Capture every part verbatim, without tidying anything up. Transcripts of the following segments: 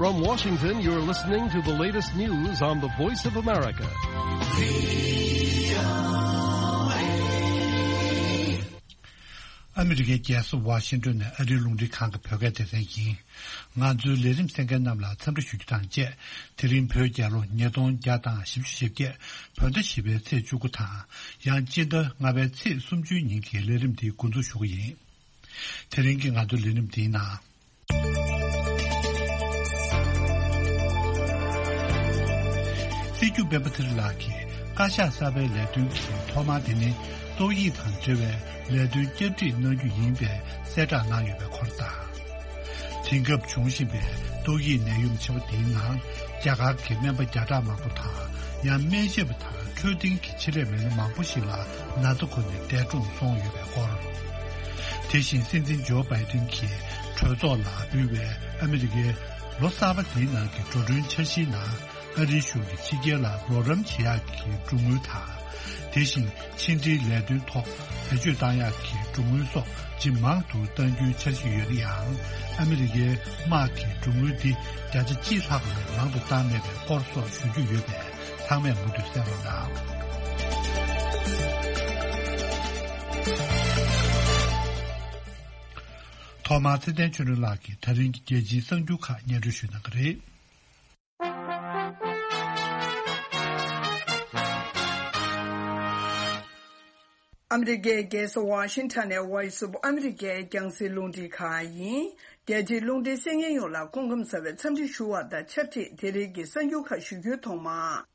From Washington, you're listening to the latest news on the Voice of America. ཨ་མི་རི་ཀའི་རྒྱལ་ས་ཝ་ཤིང་ཏོན་ནས་ཨ་རིའི་རླུང་འཕྲིན་ཁང་གི་བོད་སྐད་སྡེ་ཚན་ཡིན། ང་ཚོའི་ལས་རིམ་གསན་མཁན་རྣམས་ལ་འཚམས་འདྲི་ཞུ་རྒྱུ་དང་བཅས། དེ་རིང་བོད་རྒྱལ་ལོ་ཉིས་སྟོང་བརྒྱ་དང་བཞི་བཅུ་ཞེ་བརྒྱད། བོད་ཟླ་བཞི་པའི་ཚེས་བཅུ་དགུ་དང་། ཡང་སྤྱི་ཟླ་ལྔ་པའི་ཚེས་སུམ་ཅུའི་ཉིན་གྱི་ལས་རིམ་འདི་འགོ་འཛུགས་ཞུ་གི་ཡིན། དེ་རིང་གི་ང་ཚོའི་ལས་རིམ་འདིའི་ནང་། སྲིད་སྐྱོང་སྤེན་པ་ཚེ་རིང་ལགས་ཀྱིས་བཀའ་ཤག་གསར་པའི་ལས་དོན་གྱི་ཐོག་མ་དེ་ནི་ཏོག་དབྱིབས་དང་འབྲེལ་བའི་ལས་དོན་བསྐྱར་སྒྲིག་གནང་རྒྱུ་ཡིན་པའི་གསལ་བསྒྲགས་གནང་ཡོད་པའི་སྐོར་དང་། དེང་སྐབས་འབྱུང་བཞིན་པའི་ཏོག་དབྱིབས་ནད་ཡམས་ཆེན་པོ་དེའི་ནང་རྒྱ་གར་གྱི་སྨན་པ་བརྒྱ་ཕྲག་མང་པོ་དང་ཡང་སྨན་ཞབས་དང་འཕྲོད་བསྟེན་གྱི་ཆེད་ལས་མི་སྣ་མང་པོ་ཞིག་ལ་ན་ཚ་ཁོ་ནས་འདས་གྲོངས་སོང་ཡོད་པའི་སྐོར། དེ་བཞིན་སྲིད་འཛིན་ཇོ་བྷའི་ཏིན་གྱིས་གྲོས་ཚོགས་ལ་འབུལ་བའི་ཨ་མི་རི་ཀའི་ལོ་གསར་པ་དེའི་ནང་གི་འགྲོ་གྲོན་འཆར་གཞིའི་ནང་ཨ་རིའི་གཞུང་གིས་ཕྱི་རྒྱལ་ལ་རོགས་རམ་བྱེད་ཡག་གི་གྲོན་དངུལ་དང་། དེ་བཞིན་ཕྱི་འབྲེལ་ལས་དོན་ཐོག་བེད་སྤྱོད་བཏང་ཡག་གི་གྲོན་དངུལ་སོགས་ཇེ་མང་དུ་གཏང་རྒྱུའི་འཆར་གཞི་ཡོད་ན་ཡང་། ཨ་མི་རི་ཀའི་དམག་གི་གྲོན་དངུལ་འདི་བརྒྱ་ཆ་གཅིག་ལྷག་ལས་མང་དུ་བཏང་མེད་པའི་སྐོར་སོགས་ཞུ་རྒྱུ་ཡོད་པས། ཚང་མས་མུ་མཐུད་གསན་རོགས་གནང་། ཐོག་མར་ཚེ་བརྟན་ཆོས་སྒྲོན་ལགས་ཀྱིས་ད་རིང་གི་རྒྱལ་སྤྱིའི་གསར་འགྱུར་ཁག་སྙན་སྒྲོན་ཞུ་གནང་གི་རེད། ཨ་མི་རི་ཀའི་རྒྱལ་ས་ཝ་ཤིང་ཊོན་ནས་Voice of America་རྒྱང་སྲིང་རླུང་འཕྲིན་ཁང་ཡིན། རྒྱལ་སྤྱིའི་རླུང་འཕྲིན་གསན་མཁན་ཡོངས་ལ་སྐུ་ཁམས་བཟང་བའི་འཚམས་འདྲི་ཞུ་བ་དང་ཆབས་ཅིག་དེ་རིང་གི་གསར་འགྱུར་ཁག་ཞུ་རྒྱུའི་ཐོག་མ།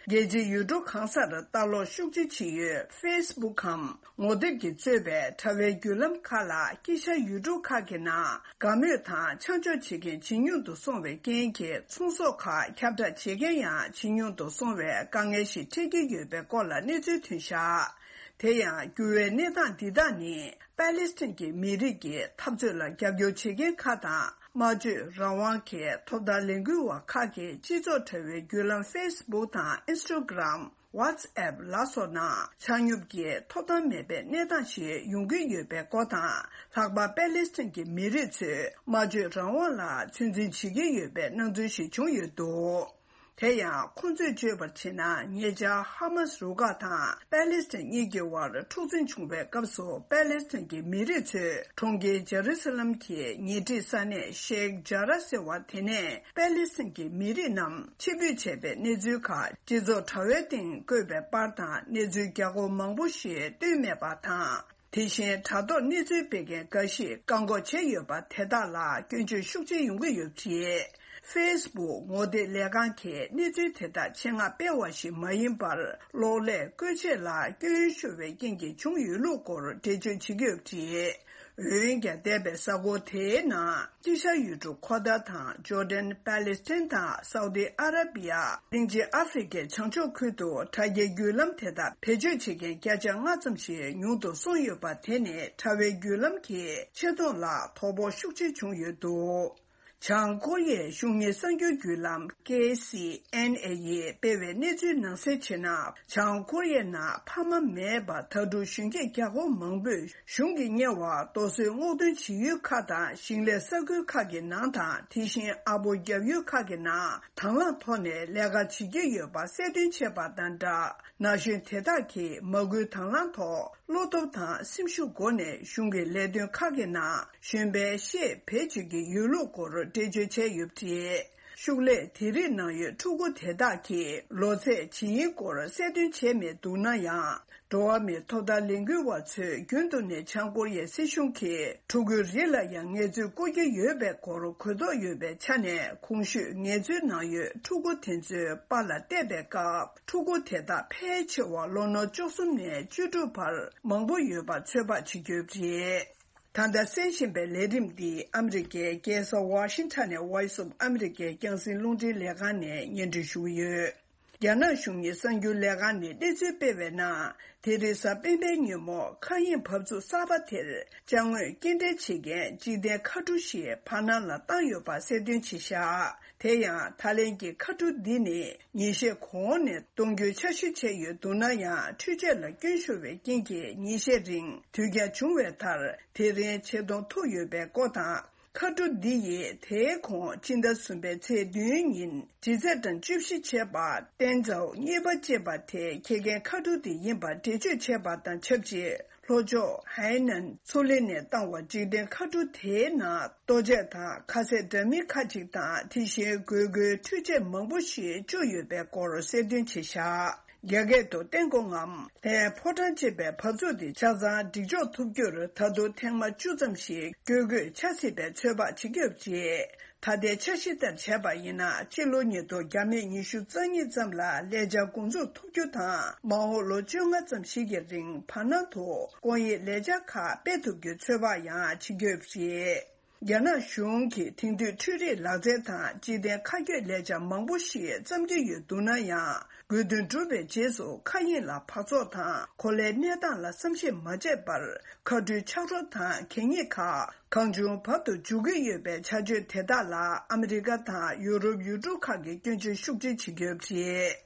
རྒྱལ་སྤྱིའི་ཡུལ་གྲུ་གང་སར་ལྟ་ཀློག་ཤུགས་ཆེ་བྱེད་ཡུལ་ཕེ་སི་བུག་གམ་ངོ་དེབ་ཀྱིས་གཙོས་པའི་དྲ་བའི་བརྒྱུད་ལམ་ཁག་ལ་དཀྱིལ་ཤར་ཡུལ་གྲུ་ཁག་གི་ནང་དགའ་མོས་དང་ཆ་འཇོག་བྱེད་མཁན་ཇེ་ཉུང་དུ་སོང་བའི་རྐྱེན་གྱིས་ཚོང་ཟོག་ཁག་ཁྱབ་བསྒྲགས་བྱེད་མཁན་ཡང་ཇེ་ཉུང་དུ་སོང་བའི་དཀའ་ངལ་ཞིག་འཕྲད་ཀྱི་ཡོད་པའི་སྐོར་ལ་གནས་ཚུལ་ཐོན་བཞག་དེ་ཡང་འགྱུར་བའི་གནས་སྟངས་འདི་དག་ནི་པ་ལེ་སི་ཐན་གྱི་མི་རིགས་ཀྱི་འཐབ་རྩོད་ལ་རྒྱབ་སྐྱོར་བྱེད་མཁན་ཁག་དང་། སྨྲ་བརྗོད་རང་དབང་གི་ཐོབ་ཐང་ལས་འགུལ་བ་ཁག་གིས་སྤྱི་ཚོགས་དྲ་བའི་བརྒྱུད་ལམ་ཕེ་སི་བུག་དང་ཨིན་སི་ཊ་གྷི་རམ། ཝ་ཊི་སི་ཨེབ་ལ་སོགས་ནང་ཆ་སྙོམས་ཀྱི་ཐོབ་ཐང་མེད་པའི་གནས་སྟངས་ཤིག་ཡོང་གི་ཡོད་པའི་སྐོར་དང་། ལྷག་པར་པེ་ལེ་སི་ཐན་གྱི་མི་རིགས་ཚོས་སྨྲ་བརྗོད་རང་དབང་ལ་ཚོད་འཛིན་བྱེད་ཀྱི་ཡོད་པའི་སྣང་ཚུལ་ཞིག་བྱུང་ཡོད་འདུག་དེ་ཡང་ཁོང་ཚོས་བརྗོད་པར་བྱས་ན། ཉེ་ཆར་ཧ་མཱ་སི་རུ་ཁག་དང་པེ་ལེ་སི་ཐན་གཉིས་ཀྱི་དབར་འཁྲུག་འཛིང་བྱུང་བའི་སྐབས་སུ། པེ་ལེ་སི་ཐན་གྱི་མི་རིགས་ཚོས་གྲོང་ཁྱེར་ཇེ་རུ་སི་ལམ་གྱི་ཉེ་འཁྲིས་ས་གནས་ཤེག་ཇ་ར་ཟེར་བ་དེ་ནས་པེ་ལེ་སི་ཐན་གྱི་མི་རིགས་རྣམས་ཕྱིར་འབུད་བྱས་པའི་གནས་ཚུལ་ཁག་སྤྱི་ཚོགས་དྲ་བའི་སྟེང་བཀོད་པའི་པར་དང་གནས་ཚུལ་རྒྱ་སྒོར་མང་པོ་ཞིག་བཏོན་མེད་པ་དང་། དེ་བཞིན་དྲ་ཐོག་གནས་ཚུལ་སྤེལ་མཁན་འགའ་ཞིག་བཀག་འགོག་བྱས་ཡོད་པ་དེ་དག་ལ་སྐྱོན་བརྗོད་ཤུགས་ཆེ་ཡོང་གི་ཡོད་པ་རེད། ཕེ་སི་བུག་ངོ་དེབ་ལས་ཁང་གིས་གནས་ཚུལ་དེ་དག་ཆེད་མངགས་སྤེལ་བ་ཞིག་མ་ཡིན་པར། གློག་ཀླད་བཀོལ་ཆས་ལ་སྐྱོན་ཤོར་བའི་རྐྱེན་གྱིས་བྱུང་ཡོད་ལུགས་སྐོར་འགྲེལ་བརྗོད་བྱེད་ཀྱི་ཡོད་པ་རེད། འོན་ཀྱང་། འདས་པའི་གཟའ་འཁོར་དེའི་ནང་དཀྱིལ་ཤར་ཡུལ་གྲུ་ཁོ་ཐར་དང་། ཇོར་ཌན། པེ་ལེ་སི་ཐན་དང་སའུ་ཏི་ཨ་ར་བི་ཡ། གླིང་ཆེན་ཨ་ཧྥེ་རི་ཁའི་བྱང་ཕྱོགས་ཁུལ་དུ་དྲ་རྒྱའི་བརྒྱུད་ལམ་དེ་དག་བེད་སྤྱོད་བྱེད་མཁན་བརྒྱ་ཆ་ལྔ་ཙམ་ཞིག་ཉུང་དུ་སོང་ཡོད་པ་དེ་ནི་དྲ་བའི་བརྒྱུད་ལམ་གྱི་ཆེ་མཐོང་ལ་དོ་ཕོག་ཤུགས་ཆེ་བྱུང་ཡོད་འདུག་བྱང་ཀོ་རི་ཡའི་གཞུང་གཉེར་གསར་འགྱུར་བརྒྱུད་ལམ་ཀེ་སི་ཨེན་ཨེ་ཡིས་སྤེལ་བའི་གནས་ཚུལ་ནང་གསལ་བྱས་ན། བྱང་ཀོ་རི་ཡའི་ནང་ཕ་མ་མེད་པར་ད་དུང་གཞོན་སྐྱེས་རྒྱ་སྒོར་མང་པོས་གཞུང་གིས་གཉེར་བར་རྡོ་སོལ་སྔོག་འདོན་བྱེད་ཡུལ་ཁག་དང་། ཞིང་ལས་ས་ཁུལ་ཁག་གི་ནང་དང་། དེ་བཞིན་ཨ་སྦོམ་རྒྱག་ཡུལ་ཁག་གི་ནང་དང་བླངས་ཐོག་ནས་ལས་ཀ་བྱེད་ཀྱི་ཡོད་པ་གསལ་སྟོན་བྱས་པ་དང་སྦྲགས། ན་གཞོན་དེ་དག་གིས་མ་སྐུལ་དང་བླངས་ཐོག་བློ་སྟོབས་དང་སེམས་ཤུགས་སྒོ་ནས་གཞུང་གི་ལས་དོན་ཁག་གི་ནང་གཞོན་པའི་ཤེད་བེད་སྤྱོད་ཀྱི་ཡོད་ལུགས་སྐོར་འགྲེལ་བརྗོད་བྱས་ཡོད་པ་རེད། ཤུགས་ལས་དེ་རིགས་ནང་ཡོད་ཕྲུ་གུ་དེ་དག་གི་ལོ་ཚད་ཇི་ཡིན་སྐོར་གསལ་སྟོན་བྱས་མེད་འདུག་ན་ཡང་། འགྲོ་བ་མིའི་ཐོབ་ཐང་ལས་འགུལ་བ་ཚོས་རྒྱུན་དུ་ནས་བྱང་ཀོ་རི་ཡའི་སྲིད་གཞུང་གིས་ཕྲུ་གུའི་རིགས་ལ་ཡང་ངལ་རྩོལ་བསྐུར་གྱི་ཡོད་པའི་སྐོར་གོ་རྟོགས་ཡོད་པའི་ཆ་ནས། གོང་ཞུས་ངལ་རྩོལ་ནང་ཡོད་ཕྲུ་གུ་དེ་ཚོའི་པཱ་ལགས་བལྟས་པའི་སྐབས། ཕྲུ་གུ་དེ་དག་ཕལ་ཆེ་བ་ལོ་ན་བཅུ་གསུམ་ནས་བཅུ་དྲུག་བར་མང་པོ་ཡོད་པ་ཚོད་དཔག་བྱེད་ཀྱི་ཡོད་པ་རེད། ད་ལྟ་གསན་བཞིན་པའི་ལས་རིམ་འདི་ཨ་མི་རི་ཀའི་རྒྱལ་ས་ཝ་ཤིང་ཊོན་ནས་Voice of America་རྒྱང་སྲིང་རླུང་འཕྲིན་ལས་ཁང་ནས་སྙན་སྒྲོན་ཞུ་གི་ཡོད། རྒྱ་ནག་གཞུང་གཉེར་གསར་འགྱུར་ལས་ཁང་ནས་གནས་ཚུལ་སྤེལ་བའི་ནང་། དེ་རིང་གཟའ་སྤེན་པའི་ཉིན་མོ་མཁའ་དབྱིངས་བབས་ཚུགས་གསར་པ་དེར་ཅ་དངོས་སྐྱེལ་འདྲེན་བྱེད་མཁན་འཇིག་རྟེན་མཁའ་གྲུ་ཞིག་བར་སྣང་ལ་བཏང་ཡོད་པ་གསལ་སྟོན་བྱས་བཞག་དེ་ཡང་། ཐའི་ལེན་གྱི་མཁའ་གྲུ་འདི་ནི་ཉིན་ཤས་གོང་ནས་གཏོང་རྒྱུའི་འཆར་གཞི་བྱས་ཡོད་འདུག་ན་ཡང་། འཕྲུལ་ཆས་ལ་སྐྱོན་ཤོར་བའི་རྐྱེན་གྱིས་ཉིན་ཤས་རིང་དུས་འགྱངས་བྱུང་བའི་མཐར། དེ་རིང་ཆེད་གཏོང་ཐུབ་ཡོད་པའི་སྐོར་དང་། མཁའ་འགྲོ་འདི་ཡིས་དེའི་གོང་སྤྱི་ཟླ་གསུམ་པའི་ཚེས་བདུན་ཉིན་ལྗིད་ཚད་གྲངས་བཅུ་བཞི་བྱས་པ་ཏན་ཙའོ་གཉིས་པ་ཅེས་པ་དེ་ཁྱེད་རྒན་མཁའ་འགྲོ་དེ་ཡིན་པ་འགྲེལ་བརྗོད་བྱས་པ་དང་ཆབས་ཅིག་ལྷོ་ཕྱོགས་ཧའེ་ནན་མཚོ་གླིང་ནས་བཏང་བ་འཇིག་རྟེན་མཁའ་འགྲོ་དེའི་ནང་ལྟོ་ཆས་དང་ཁ་ཟས་འདྲ་མིན་ཁག་ཅིག་དང་དེ་བཞིན་དགོས་མཁོའི་འཕྲུལ་ཆས་མང་པོ་ཞིག་བཅུག་ཡོད་པའི་སྐོར་གསལ་སྟོན་བྱས་བཞག་རྒྱ་སྐད་དུ་ཏན་ཀོ་ངམ་ལྷའི་ཕོ་བྲང་ཅེས་པའི་བར་ཚུགས་དེ་ཆ་ཚང་སྒྲིག་འཇོག་ཐུབ་རྒྱུར་ད་དུང་ཐེངས་མ་བཅུ་ཙམ་ཞིག་བསྐྱོད་དགོས་ཆགས་སྲིད་པའི་ཚོད་དཔག་བྱེད་ཀྱི་ཡོད་པ་རེད། ད་ལྟའི་འཆར་གཞི་ལྟར་བྱས་པ་ཡིན་ན་སྤྱི་ལོ་ཉིས་སྟོང་བརྒྱ་མེད་ཉི་ཤུ་རྩ་གཉིས་ཙམ་ལ་ལས་འཆར་འགོ་འཛུགས་ཐུབ་རྒྱུ་དང་མ་འོངས་ལོ་བཅོ་ལྔ་ཙམ་ཞིག་གི་རིང་བར་སྣང་དུ་སྐོང་ཡིག་ལས་འཆར་ཁག་སྤེལ་ཐུབ་རྒྱུའི་ཚོད་དཔག་ཡང་བྱེད་ཀྱི་ཡོད་པ་རེད། རྒྱ་ནག་གཞུང་གིས་དེང་དུས་འཕྲུལ་རིག་ལག་རྩལ་དང་སྤྱི་བདེ་ཁ་གྱོད་ལས་འཆར་མང་པོ་ཞིག་བརྩམས་ཀྱི་ཡོད་འདུག་ན་ཡང་དགོས་འདུན་གྲུབ་པའི་རྗེས་སུ་མཁའ་དབྱིངས་ལ་འཕག་འཚག་དང་གོ་ལའི་གནས་སྟངས་ལ་བསམ་ཤེས་མ་བྱས་པར་མཁའ་འགྲུལ་ཆག་རོ་དང་གད་སྙིགས་ཁག་གང་བྱུང་བར་དུ་འཇུག་གི་ཡོད་པའི་བྱ་སྤྱོད་དེ་དག་ལ་ཨ་མི་རི་ཀ་དང་ཡུ་རོབ་ཡུལ་གྲུ་ཁག་གིས་སྐྱོན་བརྗོད་ཤུགས་ཆེ་བྱེད་ཀྱི་ཡོད་པ་རེད།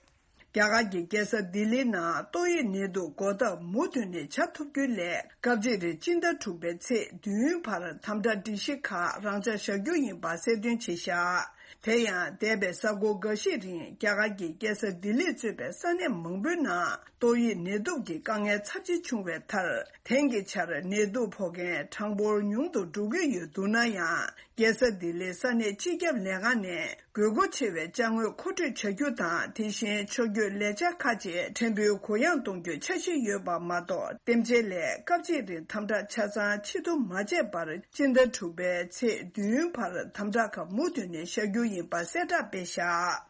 རྒྱ་གར་གྱི་རྒྱལ་ས་ལྡི་ལིའི་ནང་ཏོག་དབྱིབས་ནད་དུག་འགོག་ཐབས་མུ་མཐུད་ནས་བྱ་ཐུབ་རྒྱུ་སླད་སྐབས་གཅིག་རེ་སྤྱི་ཟླ་དྲུག་པའི་ཚེས་བདུན་བར་དམ་དྲག་སྒྲིག་གཞི་ཁག་རང་འཇགས་བཞག་རྒྱུ་ཡིན་པ་གསལ་སྟོན་བྱས་བཞག་དེ་ཡང་འདས་པའི་གཟའ་འཁོར་འགའ་ཤས་རིང་རྒྱ་གར་གྱི་རྒྱལ་ས་ལྡི་ལིར་གཙོས་པའི་ས་གནས་མང་པོའི་ནང་ཏོག་དབྱིབས་ནད་དུག་གི་དཀའ་ངལ་ཚབས་ཆེ་བྱུང་བའི་མཐར། དེང་གི་ཆར་ནད་དུག་ཕོག་མཁན་གྲངས་འབོར་ཉུང་དུ་འགྲོ་གི་ཡོད་འདུག་ན་ཡང་། རྒྱལ་ས་ལྡི་ལིའི་ས་གནས་སྤྱི་ཁྱབ་ལས་ཁང་ནས་དགོས་མཁོ་ཆེ་བའི་ཅ་དངོས་མཁོ་སྤྲོད་བྱ་རྒྱུ་དང་། དེ་བཞིན་ཕྱོགས་བསྐྱོད་ལས་འཆར་ཁག་ཅིག་ཕྲན་བུ་གུ་ཡངས་གཏོང་རྒྱུའི་འཆར་གཞི་ཡོད་པ་མ་གཏོགས། འདེམས་བྱེད་ལས་སྐབས་གཅིག་རིང་དམ་དྲག་ཆ་ཚང་ཕྱིར་བསྡུ་མ་བྱས་པར། སྤྱི་ཟླ་དྲུག་པའི་ཚེས་བདུན་བར་དམ་དྲག་ཁག་མུ་མཐུད་ནས་བཞག་རྒྱུ་ཡིན་པ་གསལ་བསྒྲགས་སྤེལ་བཞག་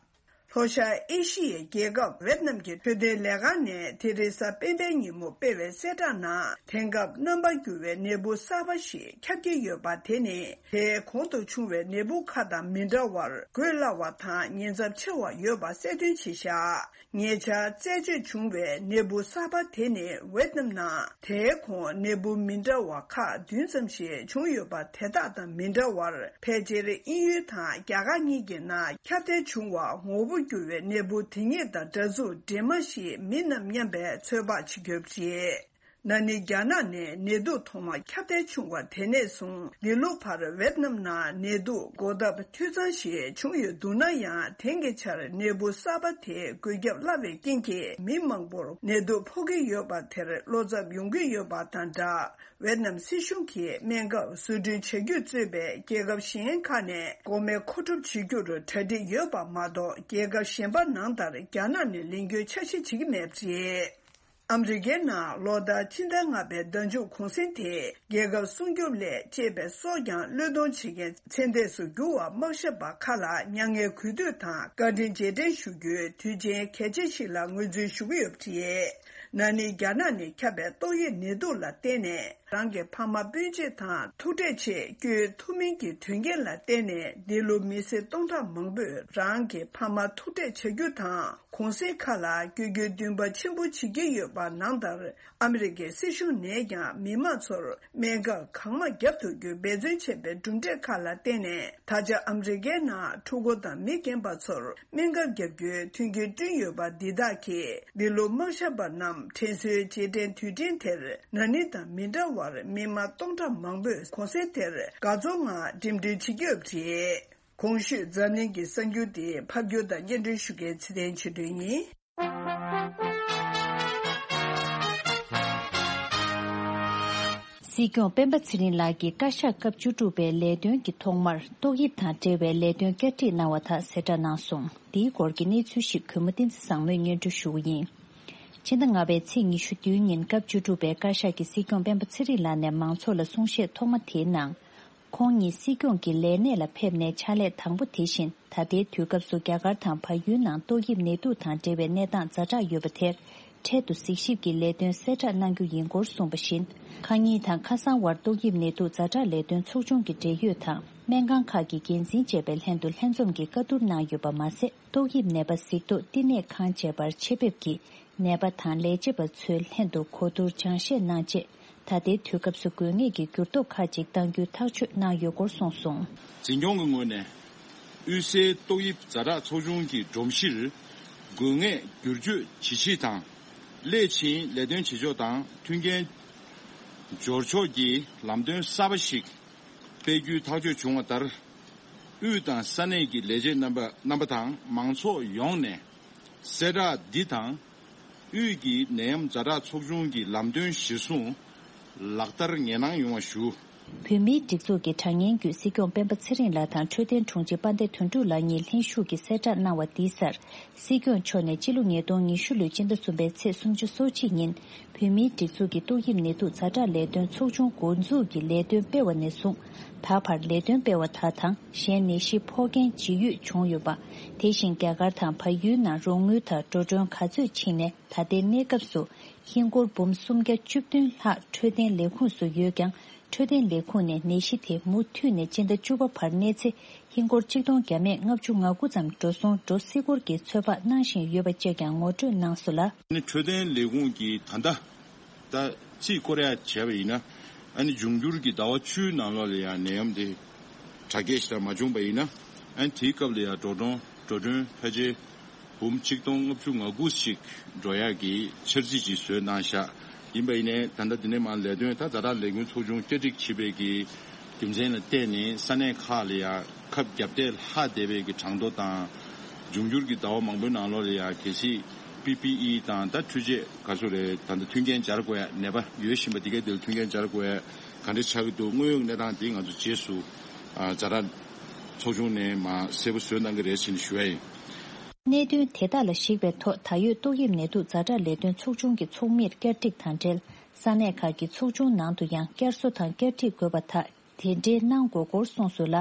ལྷོ་ཤར་ཨེ་ཤི་ཡའི་རྒྱལ་ཁབ་ཝེད་ནམ་གྱི་འཕྲོད་བསྟེན་ལས་ཁང་ནས་དེ་རིང་གཟའ་སྤེན་པའི་ཉིན་མོ་སྤེལ་བའི་གསལ་བསྒྲགས་ནང་། དེང་སྐབས་རྣམ་པར་འགྱུར་བའི་ནད་འབུ་གསར་པ་ཞིག་ཁྱབ་ཀྱི་ཡོད་པ། དེ་ནི་དེའི་གོང་དུ་བྱུང་བའི་ནད་འབུ་ཁག་དང་མི་འདྲ་བར་འགོས་སླ་བ་དང་ཉེན་ཚབས་ཆེ་བ་ཡོད་པ་གསལ་སྟོན་བྱས་བཞག་ཉེ་ཆར་རྩད་གཅོད་བྱུང་བའི་ནད་འབུ་གསར་པ་དེ་ནི་ཝེད་ནམ་ནང་དེའི་གོང་ནད་འབུ་མི་འདྲ་བ་ཁག་བདུན་ཙམ་ཞིག་བྱུང་ཡོད་པ། དེ་དག་དང་མི་འདྲ་བར་ཕལ་ཆེར་དབྱིན་ཡུལ་དང་རྒྱ་གར་གཉིས་ཀྱི་ནང་ཁྱབ་གདལ་བྱུང་བ། ངོ་བོ་འགྱུར་བའི་ནད་འབུ་དེ་ཉིད་དང་འདྲ་མཚུངས་འདྲེས་མ་ཞིག་མིན་ནམ་སྙམ་པའི་ཚོད་དཔག་བྱེད་ཀྱི་ཡོད་པ་རེད། ན་ནིང་རྒྱ་ནག་ནས་ནད་དུག་ཐོག་མ་ཁྱབ་གདལ་བྱུང་བ་དེ་ནས་བཟུང་འདི་ལོ་བར་ཝེད་ནམ་ནང་ནད་དུག་འགོག་ཐབས་འཐུས་ཚང་ཞིག་བྱུང་ཡོད་འདུག་ན་ཡང་། དེང་གི་ཆར་ནད་འབུ་གསར་པ་དེས་འགོས་ཁྱབ་སླ་བའི་རྐྱེན་གྱིས་མི་མང་པོར་ནད་དུག་ཕོག་གི་ཡོད་པ་དེར་བློ་འཚབ་ཡོང་གི་ཡོད་པ་དང་སྦྲགས། ཝེད་ནམ་སྲིད་གཞུང་གིས་སྨན་ཁབ་བཟོ་སྐྲུན་བྱ་རྒྱུ་གཙོས་པའི་རྒྱལ་ཁབ་གཞན་ཁག་ནས་འགོག་སྨན་མཁོ་སྒྲུབ་བྱེད་རྒྱུར་གྲ་སྒྲིག་ཡོད་པ་མ་གཏོགས། རྒྱལ་ཁབ་གཞན་པ་ནང་ལྟར་རྒྱ་ནག་ནས་ལེན་རྒྱུའི་འཆར་གཞི་བྱེད་ཀྱི་མེད་པ་རེད། ཨ་མི་རི་ཀའི་ནང་ལོ་ལྟར་སྤྱི་ཟླ་ལྔ་པའི་ཟླ་མཇུག་གུང་སེང་དེ་རྒྱལ་ཁབ་སྲུང་སྐྱོབ་སླད་ཅེས་པའི་སྲོག་ཀྱང་བློས་གཏོང་བྱེད་མཁན་ཚེ་འདས་སུ་གྱུར་བ་དམག་ཞབས་པ་ཁག་ལ་མྱ་ངན་གུས་འདུད་དང་བཀའ་དྲིན་རྗེས་དྲན་ཞུ་རྒྱུའི་དུས་ཆེན་གལ་ཆེ་ཞིག་ལ་ངོས་འཛིན་ཞུ་གི་ཡོད་པ་རེད། ན་ནིང་རྒྱ་ནག་ནས་ཁྱབ་པའི་ཏོག་དབྱིབས་ནད་དུག་ལ་བརྟེན་ནས་རང་གི་ཕ་མ་སྤུན་མཆེད་དང་ཐུག་འཕྲད་ཆེད་བསྐྱོད་ཐུབ་མིན་གྱི་དོན་རྐྱེན་ལ་བརྟེན་ནས། འདི་ལོ་མི་སེར་སྟོང་ཕྲག་མང་པོས་རང་གི་ཕ་མ་ཐུག་འཕྲད་བྱ་རྒྱུ་དང་། གུང་སེང་ཁག་ལ་བསྐྱོད་རྒྱུའི་འདུན་པ་ཆེན་པོ་བྱེད་ཀྱི་ཡོད་པ་ནང་ལྟར། ཨ་མི་རི་ཀའི་སྲིད་གཞུང་ནས་ཀྱང་མི་མང་ཚོར་སྨན་ཁབ་གང་མང་བརྒྱབ་ཐུབ་རྒྱུའི་འབད་བརྩོན་བྱས་པའི་གྲུབ་འབྲས་ཁག་ལ་བརྟེན་ནས། ད་ཆ་ཨ་མི་རི་ཀའི་ནང་ཕྲུ་གུ་དང་མི་རྒན་པ་ཚོར་སྨན་ཁབ་བརྒྱབ་རྒྱུའི་མཐུན་རྐྱེན་བསྐྲུན་ཡོད་པ། འདི་དག་གིས་འདི་ལོ་དམག་ཞབས་པ་རྣམས་དྲན་གསོའི་རྗེས་དྲན་དུས་དྲན་དེར་ན་ནིང་དང་མི་འདྲ་བར་མི་མང་སྟོང་ཕྲག་མང་པོས་གུང་སེང་དེར་དགའ་ཚོར་ངང་འགྲིམ་འགྲུལ་བྱེད་ཀྱི་ཡོད་པ་རེད། གོང་ཞུས་འཛམ་གླིང་གི་གསར་འགྱུར་དེ་ཕབ་སྒྱུར་དང་སྙན་སྒྲོན་ཞུ་མཁན་ཚེ་བརྟན་ཆོས་སྒྲོན་ཡིན། སྲིད་སྐྱོང་སྤེན་པ་ཚེ་རིང་ལགས་ཀྱིས་བཀའ་ཤག་སྐབས་བཅུ་དྲུག་པའི་ལས་དོན་གྱི་ཐོག་མར་ཏོག་དབྱིབས་དང་འབྲེལ་བའི་ལས་དོན་བསྐྱར་སྒྲིག་གནང་བ་དག་གསལ་བསྒྲགས་གནང་སོང་། འདིའི་སྐོར་གྱི་གནས་ཚུལ་ཞིག་གུས་མོ་བསྟན་འཛིན་བཟང་མོས་སྙན་སྒྲོན་ཞུ་གི་ཡིན། ཕྱི་ཟླ་ལྔ་པའི་ཚེས་ཉི་ཤུ་བདུན་ཉིན་སྐབས་བཅུ་དྲུག་པའི་བཀའ་ཤག་གིས་སྲིད་སྐྱོང་སྤེན་པ་ཚེ་རིང་ལགས་ནས་མང་ཚོགས་ལ་གསུང་བཤད་ཐོག་མ་དེའི་ནང་། ཁོང་ཉིད་སྲིད་སྐྱོང་གི་ལས་གནས་ལ་ཕེབས་ནས་ཕྱག་ལས་དང་པོ་དེ་བཞིན། ད་ལྟའི་དུས་སྐབས་སུ་རྒྱ་གར་དང་བལ་ཡུལ་ནང་ཏོག་དབྱིབས་ནད་དུག་དང་འབྲེལ་བའི་གནས་སྟངས་ཛ་དྲག་ཡོད་པ་དེར། འཕྲལ་དུ་གཟིགས་ཞིབ་ཀྱི་ལས་དོན་གསལ་བསྒྲགས་གནང་རྒྱུ་ཡིན་སྐོར་གསུངས་པ་བཞིན། ཁ་ཉིན་དང་ཁ་སང་བར་ཏོག་དབྱིབས་ནད་དུག་ཛ་དྲག་ལས་དོན་ཚོགས་ཆུང་གི་འབྲེལ་ཡོད་དང་། སྨན་ཁང་ཁག་གི་འགན་འཛིན་བཅས་པའི་ལྷན་དུ་ལྷན་འཛོམས་ཀྱིས་བཀའ་བསྡུར་གནང་ཡོད་པ་མ་ཟད། ཏོག་དབྱིབས་ནད་པ་གཟིགས་རྟོག་བསྟི་གནས་ཁང་བཅས་པར་ཆེད་ཕེབས་ཀྱིས། ནད་པ་དང་ལས་བྱེད་པ་ཚོའི་ལྷན་དུ་གོ་བསྡུར་སྦྱང་བཤད་གནང་རྗེས། ད་ལྟའི་དུས་སྐབས་སུ་དགོས་ངེས་ཀྱི་འགྱུར་ལྡོག་ཁག་ཅིག་གཏང་རྒྱུའི་ཐག་གཅོད་གནང་ཡོད་སྐོར་གསུངས་སོང་། འཛིན་སྐྱོང་གི་ངོས་ནས། དབུས་སའི་ཏོག་དབྱིབས་ཛ་དྲག་ཚོགས་ཆུང་གི་སྒྲོམ་གཞིར། དགོས་ངེས་བསྒྱུར་བཅོས་ཇི་ཆེ་དང་། སླད་ཕྱིན་ལས་དོན་བྱེད་ཕྱོགས་དང་མཐུན་རྐྱེན་སྦྱོར་ཕྱོགས་ཀྱི་ལམ་སྟོན་གསར་པ་ཞིག་ སྤེལ་རྒྱུའི་ཐག་གཅོད་བྱུང་བ་ལྟར། དབུས་དང་ས་གནས་ཀྱི་ལས་བྱེད་རྣམ་པ་རྣམ་པ་དང་མང་ཚོགས་ཡོངས་ནས་གསལ་བསྒྲགས་འདི་དང་། དབུས་ཀྱི་ནད་ཡམས་ཛ་དྲག་ཚོགས་ཆུང་གི་ལམ་སྟོན་གཞིར་བཟུང་ལག་བསྟར་ངེས་གནང་ཡོང་བ་ཞུ། བོད་མིའི་སྒྲིག་འཛུགས་ཀྱི་དྲ་བརྙན་བརྒྱུད་སྲིད་སྐྱོང་སྤེན་པ་ཚེ་རིང་ལགས་དང་འཕྲོད་བསྟེན་དྲུང་ཆེ་དཔལ་ལྡན་དོན་གྲུབ་ལགས་གཉིས་ལྷན་ཞུགས་ཀྱིས་གསལ་བསྒྲགས་གནང་བ་འདིའི་སར། སྲིད་སྐྱོང་མཆོག་ནས་སྤྱི་ལོ་ཉིས་སྟོང་ཉི་ཤུ་ལོའི་སྤྱི་ཟླ་གསུམ་པའི་ཚེས་སུམ་ཅུ་སོ་གཅིག་ཉིན། བོད་མིའི་སྒྲིག་འཛུགས་ཀྱི་ཏོག་དབྱིབས་ནད་དུག་ཛ་དྲག་ལས་དོན་ཚོགས་ཆུང་འགོ་འཛུགས་ཀྱི་ལས་དོན་སྤེལ་བ་ནས་བཟུང་། ད་བར་ལས་དོན་སྤེལ་བ་དག་དང་གཞན་ནད་གཞི་ཕོག་མཁན་ཇི་ཡོད་བྱུང་ཡོད་པ། དེ་བཞིན་རྒྱ་གར་དང་བལ་ཡུལ་ནང་རོགས་དངུལ་དང་འགྲོ་གྲོན་ག་ཚོད་ཕྱིན་ནས་ད་ལྟའི་གནས་སྐབས་སུ་ཧིན་སྒོར་འབུམ་སུམ་བརྒྱ་བཅུ་བདུན་ལྷག་འཕྲོད་བསྟེན་ལས་ཁུངས་སུ་ཡོད་ཀྱང་། འཕྲོད་བསྟེན་ལས་ཁུངས་ནས་ནད་གཞི་དེ་མུ་མཐུད་ནས་སྤྱི་ཟླ་བཅུ་པ་བར་གནས་ཚེ་ཧིན་སྒོར་གཅིག་སྟོང་བརྒྱ་མེད་ལྔ་བཅུ་ང་དགུ་ཙམ་འགྲོ་སོང་འགྲོ་སྲིད་སྐོར་གྱི་ཚོད་དཔག་གནང་བཞིན་ཡོད་པ་བཅས་ཀྱང་ངོ་སྤྲོད་གནང་སོང་ལ། ནི་འཕྲོད་བསྟེན་ལས་ཁུངས་ཀྱིས་ད་ལྟ་ད་རྩིས་སྐོར་ཡ་བྱས་པ་ཡིན་ན། ཨ་ནི་འབྱུང་འགྱུར་གྱི་ཟླ་བ་བཅུའི་ནང་ལོགས་ལ་ཡང་ནད་ཡམས་དེ་དྲག་སྐྱེད་ཞིག་མ་བྱུང་པ་ཡིན་ན། ཨ་ནི་དེའི་སྐབས་ལ་ཡང་འགྲོ་གྲོན་འགྲོ་གྲོན་ཕལ་ཆེར་འབུམ་གཅིག་སྟོང་ལྔ་བཅུ་ང་དགུ་ཞིག་འགྲོ་ཡག་གི་འཆར་རྩིས་ཅིག་བཟོས་གནང་ཤག་ཡིན་པ་ཡིན་ནའི་ད་ལྟ་འདི་ནས་མར་ལས་དོན་ད་ཛ་དྲག་ལས་འགུལ་ཚོགས་ཆུང་བསྐྱར་སྒྲིག་བྱེད་པའི་གི་རྒྱུ་མཚན་ལ་བརྟེན་ནས་ས་གནས་ཁག་ལ་ཡང་ཁབ་བརྒྱབ་སྟེ་ལྷག་བསྡད་པའི་གི་གྲངས་ཐོ་དང་། འབྱུང་འགྱུར་གྱི་ཟླ་བ་མང་པོའི་ནང་ལོགས་ལ་ཡང་གལ་སྲིད་པི་པི་ཨི་དང་ད་འཕྲུལ་ཆས་ག་ཚོད་རེད། ད་ལྟ་མཐུན་རྐྱེན་སྦྱར་དགོས་ཡ། ནད་པ་ཡོད་བཞིན་པ་འདི་གའི་འདིར་མཐུན་རྐྱེན་སྦྱར་དགོས་ཡ་ག་འདྲ་ཆགས་ཀྱི་འདུག་དངོས་ཡོད་གནས་སྟངས་འདི་ང་ཚོ་རྗེས་སུ་ཛ་དྲག་ཚོགས་ཆུང་ནས་མར་གསལ་པོ་བཟོས་གནང་གི་རེད་ཟེར་ནས་ཞུ་ཡ་ཡིན། གནད་དོན་དེ་དག་ལ་གཞིགས་པའི་ཐོག་ད་ཡོད་ཏོག་དབྱིབས་ནད་དུག་ཛ་དྲག་ལས་དོན་ཚོགས་ཆུང་གི་ཚོགས་མིར་བསྐྱར་སྒྲིག་དང་འབྲེལ། ས་གནས་ཁག་གི་ཚོགས་ཆུང་ནང་དུ་ཡང་བསྐྱར་གསོ་དང་བསྐྱར་སྒྲིག་དགོས་པ་དག་དེ་འདྲའི་གནང་དགོས་སྐོར་གསུངས་སོང་ལ།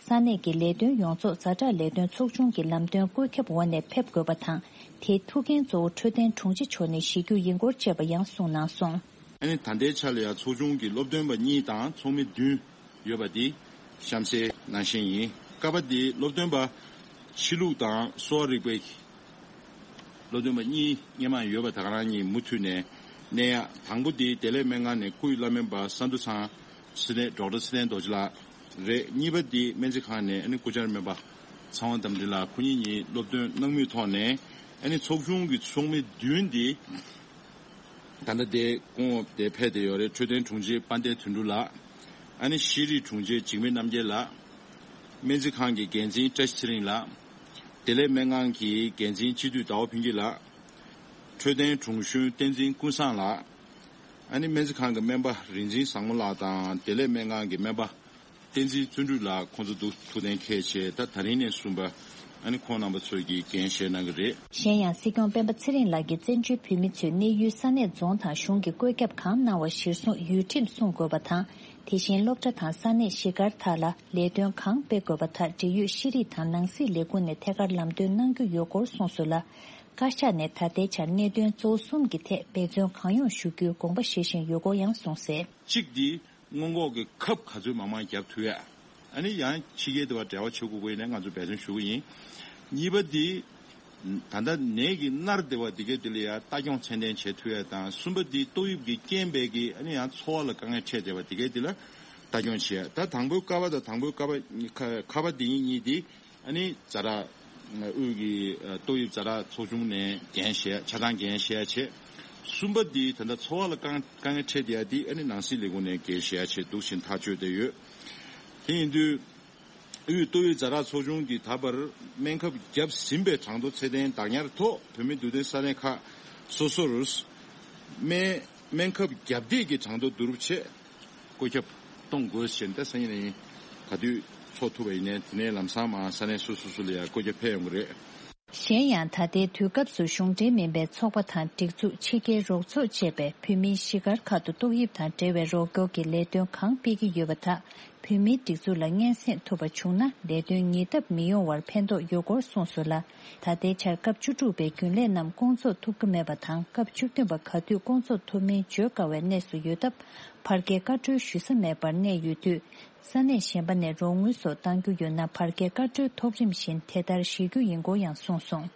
ས་གནས་ཀྱི་ལས་དོན་ཡོངས་རྫོགས་ཛ་དྲག་ལས་དོན་ཚོགས་ཆུང་གི་ལམ་སྟོན་བཀོད་ཁྱབ་འོག་ནས་ཕེབས་དགོས་པ་དང་། དེའི་ཐུགས་འགན་གཙོ་བོ་འཕྲོད་བསྟེན་དྲུང་ཆེ་མཆོག་ནས་བཞེས་རྒྱུ་ཡིན་སྐོར་བཅས་པ་ཡང་གསུངས་གནང་སོང་། ཨ་ནི་ད་ལྟའི་ཆ་ལ་ཡང་ཚོགས་ཆུང་གི་སློབ་སྟོན་པ་གཉིས་དང་ཚོགས་མི་བདུན་ཡོད་པ་འདི་གཤམ་གསལ་ནང་བཞིན་ཡིན། ཀ་པ་འདི་སློབ་སྟོན་པ་ཕྱི་ལུགས་དང་གསོ་བ་རིག་པའི་སློབ་སྟོན་པ་གཉིས་སྔོན་མ་ཡོད་པ་ད་ག་རང་གཉིས་མུ་མཐུད་ནས་གནས་ཡག་དང་པོ་འདི་བདེ་ལེགས་སྨན་ཁང་ནས་སྐུའི་བླ་སྨན་པ་ས་འདུ་ཚང་ཚེ་བརྟན་ཌོག་ཊར་ཚེ་བརྟན་རྡོ་རྗེ་ལགས་རེད། གཉིས་པ་འདི་སྨན་རྩིས་ཁང་ནས་ཨ་ནི་སྐུ་བཅར་སྨན་པ་ཚེ་དབང་རྟ་མགྲིན་ལགས། ཁོ་གཉིས་གཉིས་སློབ་སྟོན་གནང་མུས་ཐོག་ནས་ཨ་ནི་ཚོགས་ཆུང་གི་ཚོགས་མི་བདུན་འདི་ད་ལྟ་དེ་སྐུ་ངོ་དེ་ཕེབས་བསྡད་ཡོད་རེད། འཕྲོད་བསྟེན་དྲུང་ཆེ་དཔལ་ལྡན་དོན་གྲུབ་ལགས། ཨ་ནི་ཤེས་རིག་དྲུང་ཆེ་འཇིགས་མེད་རྣམ་རྒྱལ་ལགས། སྨན་རྩིས་ཁང་གི་འགན་འཛིན་བཀྲ་ཤིས་ཚེ་རིང་ལགས། བདེ་ལེགས་སྨན་ཁང་གི་འགན་འཛིན་སྤྱི་འཐུས་ཟླ་བ་ཕུན་སྐྱིད་ལགས། འཕྲོད་བསྟེན་དྲུང་གཞོན་བསྟན་འཛིན་ཀུན་བཟང་ལགས། ཨ་ནི་སྨན་རྩིས་ཁང་གི་སྨན་པ་རིག་འཛིན་བཟང་མོ་ལགས་དང་བདེ་ལེགས་སྨན་ཁང་གི་སྨན་པ་བསྟན་འཛིན་བརྩོན་འགྲུས་ལགས། ཁོང་ཚོ་འདུག་ཐུགས་གཏན་འཁེལ་བྱས། ད་ད་རིང་ནས་བཟུང་པ་ཨ་ནི་ཁོང་རྣམ་པ་ཚོས་ཀྱིས་འགན་བཞེས་གནང་གི་རེད། གཞན་ཡང་སྲིད་སྐྱོང་སྤེན་པ་ཚེ་རིང་ལགས་ཀྱིས་བཙན་བྱོལ་བོད་མི་ཚོས་གནས་ཡུལ་ས་གནས་རྫོང་དང་གཞུང་གི་བཀོད་ཁྱབ་གང་གནང་བ་གཞིར་བཟུང་ཡུལ་ཁྲིམས་སྲུང་དགོས་པ་དང་། དེ་བཞིན་སློབ་གྲྭ་དང་ས་གནས་གཞིས་སྒར་དག་ལ་ལས་དོན་གང་སྤེལ་དགོས་པ་དག་འབྲེལ་ཡོད་ཤེས་རིག་དང་ནང་སྲིད་ལས་ཁུངས་ནས་ཐད་ཀར་ལམ་སྟོན་གནང་རྒྱུ་ཡོད་སྐོར་གསུངས་སོང་ལ། བཀའ་ཤག་ནས་ད་ལྟའི་ཆར་གནད་དོན་གཙོ་བོ་གསུམ་གྱི་ཐད་འབད་བརྩོན་གང་ཡོང་ཞུ་རྒྱུའི་དགོངས་པ་བཞེས་བཞིན་ཡོད་སྐོར་ཡང་གསུངས་གསལ། གཅིག་འདི་སྔོན་འགོག་གི་ཁབ་ག་ཚོད་མང་མང་བརྒྱབ་ཐུབ་ཡ། ཨ་ནི་ཡང་ཕྱི་རྒྱལ་དུ་བ་འབྲེལ་བ་བྱེད་དགོས་ཀྱི་ཡིན་ན་ང་ཚོ་འབད་བརྩོན་ཞུ་གི་ཡིན། གཉིས་པ་འདི་ད་ལྟ་ནད་ཀྱི་མནར་བསྡད་པ་འདི་གའི་འདི་ལ་ཡང་ལྟ་སྐྱོང་ཚད་ལྡན་བྱེད་ཐུབ་ཡ་དང་། གསུམ་པ་འདི་ཏོག་དབྱིབས་ཀྱི་རྐྱེན་པས་ཀྱི་ཨ་ནི་ཡང་འཚོ་བ་ལ་དཀའ་ངལ་འཕྲད་བསྡད་པ་འདི་གའི་འདི་ལ་ལྟ་སྐྱོང་བྱེད་ཡ། ད་དང་པོའི་ཀ་པ་དང་དང་པོའི་ཀ་པ་ཁ་ཁ་པ་འདི་གཉིས་འདི་ཨ་ནི་ཛ་དྲག་དབུས་ཀྱི་ཏོག་དབྱིབས་ཛ་དྲག་ཚོགས་ཆུང་ནས་འགན་བཞེས་ཆ་ཚང་འགན་བཞེས་བྱས། གསུམ་པ་འདི་ད་ལྟ་འཚོ་བ་ལ་དཀའ་དཀའ་ངལ་འཕྲད་བསྡད་ཡ་འདི་ཨ་ནི་ནང་སྲིད་ལས་ཁུངས་ནས་འགན་བཞེས་བྱས་འདུག་བཞིན་ཐག་གཅོད་བསྡད་ཡོད། དེ་ཡིན་དུས། དབུས་ཏོག་དབྱིབས་ཛ་དྲག་ཚོགས་ཆུང་གིས་ད་བར་སྨན་ཁབ་བརྒྱབ་ཟིན་པའི་གྲངས་ཐོ་ཚད་ལྡན་བདག་ཉར་ཐོག་བོད་མིའི་འདུ་སྡེ་ས་གནས་ཁག་སོ་སོར་སྨན་སྨན་ཁབ་བརྒྱབ་འདེད་ཀྱི་གྲངས་ཐོ་བསྡུ་རུབ་ཆེད་བཀོད་ཁྱབ་གཏོང་དགོས་ཞེས་ད་སང་ཉིན་ནས་ག་དུས་ཚོགས་ཐུབ་པ་ཡིན་ནའི་དེ་ནས་ལམ་སང་མར་ས་གནས་སོ་སོ་སོ་ལ་ཡང་བཀོད་ཁྱབ་ཕེབས་ཡོང་གི་རེད། གཞན་ཡང་ད་ལྟའི་དུས་སྐབས་སུ་གཞུང་འབྲེལ་མིན་པའི་ཚོགས་པ་དང་སྒྲིག་འཛུགས་ཕྱི་རྒྱལ་རོགས་ཚོགས་བཅས་པས་བོད་མིའི་གཞིས་སྒར་ཁག་ཏུ་ཏོག་དབྱིབས་དང་འབྲེལ་བའི་རོགས་སྐྱོར་གྱི་ལས་དོན་གང་སྤེལ་གྱི་ཡོད་པ་དག་བོད་མིའི་སྒྲིག་འཛུགས་ལ་སྙན་སེང་ཐོབ་པ་བྱུང་ན་ལས་དོན་ཉིས་ལྡབ་མི་ཡོང་བར་ཕན་ཐོགས་ཡོད་སྐོར་གསུངས་སོང་ལ། ད་ལྟའི་ཆར་སྐབས་བཅུ་དྲུག་པའི་རྒྱུན་ལས་རྣམས་སྐོང་ཚོགས་ཐུབ་ཀྱི་མེད་པ་དང་སྐབས་བཅུ་བདུན་པ་ག་དུས་སྐོང་ཚོགས་ཐུབ་མིན་བརྗོད་དཀའ་བའི་གནས་སུ་ཡོད་སྟབས་ཕར་རྒྱག་བཀའ་འཁྲོལ་ཞུ་ས་མེད་པར་གནས་ཡོད་དུས། ས་གནས་གཞན་པ་ནས་རོགས་དངུལ་སོགས་གཏང་རྒྱུ་ཡོད་ན་ཕར་རྒྱག་བཀའ་འཁྲོལ་ཐོབ་རིམ་བཞིན་དེ་ལྟར་བཞེས་རྒྱུ་ཡིན་སྐོར་ཡང་གསུངས་སོང་།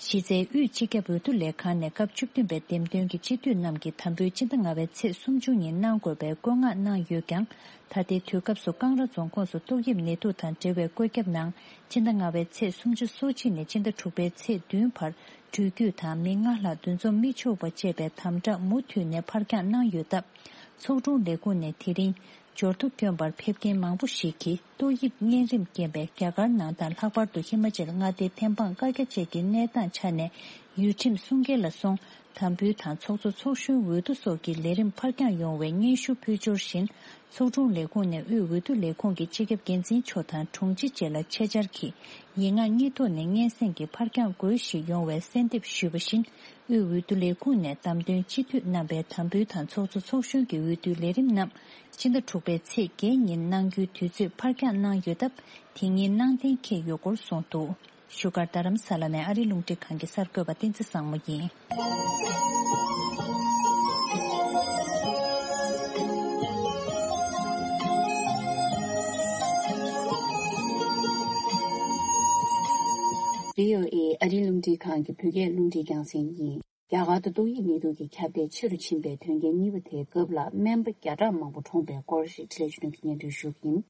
གཞི་རྩའི་དབུས་སྤྱི་ཁྱབ་འོས་བསྡུ་ལས་ཁང་ནས་སྐབས་བཅུ་བདུན་པའི་འདེམས་ཐོན་གྱི་སྤྱི་འཐུས་རྣམས་ཀྱིས་དམ་འབུལ་སྤྱི་ཟླ་ལྔ་པའི་ཚེས་སུམ་ཅུ་ཉིན་གནང་དགོས་པའི་བཀོད་མངགས་གནང་ཡོད་ཀྱང་། ད་ལྟའི་དུས་སྐབས་སུ་ཀང་ར་རྫོང་ཁོངས་སུ་ཏོག་དབྱིབས་ནད་དུག་དང་འབྲེལ་བའི་བཀོད་ཁྱབ་ནང་སྤྱི་ཟླ་ལྔ་པའི་ཚེས་སུམ་ཅུ་སོ་གཅིག་ནས་སྤྱི་ཟླ་དྲུག་པའི་ཚེས་བདུན་བར་འགྲུལ་སྐྱོད་དང་མི་ལྔ་ལྷག་འདུ་འཛོམས་མི་ཆོག་པ་བཅས་པའི་དམ་དྲག་མུ་མཐུད་ནས་ཕར་འགྱངས་གནང་ཡོད་སྟབས། ཚོགས་དྲུང་ལས་ཁུངས་ནས་དེ་རིང་འབྱོར་ཐོ་བསྐྱོན་པར་ཕེབས་མཁན་མང་པོ་ཞིག་གིས་ཏོག་དབྱིབས་གཉན་རིམས་རྐྱེན་པས་རྒྱ་གར་ནང་དང་ལྷག་པར་དུ་ཧི་མ་ཅལ་མངའ་སྡེའི་ཐེམ་སྤང་བཀའ་རྒྱ་བཅས་ཀྱི་གནས་སྟངས་ཆ་ནས་ཡུལ་ཁྲིམས་སྲུང་སྐྱེལ་ལ་སོང་། དམ་འབུལ་དང་ཚོགས་གཙོ་ཚོགས་གཞོན་འོས་བསྡུ་སོགས་ཀྱི་ལས་རིམ་ཕར་འགྱངས་ཡོང་བའི་སྙན་ཞུ་ཕུལ་འབྱོར་བཞིན། ཚོགས་དྲུང་ལས་ཁུངས་ནས་དབུས་འོས་བསྡུ་ལས་ཁུངས་ཀྱི་སྤྱི་ཁྱབ་འགན་འཛིན་མཆོག་དང་དྲུང་ཆེ་བཅས་ལ་ཆེད་བཅར་གྱིས་ཡིག་ངག་གཉིས་ཐོག་ནས་སྙན་སེང་གིས་ཕར་འགྱངས་དགོས་ཞེས་ཡོང་བའི་གསལ་འདེབས་ཞུས་པ་བཞིན། དབུས་འོས་བསྡུ་ལས་ཁུངས་ནས་བདམས་ཐོན་སྤྱི་འཐུས་རྣམ་པའི་དམ་འབུལ་དང་ཚོགས་གཙོ་ཚོགས་གཞོན་གྱི་འོས་བསྡུའི་ལས་རིམ་རྣམས་ཕྱི་ཟླ་དྲུག་པའི་ཚེས་བརྒྱད་ཉིན་གནང་རྒྱུའི་དུས་ཚོད་ཕར་འགྱངས་གནང་ཡོད་སྟབས། དེ་ཉིན་གནང་གཏན་འཁེལ་ཡོད་སྐོར་གསུངས་འདུག་བཞུགས་སྒར་རྡ་རམ་ས་ལ་ནས་ཨ་རིའི་རླུང་འཕྲིན་ཁང་གི་གསར་འགོད་པ་བསྟན་འཛིན་བཟང་མོ་ཡིན། བྷི་ཨོ་ཨེ་ཨ་རིའི་རླུང་འཕྲིན་ཁང་གི་བོད་སྐད་རླུང་འཕྲིན་རྒྱང་སྲིང་ཡིན། རྒྱ་གར་དུ་ཏོག་དབྱིབས་ནད་དུག་གི་ཁྱབ་གདལ་ཆེ་རུ་ཕྱིན་པའི་དོན་རྐྱེན་གཉིས་པ་དེའི་སྐབས་ལ་སྨན་པ་བརྒྱ་ཕྲག་མང་པོ་གྲོངས་པའི་སྐོར་ཞིག་འཕྲིན་ལས་བརྒྱུད་ལམ་གྱི་སྙན་སྒྲོན་ཞུ་གི་ཡིན།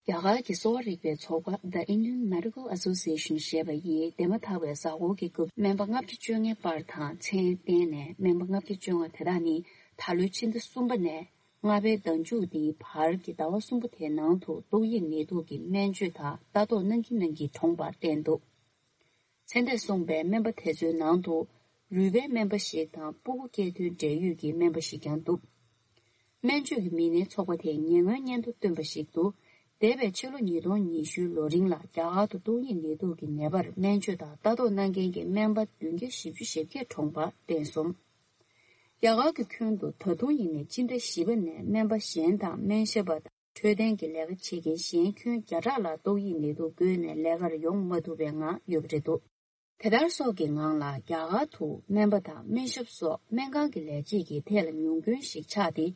རྒྱ་གར་གྱི་གསོ་བ་རིག་པའི་ཚོགས་པ་The Indian Medical Association ཞེས་པ་ཡིས་འདས་མ་ཐག་པའི་གཟའ་འཁོར་གྱི་སྐབས་སྨན་པ་ལྔ་བརྒྱ་བཅོ་ལྔའི་བར་དང་མཚན་བསྟན་ནས། སྨན་པ་ལྔ་བརྒྱ་བཅོ་ལྔ་དེ་དག་ནི་ད་ལོའི་ཕྱི་ཟླ་གསུམ་པ་ནས་ལྔ་པའི་ཟླ་མཇུག་འདིའི་བར་གྱི་ཟླ་བ་གསུམ་པ་དེའི་ནང་དུ་ཏོག་དབྱིབས་ནད་དུག་གི་སྨན་བཅོས་དང་ལྟ་རྟོག་གནང་གིན་གནང་གིན་གྲོངས་པར་བསྟན་འདུག་ཚེ་འདས་སོང་པའི་སྨན་པ་དེ་ཚོའི་ནང་དུ་རུས་པའི་སྨན་པ་ཞིག་དང་སྤུ་གུ་སྐྱེ་ཐོན་འབྲེལ་ཡོད་ཀྱི་སྨན་པ་ཞིག་ཀྱང་འདུག་སྨན་བཅོས་ཀྱི་མི་སྣའི་ཚོགས་པ་དེས་ཉེ་སྔོན་སྙན་ཐོ་བཏོན་པ་ཞིག་ཏུ། འདས་པའི་ཕྱི་ལོ་ཉིས་སྟོང་ཉི་ཤུའི་ལོ་རིང་ལ་རྒྱ་གར་དུ་ཏོག་དབྱིབས་ནད་དུག་གི་ནད་པར་སྨན་བཅོས་དང་ལྟ་རྟོག་གནང་མཁན་གྱི་སྨན་པ་བདུན་བརྒྱ་བཞི་བཅུ་ཞེ་བརྒྱད་གྲོངས་པ་བསྟན་སོང་། རྒྱ་གར་གྱི་ཁྱོན་དུ་ད་དུང་ཡིན་ནའི་སྤྱི་ཟླ་བཞི་པ་ནས་སྨན་པ་གཞན་དང་སྨན་ཞབས་པ་དང་འཕྲོད་བསྟེན་གྱི་ལས་ཀ་བྱེད་མཁན་གཞན་ཁྱོན་བརྒྱ་ཕྲག་ལྷག་ཏོག་དབྱིབས་ནད་དུག་འགོས་ནས་ལས་ཀར་ཡོང་མ་ཐུབ་པའི་ངང་ཡོད་པ་རེད་འདུག་དེ་ལྟར་སོགས་ཀྱི་ངང་ལ་རྒྱ་གར་དུ་སྨན་པ་དང་སྨན་ཞབས་སོགས་སྨན་ཁང་གི་ལས་བྱེད་ཀྱི་ཐད་ལ་ཉུང་སྐྱོན་ཞིག་ཆགས་ཏེ།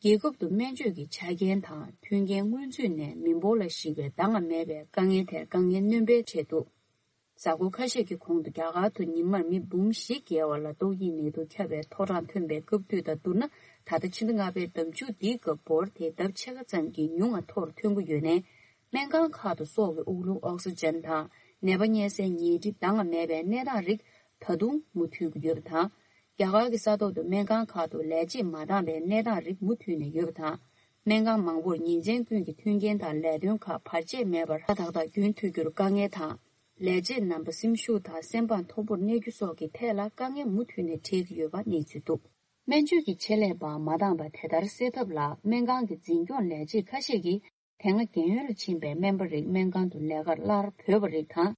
རྒྱལ་ཁབ་ཏུ་སྨན་བཅོས་ཀྱི་ཆ་རྐྱེན་དང་མཐུན་རྐྱེན་སྔོན་ཚུད་ནས་མི་འབོར་ལ་གཞིགས་པའི་འདང་ང་མེད་པའི་དཀའ་ངལ་དེར་དཀའ་ངལ་སྣོན་པའི་ཆེད་དུ། གཟའ་འཁོར་ཁ་ཤས་ཀྱི་གོང་དུ་རྒྱ་གར་དུ་ཉིན་མར་མི་འབུམ་བཞི་བརྒལ་བ་ལ་ཏོག་དབྱིབས་ནད་དུག་ཁྱབ་པའི་ཐོ་རངས་ཐོན་པའི་སྐབས་དུས་དང་བསྡུར་ན། ད་ལྟ་ཕྱི་ཟླ་ལྔ་པའི་ཟླ་མཇུག་འདིའི་སྐབས་འབོར་དེ་ལྡབ་ཕྱེད་ཀ་ཙམ་གྱིས་ཉུང་བ་མཐོ་རུ་ཐོན་གྱི་ཡོད་ནའི། སྨན་ཁང་ཁག་ཏུ་སྲོག་གི་དབུགས་ལུང་ཨོག་སི་ཇན་དང་ནད་པ་གཉན་སའི་ཉལ་ཁྲི་འདང་ང་མེད་པའི་གནས་སྟངས་རིགས་ད་དུང་མུ་མཐུད་ཀྱི་ཡོད་པ་དང་། རྒྱ་གར་གྱི་ས་ཐོག་ཏུ་སྨན་ཁང་ཁག་ཏུ་ལས་བྱེད་མ་འདང་བའི་གནས་སྟངས་རིགས་མུ་མཐུད་ནས་ཡོད་པ་དང་། སྨན་ཁང་མང་པོར་ཉིན་མཚན་ཀུན་གྱི་མཐུན་རྐྱེན་དང་ལས་དོན་ཁག་བར་ཆད་མེད་པར་ཧ་ཏག་ཏག་རྒྱུན་མཐུད་རྒྱུར་དཀའ་ངལ་དང་། ལས་བྱེད་རྣམ་པ་སེམས་ཤུགས་དང་སེམས་པ་མཐོ་པོར་གནས་རྒྱུ་སོགས་ཀྱི་ཐད་ལ་དཀའ་ངལ་མུ་མཐུད་ནས་འཕྲད་ཀྱི་ཡོད་པ་གནས་ཚུལ་འདུག་སྨན་བཅོས་ཀྱི་ཆེད་ལས་པ་མ་འདང་པ་དེ་ལྟར་སེལ་ཐབས་ལ་སྨན་ཁང་གི་འཛིན་སྐྱོང་ལས་བྱེད་ཁ་ཤས་ཀྱིས། དེ་སྔ་རྒན་ཡོལ་ལ་ཕྱིན་པའི་སྨན་པ་རིགས་སྨན་ཁང་དུ་ལས་ཀར་སླར་བོས་པ་རིགས་དང་།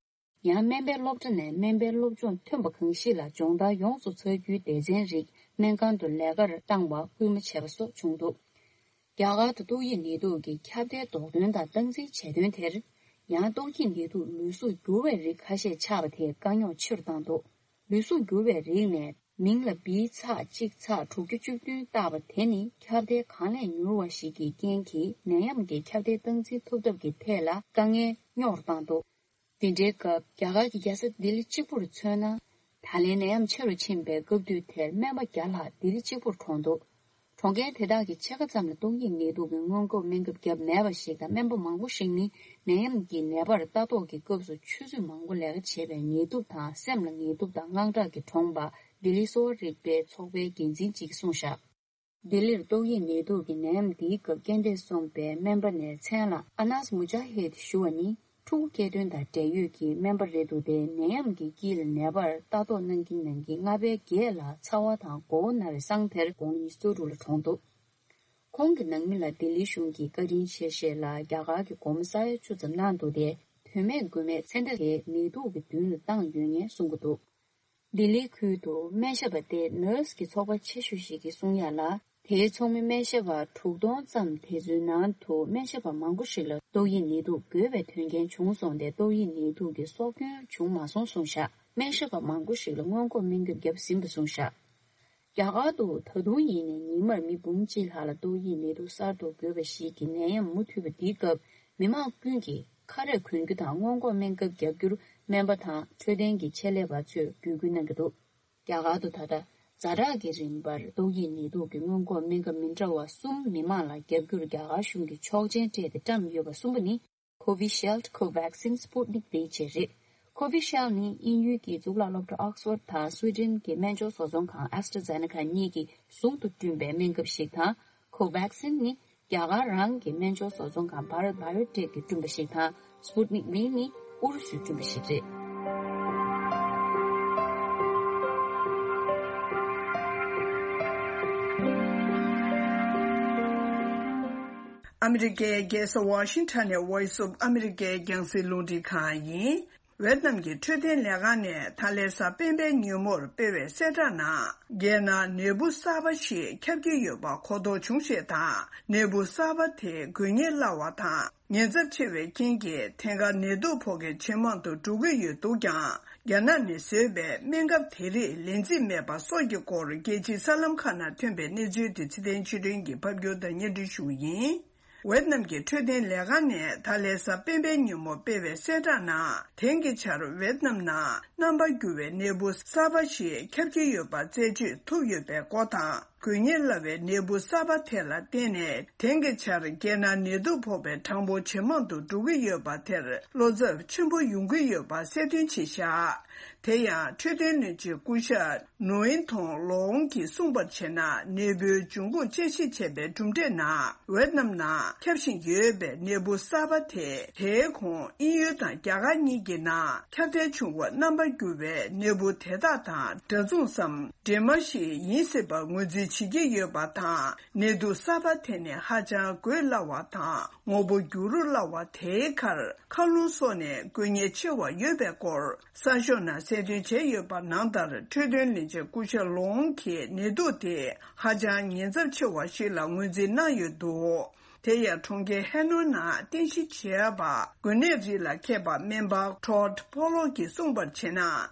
ཡང་སྨན་པའི་སློབ་གྲྭ་ནས་སྨན་པའི་སློབ་སྦྱོང་ཐོན་པ་གང་ཞིག་ལ་སྦྱོང་བརྡར་ཡོངས་སུ་ཚར་རྒྱུའི་སྡེ་ཚན་རིགས་སྨན་ཁང་དུ་ལས་ཀར་བཏང་བར་སྐུལ་མ་བྱས་པ་སོགས་བྱུང་འདུག་རྒྱ་གར་དུ་ཏོག་དབྱིབས་ནད་དུག་གི་ཁྱབ་གདལ་ཟློག་ཐོན་དང་སྟངས་འཛིན་བྱེད་དོན་དེར། ཡང་ཏོག་དབྱིབས་ནད་དུག་ལུས་གཟུགས་འགྱུར་བའི་རིགས་ཁ་ཤས་ཆགས་པ་དེས་དཀའ་རྙོག་ཆེ་རུ་བཏང་འདུག་ལུས་གཟུགས་འགྱུར་བའི་རིགས་ནས་མིང་ལ་བི་ཚགས་གཅིག་ཚགས་དྲུག་ཅུ་བཅུ་བདུན་བཏགས་པ་དེ་ནི་ཁྱབ་གདལ་གང་ལས་མྱུར་བ་ཞིག་གི་རྐྱེན་གྱིས་ནད་ཡམས་ཀྱི་ཁྱབ་གདལ་སྟངས་འཛིན་ཐུབ་ཐབས་ཀྱི་ཐད་ལ་དཀའ་ངལ་རྙོག་བཏང་འདུག་དེ་འདྲའི་སྐབས་རྒྱ་གར་གྱི་རྒྱལ་ས་ལྡི་ལི་གཅིག་པུར་མཚོན་ན། ད་ལན་ནད་ཡམས་ཆེ་རུ་ཕྱིན་པའི་སྐབས་དུས་དེར་སྨན་པ་བརྒྱ་ལྷག་ལྡི་ལི་གཅིག་པུར་གྲོངས་འདུག་གྲོངས་མཁན་དེ་དག་གི་ཕྱེད་ཀ་ཙམ་ལ་ཏོག་དབྱིབས་ནད་དུག་གི་སྔོན་འགོག་སྨན་ཁབ་བརྒྱབ་མེད་པ་ཞིག་དང་། སྨན་པ་མང་པོ་ཞིག་ནི་ནད་ཡམས་ཀྱི་ནད་པར་ལྟ་རྟོག་གི་སྐབས་སུ་ཆུ་ཚོད་མང་པོ་ལས་ཀ་བྱེད་པའི་ངལ་དུབ་དང་། སེམས་ལ་ངལ་དུབ་དང་དངངས་སྐྲག་གིས་གྲོངས་པ་ལྡི་ལི་གསོ་བ་རིག་པའི་ཚོགས་པའི་འགན་འཛིན་ཅིག་གིས་གསུངས་བཞག་ལྡི་ལིར་ཏོག་དབྱིབས་ནད་དུག་གི་ནད་ཡམས་འདིའི་སྐབས་རྐྱེན་འདས་སོང་པའི་སྨན་པ་ནས་མཚན་ལ་ཨ་ནཱས་མུ་ཇཱ་ཧིད་ཞུ་བ་ནི། ཕྲུ་གུ་སྐྱེ་ཐོན་དང་འབྲེལ་ཡོད་ཀྱི་སྨན་པ་རེད་འདུག་སྟེ། ནད་ཡམས་ཀྱི་དཀྱིལ་ལ་ནད་པར་ལྟ་རྟོག་གནང་གིན་གནང་གིན་ལྔ་པའི་བརྒྱད་ལ་ཚ་བ་དང་མགོ་བོ་ན་བའི་སང་དེར་དགོང་དག་ཉི་ཤུ་རྩ་དྲུག་ལ་གྲོངས་འདུག་ཁོང་གི་ནང་མི་ལ་ལྡི་ལི་གཞུང་གིས་བཀའ་དྲིན་ཆེ་ཞེས་ལ་རྒྱ་གར་གྱི་སྒོར་མོ་ས་ཡ་བཅུ་ཙམ་གནང་འདུག་སྟེ། དོན་མེད་དགོས་མེད་ཚེ་འདས་དེ་ནད་དུག་གི་མདུན་ལ་བཏང་ཡོད་ངེས་གསུང་གི་འདུག་ལྡི་ལི་ཁུལ་དུ་སྨན་ཞབས་པ་སྟེ་ནར་སི་གི་ཚོགས་པ་ཆེ་ཤོས་ཤིག་གིས་གསུང་ཡ་ལ། དེའི་ཚོགས་མི་སྨན་ཞབས་པ་དྲུག་སྟོང་ཙམ། དེ་ཚོའི་ནང་དུ་སྨན་ཞབས་པ་མང་པོ་ཞིག་ལ་ཏོག་དབྱིབས་ནད་དུག་འགོས་པའི་དོན་རྐྱེན་བྱུང་སོང་སྟེ། ཏོག་དབྱིབས་ནད་དུག་གི་སྲོག་སྐྱོན་བྱུང་མ་སོང་གསུངས་བཞག་སྨན་ཞབས་པ་མང་པོ་ཞིག་ལ་སྔོན་འགོག་སྨན་ཁབ་བརྒྱབ་ཟིན་པ་གསུངས་བཞག་རྒྱ་གར་དུ་ད་དུང་ཡིན་ནའི་ཉིན་མར་མི་འབུམ་གཅིག་ལྷག་ལ་ཏོག་དབྱིབས་ནད་དུག་གསར་དུ་འགོས་པ་ཞིག་གི་ནད་ཡམས་མུ་མཐུད་པ་འདིའི་སྐབས། མི་མང་ཀུན་གྱིས་ཁ་རས་གོན་རྒྱུ་དང་སྔོན་འགོག་སྨན་ཁབ་བརྒྱབ་རྒྱུར་སྨན་པ་དང་འཕྲོད་བསྟེན་གྱི་ཆེད་ལས་པ་ཚོས་འབོད་སྐུལ་གནང་གི་འདུག་རྒྱ་གར་དུ་ད་ལྟ་ཛ་དྲག་གི་རིམ་པར་ཏོག་དབྱིབས་ནད་དུག་གི་སྔོན་འགོག་སྨན་ཁབ་མི་འདྲ་བ་གསུམ་མི་མང་ལ་བརྒྱབ་རྒྱུར་རྒྱ་གར་གཞུང་གིས་ཆོག་མཆན་སྤྲད་དེ་བཀྲམ་ཡོད་པ་གསུམ་པོ་ནི། Covishield, Covaxin, Sputnik V བཅས་རེད། Covishield ནི་དབྱིན་ཡུལ་གྱི་གཙུག་ལག་སློབ་གྲྭ་Oxford དང་སུའེ་ཌེན་གྱི་སྨན་སྦྱོར་བཟོ་ཚོང་ཁང་AstraZeneca གཉིས་ཀྱིས་ཟུང་དུ་བསྐྲུན་པའི་སྨན་ཁབ་ཞིག་དང་། Covaxin་ནི་རྒྱ་གར་རང་གི་སྨན་སྦྱོར་བཟོ་ཚོང་ཁང་Bharat Biotech་གིས་བསྐྲུན་པ་ཞིག་དང་། Sputnik་V་ནི་ཨུ་རུ་སུས་བསྐྲུན་པ་ཞིག་རེད། ཨ་མི་རི་ཀའི་རྒྱལ་ས་ཝ་ཤིང་ཊོན་ནས་Voice of America་རྒྱང་སྲིང་རླུང་འཕྲིན་ཁང་ཡིན། ཝེད་ནམ་གྱི་འཕྲོད་བསྟེན་ལས་ཁང་ནས་ད་ལན་གཟའ་སྤེན་པའི་ཉིན་མོར་སྤེལ་བའི་གསལ་བསྒྲགས་ནང་། རྒྱལ་ནང་ནད་འབུ་གསར་པ་ཞིག་ཁྱབ་ཀྱི་ཡོད་པ་གོ་རྟོགས་བྱུང་ཞེས་དང་། ནད་འབུ་གསར་པ་དེ་འགོས་ཉེན་སླ་བ་དང་ཉེན་ཚབས་ཆེ་བའི་རྐྱེན་གྱིས་ཐེངས་འགའ་ནད་དུག་ཕོག་མཁན་ཇེ་མང་དུ་འགྲོ་གི་ཡོད་འདུག་ཀྱང་། རྒྱ་ནག་ནས་བཟོས་པའི་སྨན་ཁབ་དེ་རིགས་ལན་རྩིས་མེད་པ་སོགས་ཀྱི་སྐོར་རྒྱལ་སྤྱིའི་གསར་ལམ་ཁག་ནང་ཐོན་པའི་གནས་ཚུལ་དེ་ཚེ་བརྟན་ཆོས་སྒྲོན་གྱིས་ཕབ་སྒྱུར་དང་སྙན་སྒྲོན་ཞུ་བ་ཡིན། ཝེད་ནམ་གྱི་འཕྲོད་བསྟེན་ལས་ཁང་ནས་ད་ལན་གཟའ་སྤེན་པའི་ཉིན་མོ་སྤེལ་བའི་གསལ་བསྒྲགས་ནང་། དེང་གི་ཆར་ཝེད་ནམ་ནང་རྣམ་པར་འགྱུར་བའི་ནད་འབུ་གསར་པ་ཞིག་ཁྱབ་ཀྱི་ཡོད་པ་རྩད་གཅོད་ཐུབ་ཡོད་པའི་སྐོར་དང་། འགོས་ཉེན་སླ་བའི་ནད་འབུ་གསར་པ་དེ་ལ་བརྟེན་ནས། དེང་གི་ཆར་རྒྱལ་ནང་ནད་དུག་ཕོག་པའི་གྲངས་འབོར་ཇེ་མང་དུ་འགྲོ་གི་ཡོད་པ་དེར་བློ་འཚབ་ཆེན་པོ་ཡོང་གི་ཡོད་པ་གསལ་སྟོན་བྱས་བཞག་དེ་ཡང་འཕྲོད་བསྟེན་བློན་ཆེན་སྐུ་ཞབས་ནོ་ཨིན་ཐོང་ལོང་གིས་གསུངས་པར་བྱས་ན། ནད་འབུའི་འབྱུང་ཁུངས་དཔྱད་ཞིབ་བྱས་པའི་གྲུབ་འབྲས་ནང་། ཝེད་ནམ་ནང་ཁྱབ་བཞིན་ཡོད་པའི་ནད་འབུ་གསར་པ་དེ། དེའི་གོང་དབྱིན་ཡུལ་དང་རྒྱ་གར་གཉིས་ཀྱི་ནང་ཁྱབ་གདལ་བྱུང་བ་རྣམ་པར་འགྱུར་བའི་ནད་འབུ་དེ་དག་དང་འདྲ་མཚུངས་སམ། འདྲེས་མ་ཞིག་ཡིན་སྲིད་པར་ངོས་འཛིན་བྱེད་ཀྱི་ཡོད་པ་དང་། ནད་དུག་གསར་པ་དེ་ནི་ཧ་ཅང་འགོས་སླ་བ་དང་། ངོ་བོ་འགྱུར་རོ་སླ་བ། དེའི་ཁར་མཁའ་རླུང་སོགས་ནས་འགོས་ཉེན་ཆེ་བ་ཡོད་པའི་སྐོར། གསར་ཤོག་ནང་གསལ་སྟོན་བྱས་ཡོད་པ་ནང་ལྟར། འཕྲོད་བསྟེན་བློན་ཆེན་སྐུ་ཞབས་ལོང་གིས་ནད་དུག་དེ་ཧ་ཅང་ཉེན་ཚབས་ཆེ་བ་ཞིག་ལ་ངོས་འཛིན་གནང་ཡོད་འདུག་དེ་ཡང་གྲོང་ཁྱེར་ཧེ་ནོ་ནང་རྟེན་གཞི་བྱས་པ་འགོས་ནད་རིགས་ལ་མཁས་པ་སྨན་པ་ཊོཌ་ཕོ་ལོག་གིས་གསུངས་པར་བྱས་ན།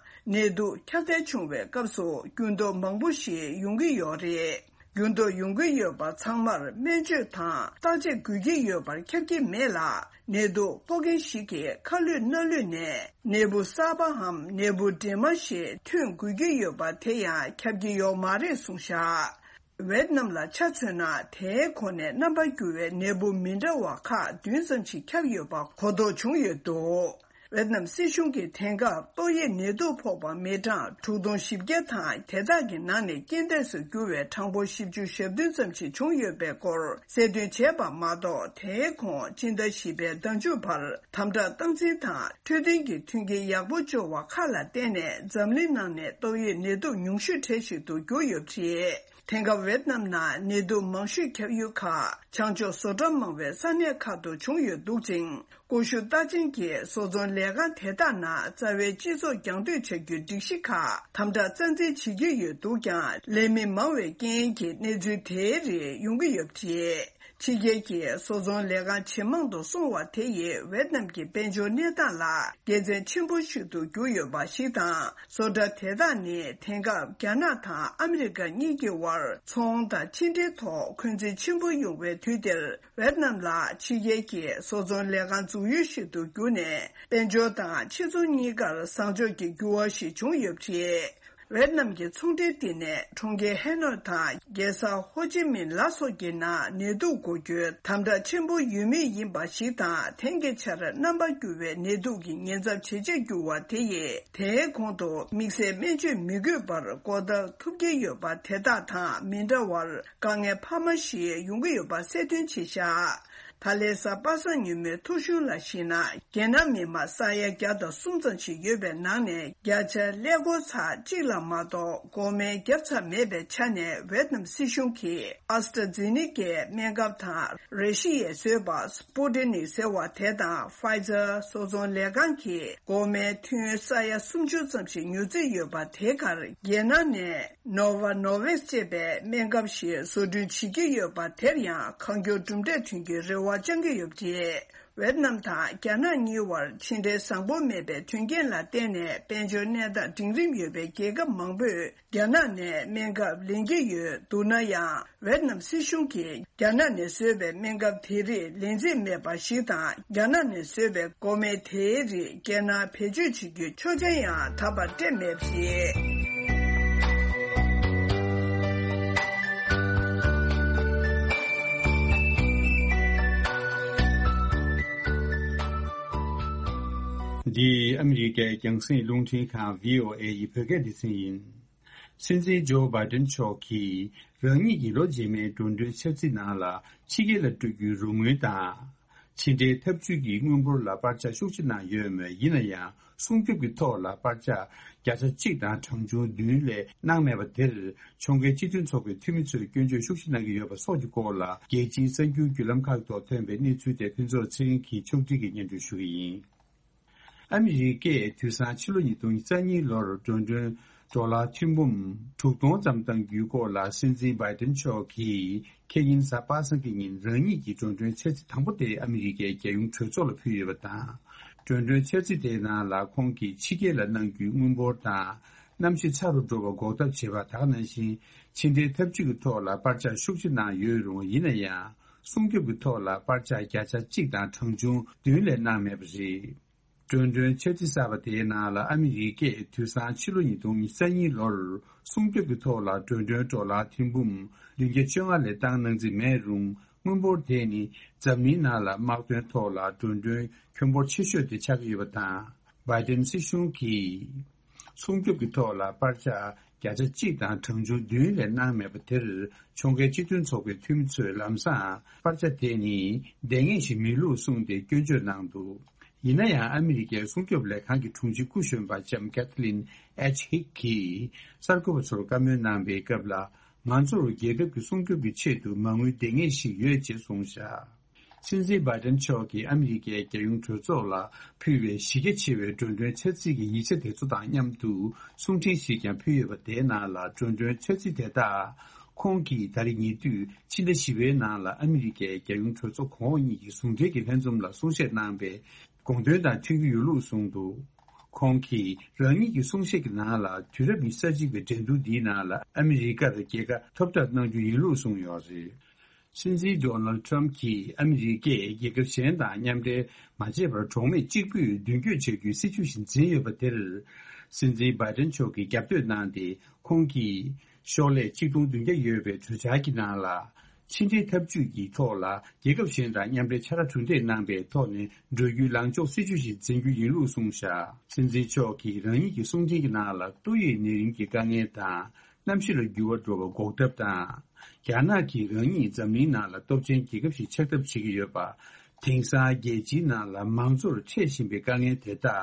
ནད་དུག་ཁྱབ་གདལ་བྱུང་བའི་སྐབས་སུ་འགྱུར་ལྡོག་མང་པོ་ཞིག་ཡོང་གི་ཡོད་རེད། འགྱུར་ལྡོག་ཡོང་གི་ཡོད་པ་ཚང་མར་སྨན་བཅོས་དང་བརྟག་དཔྱད་དགོས་ཀྱི་ཡོད་པར་ཁྱབ་ཀྱི་མེད་ལ། ནད་དུག་ཕོག་མཁན་ཞིག་གིས་ཁ་ལུད་སྣ་ལུད་ནས་ནད་འབུ་གསར་པའམ་ནད་འབུ་འདྲེས་མ་ཞིག་ཐོན་དགོས་ཀྱི་ཡོད་པ་དེ་ཡང་ཁྱབ་ཀྱི་ཡོད་མ་རེད་གསུངས་བཞག་ཝེད་ནམ་ལ་ཆ་མཚོན་ན། དེའི་གོང་ནས་རྣམ་པར་འགྱུར་བའི་ནད་འབུ་མི་འདྲ་བ་ཁག་བདུན་ཙམ་ཞིག་ཁྱབ་ཡོད་པ་གོ་རྟོགས་བྱུང་ཡོད་འདུག་ཝེད་ནམ་སྲིད་གཞུང་གིས་དེང་སྐབས་ཏོག་དབྱིབས་ནད་དུག་ཕོག་པ་མི་གྲངས་དྲུག་སྟོང་བཞི་བརྒྱ་དང་། དེ་དག་གི་ནང་ནས་རྐྱེན་འདས་སུ་གྱུར་བའི་གྲངས་འབོར་བཞི་བཅུ་ཞེ་བདུན་ཙམ་ཞིག་བྱུང་ཡོད་པའི་སྐོར་གསལ་སྟོན་བྱས་པ་མ་གཏོགས། དེའི་གོང་སྤྱི་ཟླ་བཞི་པའི་ཟླ་མཇུག་བར་དམ་དྲག་སྟངས་འཛིན་དང་འཕྲོད་བསྟེན་གྱི་མཐུན་རྐྱེན་ཡག་པོ་སྦྱོར་བ་ཁག་ལ་བརྟེན་ནས། འཛམ་གླིང་ནང་ནས་ཏོག་དབྱིབས་ནད་དུག་ཉུང་ཤོས་གྲས་ཤིག་ཏུ་གྱུར་ཡོད་པ་རེད། དེང་སྐབས་ཝེད་ནམ་ནང་ནད་དུག་མང་ཤོས་ཁྱབ་ཡུལ་ཁག་བྱང་ཕྱོགས་བཟོ་གྲྭ་མང་བའི་ས་གནས་ཁག་ཏུ་བྱུང་ཡོད་འདུག་ཅིང་། ཀུ་ཤུ་རྟགས་ཅན་གྱི་བཟོ་ཚོང་ལས་ཁང་དེ་དག་ནང་རྩ་བའི་སྤྱི་ཚོགས་རྒྱང་སྡོད་བྱ་རྒྱུའི་སྒྲིག་གཞི་ཁག་དམ་དྲག་རྩ་འཛིན་བྱེད་ཀྱི་ཡོད་འདུག་ཀྱང་། ལས་མི་མང་བའི་རྐྱེན་གྱིས་གནས་ཚུལ་དེའི་རིགས་ཡོང་གི་ཡོད་པ་རེད། ཕྱི་རྒྱལ་གྱི་བཟོ་ཚོང་ལས་ཁང་ཇེ་མང་དུ་སོང་བ་དེ་ཡིས་ཝེད་ནམ་གྱི་དཔལ་འབྱོར་གནས་སྟངས་ལ་དགེ་མཚན་ཆེན་པོ་ཞིག་ཏུ་གྱུར་ཡོད་པ་ཞིག་དང་། བཟོ་གྲྭ་དེ་དག་ནི་དེང་སྐབས་རྒྱ་ནག་དང་ཨ་མི་རི་ཀ་གཉིས་ཀྱི་དབར་ཚོང་དང་ཕྱི་འབྲེལ་ཐོག་འཁོན་འཛིན་ཆེན་པོ་ཡོང་བའི་དུས་འདིར། ཝེད་ནམ་ལ་ཕྱི་རྒྱལ་གྱི་བཟོ་ཚོང་ལས་ཁང་འཛུགས་ཡུལ་ཞིག་ཏུ་གྱུར་ནས། དཔལ་འབྱོར་དང་ཕྱི་ཚོང་གཉིས་ཀར་བཟང་ཕྱོགས་ཀྱི་འགྱུར་བ་ཞིག་བྱུང་ཡོད་པ་རེད། ཝེད་ནམ་གྱི་ཚོང་འབྲེལ་འདི་ནས་གྲོང་ཁྱེར་ཧེ་ནོ་དང་རྒྱལ་ས་ཧོ་ཅི་མིན་ལ་སོགས་ཀྱི་ནང་ནད་དུག་འགོ་རྒྱུའི་དམ་དྲག་ཆེན་པོ་ཡོད་མུས་ཡིན་པ་ཞིག་དང་། དེང་གི་ཆར་རྣམ་པར་འགྱུར་བའི་ནད་དུག་གི་ཉེན་ཚབས་ཇེ་ཆེར་གྱུར་བ་དེ་ཡིས། དེའི་གོང་དུ་དམིགས་བསལ་སྨན་བཅོས་མི་དགོས་པར་འགོག་ཐབས་ཐུབ་ཀྱི་ཡོད་པ་དེ་དག་དང་མི་འདྲ་བར། དཀའ་ངལ་འཕར་མ་ཞིག་ཡོང་གི་ཡོད་པ་གསལ་སྟོན་བྱས་བཞག་ད་ལན་གཟའ་པ་སངས་ཉིན་མོའི་ཐོ་གཞུང་ལ་གཞིགས་ན། རྒྱལ་ནང་མི་མང་ས་ཡ་བརྒྱ་དང་གསུམ་ཙམ་ཞིག་ཡོད་པའི་ནང་ནས། བརྒྱ་ཆ་ཀླད་ཀོར་ཚར་གཅིག་ལ་མ་གཏོགས་འགོག་སྨན་བརྒྱབ་ཚར་མེད་པའི་ཆ་ནས། ཝེད་ནམ་སྲིད་གཞུང་གིས་ཨ་སི་ཏྲ་ཛེ་ནི་ཀའི་སྨན་ཁབ་དང་། ར་ཤི་ཡས་བཟོས་པ་སྤུ་ཏི་ནིག་ཟེར་བ་དེ་དང་། ཕའི་ཛར་བཟོ་ཚོང་ལས་ཁང་གིས་འགོག་སྨན་ཐུན་ས་ཡ་སུམ་ཅུ་ཙམ་ཞིག་ཉོ་རྩིས་ཡོད་པ་དེ་གར་རྒྱལ་ནང་ནས། ནོ་ཝ་ནོ་ཝེག་ཅེས་པའི་སྨན་ཁབ་ཞིག་བཟོ་སྐྲུན་བྱེད་ཀྱི་ཡོད་པ་དེར་ཡང་གང་མགྱོགས་གྲུབ་འབྲས་ཐོན་རྒྱུའི་རེ་བ་བཅང་གི་ཡོད་པ་རེད། ཝེད་ནམ་དང་རྒྱ་ནག་གཉིས་བར་ཕྱི་འབྲེལ་བཟང་པོ་མེད་པའི་དོན་རྐྱེན་ལ་བརྟེན་ནས། དཔལ་འབྱོར་གནས་སྟངས་འབྲིང་རིམ་ཡོད་པའི་རྒྱལ་ཁབ་མང་པོས་རྒྱ་ནག་ནས་སྨན་ཁབ་ལེན་གྱི་ཡོད་འདུག་ན་ཡང་། ཝེད་ནམ་སྲིད་གཞུང་གིས་རྒྱ་ནག་ནས་བཟོས་པའི་སྨན་ཁབ་དེ་རིགས་ལེན་རྩིས་མེད་པ་ཞིག་དང་། རྒྱ་ནག་ནས་བཟོས་པའི་འགོག་སྨན་དེའི་རིགས་རྒྱལ་ནང་བེད་སྤྱོད་བྱེད་རྒྱུའི་ཆོག་མཆན་ཡང་ད་བར་སྤྲད་མེད་པ་རེད། འདི་ཨ་མི་རི་ཀའི་རྒྱང་སྲིང་རླུང་འཕྲིན་ཁང་བྷི་ཨོ་ཨེ་ཡི་བོད་སྐད་སྡེ་ཚན་ཡིན། སྲིད་འཛིན་ཇོ་བྷའི་ཏན་མཆོག་གིས་རང་ཉིད་ཀྱི་ལོ་རྗེས་མའི་འགྲོ་གྲོན་འཆར་རྩིས་ནང་ལ་ཕྱི་རྒྱལ་ལ་སྤྲོད་རྒྱུའི་རོགས་དངུལ་དང་། ཕྱི་འབྲེལ་འཐབ་ཇུས་ཀྱི་དངུལ་འབོར་ལ་སྤར་ཆ་ཤུགས་ཆེ་གནང་ཡོད་མོད། ཡིན་ན་ཡང་སྲུང་སྐྱོབ་ཀྱི་ཐོག་ལ་སྤར་ཆ་བརྒྱ་ཆ་གཅིག་དང་གྲངས་ཆུང་བདུན་ལས་གནང་མེད་པ་དེར་ཕྱོགས་འགལ་སྤྱི་མཐུན་ཚོགས་པའི་འཐུས་མི་ཚོས་སྐྱོན་བརྗོད་ཤུགས་ཆེ་གནང་གི་ཡོད་པ་སོགས་ཀྱི་སྐོར་ལ་རྒྱལ་སྤྱིའི་གསར་འགྱུར་བརྒྱུད་ལམ་ཁག་ཐོག་ཐོན་པའི་གནས་ཚུལ་དེ་ཕུན་ཚོགས་ཚེ་རིང་གིས་ཕྱོགས་སྒྲིག་གིས་སྙན་སྒྲོན་ཞུ་གི་ཡིན། ཨ་མི་རི་ཀས་དུས་སང་ཕྱི་ལོ་ཉིས་སྟོང་ཉེར་གཉིས་ལོར་འགྲོ་གྲོན་ཌོ་ལར་ཐེར་འབུམ་དྲུག་སྟོང་ཙམ་གཏང་རྒྱུའི་སྐོར་ལ་སྲིད་འཛིན་བྷའི་ཏན་མཆོག་གིས་ཁེ་ཉིན་གཟའ་པ་སངས་ཀྱི་ཉིན་རང་ཉིད་ཀྱི་འགྲོ་གྲོན་འཆར་རྩིས་དང་པོ་དེ་ཨ་མི་རི་ཀའི་རྒྱལ་ཡོངས་གྲོས་ཚོགས་ལ་ཕུལ་ཡོད་པ་དང་། འགྲོ་གྲོན་འཆར་རྩིས་དེའི་ནང་ལ་ཁོང་གིས་ཕྱི་རྒྱལ་ལ་གནང་རྒྱུའི་དངུལ་འབོར་དང་། གནམ་གཤིས་ཚ་རུ་འགྲོ་བ་འགོག་ཐབས་བྱེད་པ་དག་ནང་བཞིན་ཕྱི་འབྲེལ་འཐབ་ཇུས་ཀྱི་ཐོག་ལ་སྤར་ཆ་ཤུགས་ཆེ་གནང་ཡོད་རུང་། ཡིན་ན་ཡང་སྲུང་སྐྱོབ་ཀྱི་ཐོག་ལ་སྤར་ཆ་བརྒྱ་ཆ་གཅིག་དང་གྲངས་ཆུང་བདུན་ལས་གནང་མེད་པ་རེད། འགྲོ་གྲོན་འཆར་རྩིས་གསར་པ་དེའི་ནང་ལ་ཨ་མི་རི་ཀས་དུས་སང་ཕྱི་ལོ་ཉིས་སྟོང་ཉེར་གཉིས་ལོར་སྲུང་སྐྱོབ་ཀྱི་ཐོག་ལ་འགྲོ་གྲོན་ཌོ་ལར་ཐེར་འབུམ་བདུན་བརྒྱ་བཅོ་ལྔ་ལས་བཏང་གནང་རྩིས་མེད་རུང་། དངུལ་འབོར་དེ་ནི་འཛམ་གླིང་ནང་ལ་དམག་དོན་ཐོག་ལ་འགྲོ་གྲོན་ཁྱོན་འབོར་ཆེ་ཤོས་དེ་ཆགས་ཀྱི་ཡོད་པ་དང་། བྷའི་ཏན་སྲིད་གཞུང་གིས་སྲུང་སྐྱོབ་ཀྱི་ཐོག་ལ་སྤར་ཆ་བརྒྱ་ཆ་གཅིག་དང་གྲངས་ཆུང་བདུན་ལས་གནང་མེད་པ་དེར་ཕྱོགས་འགལ་སྤྱི་མཐུན་ཚོགས་པའི་འཐུས་མི་ཚོས་ལམ་སང་སྤར་ཆ་དེ་ནི་ལྡང་ངེས་ཤིག་མིན་ལུགས་གསུངས་ཏེ་སྐྱོན་བརྗོད་གནང་འདུག་ཡིན་ན་ཡང་ཨ་མི་རི་ཀའི་སྲུང་སྐྱོབ་ལས་ཁང་གི་དྲུང་ཆེ་སྐུ་གཞོན་པ་ལྕམ་ཀེ་ཐི་ལིན་ཨེཆ་ཧིག་གིས་གསར་འགོད་པ་ཚོར་བཀའ་མོལ་གནང་པའི་སྐབས་ལ། ང་ཚོར་རྒྱལ་ཁབ་ཀྱི་སྲུང་སྐྱོབ་ཀྱི་ཆེད་དུ་མ་དངུལ་ལྡང་ངེས་ཤིག་ཡོད་ཅེས་གསུངས་བཞག་སྲིད་འཛིན་བྷའི་ཏན་མཆོག་གིས་ཨ་མི་རི་ཀའི་རྒྱལ་ཡོངས་གྲོས་ཚོགས་ལ་ཕུལ་བའི་གཞི་རྒྱ་ཆེ་བའི་འགྲོ་གྲོན་འཆར་རྩིས་ཀྱི་ཡིག་ཆ་དེ་ཚོ་དང་མཉམ་དུ་གསུང་འཕྲིན་ཞིག་ཀྱང་ཕུལ་ཡོད་པ། དེའི་ནང་ལ་འགྲོ་གྲོན་འཆར་རྩིས་དེ་དག་ཁོང་གིས་ད་རེས་ཉེ་དུས་ཕྱི་ཟླ་བཞི་པའི་ནང་ལ་ཨ་མི་རི་ཀའི་རྒྱལ་ཡོངས་གྲོས་ཚོགས་གོང་འོག་གཉིས་ཀྱི་ཟུང་འབྲེལ་གྱི་ལྷན་འཛོམས་ལ་གསུང་བཤད་གནང་པའི་དགོངས་དོན་དང་མཐུན་གྱི་ཡོད་ལུགས་གསུངས་འདུག་ཁོང་གིས་རང་ཉིད་ཀྱི་གསུང་བཤད་ཀྱི་ནང་ལ། དུས་རབས་ཉི་ཤུ་རྩ་གཅིག་པའི་འགྲན་བསྡུར་འདིའི་ནང་ལ་ཨ་མི་རི་ཀར་རྒྱལ་ཁ་ཐོབ་ཐབས་གནང་རྒྱུ་ཡིན་ལུགས་གསུངས་ཡོད་རེད། སྲིད་འཛིན་ཌོ་ནལ་ཌི་ཊརམ་ཕི་གྱིས་ཨ་མི་རི་ཀས་རྒྱལ་ཁབ་གཞན་དང་མཉམ་འབྲེལ་མ་བྱས་པར་གྲོགས་མེད་གཅིག་པུས་མདུན་སྐྱོད་བྱ་རྒྱུའི་སྲིད་བྱུས་ཤིག་འཛིན་ཡོད་པ་དེར། སྲིད་འཛིན་བྷའི་ཏན་མཆོག་གིས་རྒྱབ་སྐྱོར་གནང་སྟེ། ཁོང་གིས་ཤོག་ལྷེ་ཆིག་སྟོང་བདུན་བརྒྱ་ཡོད་པའི་གྲོས་འཆར་གྱི་ནང་ལ། ཕྱི་འབྲེལ་འཐབ་ཇུས་ཀྱི་ཐོག་ལ་རྒྱལ་ཁབ་གཞན་དང་མཉམ་འབྲེལ་ཕྱག་ར་གྲུ་འདེགས་གནང་པའི་ཐོག་ནས་འགྲོ་རྒྱུའི་ལངས་ཕྱོགས་སྲིད་བྱུས་ཤིག་འཛིན་རྒྱུ་ཡིན་ལུགས་གསུངས་བཞག་སྲིད་འཛིན་མཆོག་གིས་རང་ཉིད་ཀྱི་གསུང་འཕྲིན་གྱི་ནང་ལ། ཏོག་དབྱིབས་ནད་རིམས་ཀྱི་དཀའ་ངལ་དང་། གནམ་གཤིས་ལ་འགྱུར་བ་འགྲོ་བ་འགོག་ཐབས་དང་། རྒྱ་ནག་གིས་རང་ཉིད་འཛམ་གླིང་ནང་ལ་སྟོབས་ཆེན་རྒྱལ་ཁབ་ཞིག་ཆགས་ཐབས་བྱེད་ཀྱི་ཡོད་པ། དེང་སང་རྒྱལ་སྤྱིའི་ནང་ལ་མང་གཙོར་འཕྲད་བཞིན་པའི་དཀའ་ངལ་དེ་དག་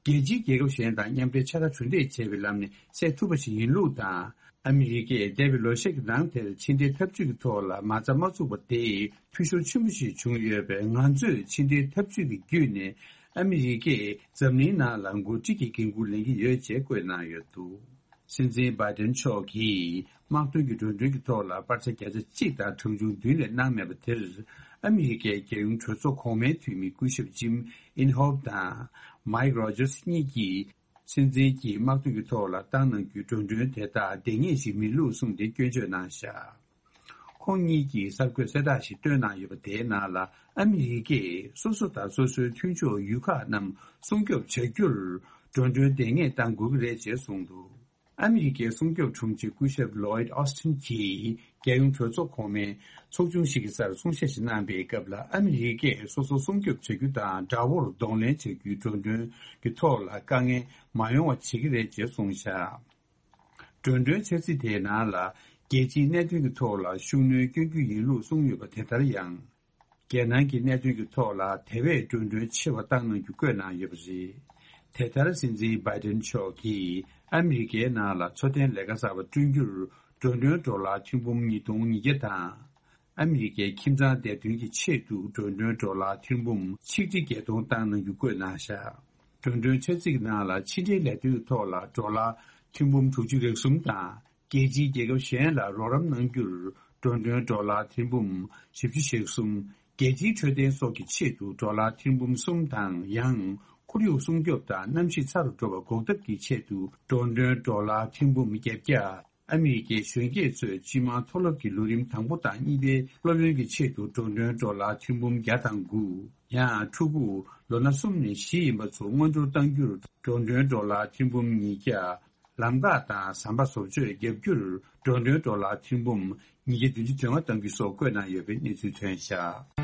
རྒྱལ་སྤྱིའི་རྒྱལ་ཁབ་གཞན་དང་མཉམ་འབྲེལ་ཕྱག་ར་གྲུ་འདེགས་བྱས་པའི་ལམ་ནས་སེལ་ཐུབ་པ་ཞིག་ཡིན་ལུགས་དང་། ཨ་མི་རི་ཀས་འདས་པའི་ལོ་ཤས་ཀྱི་ནང་དེར་ཕྱི་འབྲེལ་འཐབ་ཇུས་ཀྱི་ཐོག་ལ་མ་རྩ་མ་བཙུགས་པ་དེས་འཐུས་ཤོར་ཆེན་པོ་ཞིག་བྱུང་ཡོད་པས། ང་ཚོས་ཕྱི་འབྲེལ་འཐབ་ཇུས་ཀྱི་བརྒྱུད་ནས་ཨ་མི་རི་ཀས་འཛམ་གླིང་ནང་ལ་འགོ་ཁྲིད་ཀྱི་འགན་འཁུར་ལེན་གྱི་ཡོད་ཅེས་བཀོད་གནང་ཡོད་འདུག་སྲིད་འཛིན་བྷའི་ཏན་མཆོག་གིས་དམག་དོན་གྱི་འགྲོ་གྲོན་གྱི་ཐོག་ལ་སྤར་ཆ་བརྒྱ་ཆ་གཅིག་དང་གྲངས་ཆུང་བདུན་ལས་གནང་མེད་པ་དེར། ཨ་མི་རི་ཀའི་རྒྱལ་ཡོངས་གྲོས་ཚོགས་གོང་མའི་འཐུས་མི་སྐུ་ཞབས་ཇིམ་ཨིན་ཧོབ་དང་མའིག་རོ་ཇར་སི་གཉིས་ཀྱིས། སྲིད་འཛིན་གྱིས་དམག་དོན་གྱི་ཐོག་ལ་བཏང་གནང་རྒྱུའི་འགྲོ་གྲོན་དེ་དག་ལྡང་ངེས་ཤིག་མིན་ལུགས་གསུངས་ཏེ་སྐྱོན་བརྗོད་གནང་བཞག་ཁོང་གཉིས་ཀྱིས་གསར་འགོད་གསལ་བསྒྲགས་ཤིག་བཏོན་གནང་ཡོད་པ། དེའི་ནང་ལ་ཨ་མི་རི་ཀས་སོ་སོ་དང་སོ་སོའི་མཐུན་ཕྱོགས་ཡུལ་ཁག་རྣམས་སྲུང་སྐྱོབ་བྱ་རྒྱུར་འགྲོ་གྲོན་ལྡང་ངེས་གཏང་དགོས་ཀྱི་རེད་ཅེས་གསུངས་འདུག་ཨ་མི་རི་ཀའི་སྲུང་སྐྱོབ་དྲུང་ཆེ་སྐུ་ཞབས་ལོའིད་ཨོ་སི་ཊིན་གྱིས་རྒྱལ་ཡོངས་གྲོས་ཚོགས་གོང་མའི་ཚོགས་ཆུང་ཞིག་གི་སར་གསུང་བཤད་ཞིག་གནང་པའི་སྐབས་ལ། ཨ་མི་རི་ཀས་སོ་སོ་སྲུང་སྐྱོབ་བྱ་རྒྱུ་དང་དགྲ་བོར་གདོང་ལེན་བྱ་རྒྱུའི་འགྲོ་གྲོན་གྱི་ཐོག་ལ་དཀའ་ངལ་མ་ཡོང་བ་བྱེད་ཀྱི་རེད་ཅེས་གསུངས་བཞག་འགྲོ་གྲོན་འཆར་རྩིས་དེའི་ནང་ལ་རྒྱལ་སྤྱིའི་གནད་དོན་གྱི་ཐོག་ལ་ཤུགས་སྣོན་སྐྱོན་རྒྱུ་ཡིན་ལུགས་གསུངས་ཡོད་པ། དེ་ལྟར་ཡང་། རྒྱལ་ནང་གི་གནད་དོན་གྱི་ཐོག་ལ་དེ་བས་འགྲོ་གྲོན་ཆེ་བ་བཏང་གནང་རྒྱུ་བཀོད་གནང་ཡོད་པ་རེད། དེ་ལྟར་སྲིད་འཛིན་བྷའི་ཏན་མཆོག་གིས་ཨ་མི་རི་ཀའི་ནང་ལ་འཚོ་རྟེན་ལས་ཀ་གསར་པ་བསྐྲུན་རྒྱུར་འགྲོ་གྲོན་ཌོ་ལར་ཐེར་འབུམ་ཉིས་སྟོང་ཉིས་བརྒྱ་དང་། ཨ་མི་རི་ཀའི་ཁྱིམ་ཚང་བདེ་དོན་གྱི་ཆེད་དུ་འགྲོ་གྲོན་ཌོ་ལར་ཐེར་འབུམ་ཆིག་ཁྲི་བརྒྱད་སྟོང་བཏང་གནང་རྒྱུ་བཀོད་གནང་བཞག་འགྲོ་གྲོན་འཆར་རྩིས་ཀྱི་ནང་ལ་ཕྱི་འབྲེལ་ལས་དོན་གྱི་ཐོག་ལ་ཌོ་ལར་ཐེར་འབུམ་དྲུག་ཅུ་རེ་གསུམ་དང་། རྒྱལ་སྤྱིའི་རྒྱལ་ཁབ་གཞན་ལ་རོགས་རམ་གནང་རྒྱུར་འགྲོ་གྲོན་ཌོ་ལར་ཐེར་འབུམ་བཞི་བཅུ་ཞེ་གསུམ། རྒྱལ་སྤྱིའི་འཕྲོད་བསྟེན་སོགས་ཀྱི་ཆེད་དུ་ཌོ་ལར་ཐེར་འབུམ་གསུམ་དང་། ཡང་ཁོར་ཡུག་སྲུང་སྐྱོབ་དང་གནམ་གཤིས་ཚ་རུ་འགྲོ་བ་འགོག་ཐབས་ཀྱི་ཆེད་དུ་འགྲོ་གྲོན་ཌོ་ལར་ཐེར་འབུམ་བརྒྱད་བརྒྱ། ཨ་མི་རི་ཀའི་གཞོན་སྐྱེས་ཚོས་སྤྱི་དམངས་མཐོ་སློབ་ཀྱི་ལོ་རིམ་དང་པོ་དང་གཉིས་པའི་སློབ་ཡོན་གྱི་ཆེད་དུ་འགྲོ་གྲོན་ཌོ་ལར་ཐེར་འབུམ་བརྒྱ་དང་དགུ། ཡང་ཕྲུ་གུ་ལོ་ན་གསུམ་ནས་བཞི་ཡིན་པ་ཚོ་སྔོན་འགྲོ་གཏང་རྒྱུར་འགྲོ་གྲོན་ཌོ་ལར་ཐེར་འབུམ་ཉིས་བརྒྱ། ལམ་ཁ་དང་ཟམ་པ་བཟོ་བཅོས་བརྒྱབ་རྒྱུར་འགྲོ་གྲོན་ཌོ་ལར་ཐེར་འབུམ་ཉིས་བརྒྱ་བདུན་ཅུ་དོན་ལྔ་གཏང་རྒྱུ་སོགས་བཀོད་གནང་ཡོད་པའི་གནས་ཚུལ་ཐོན་བཞག་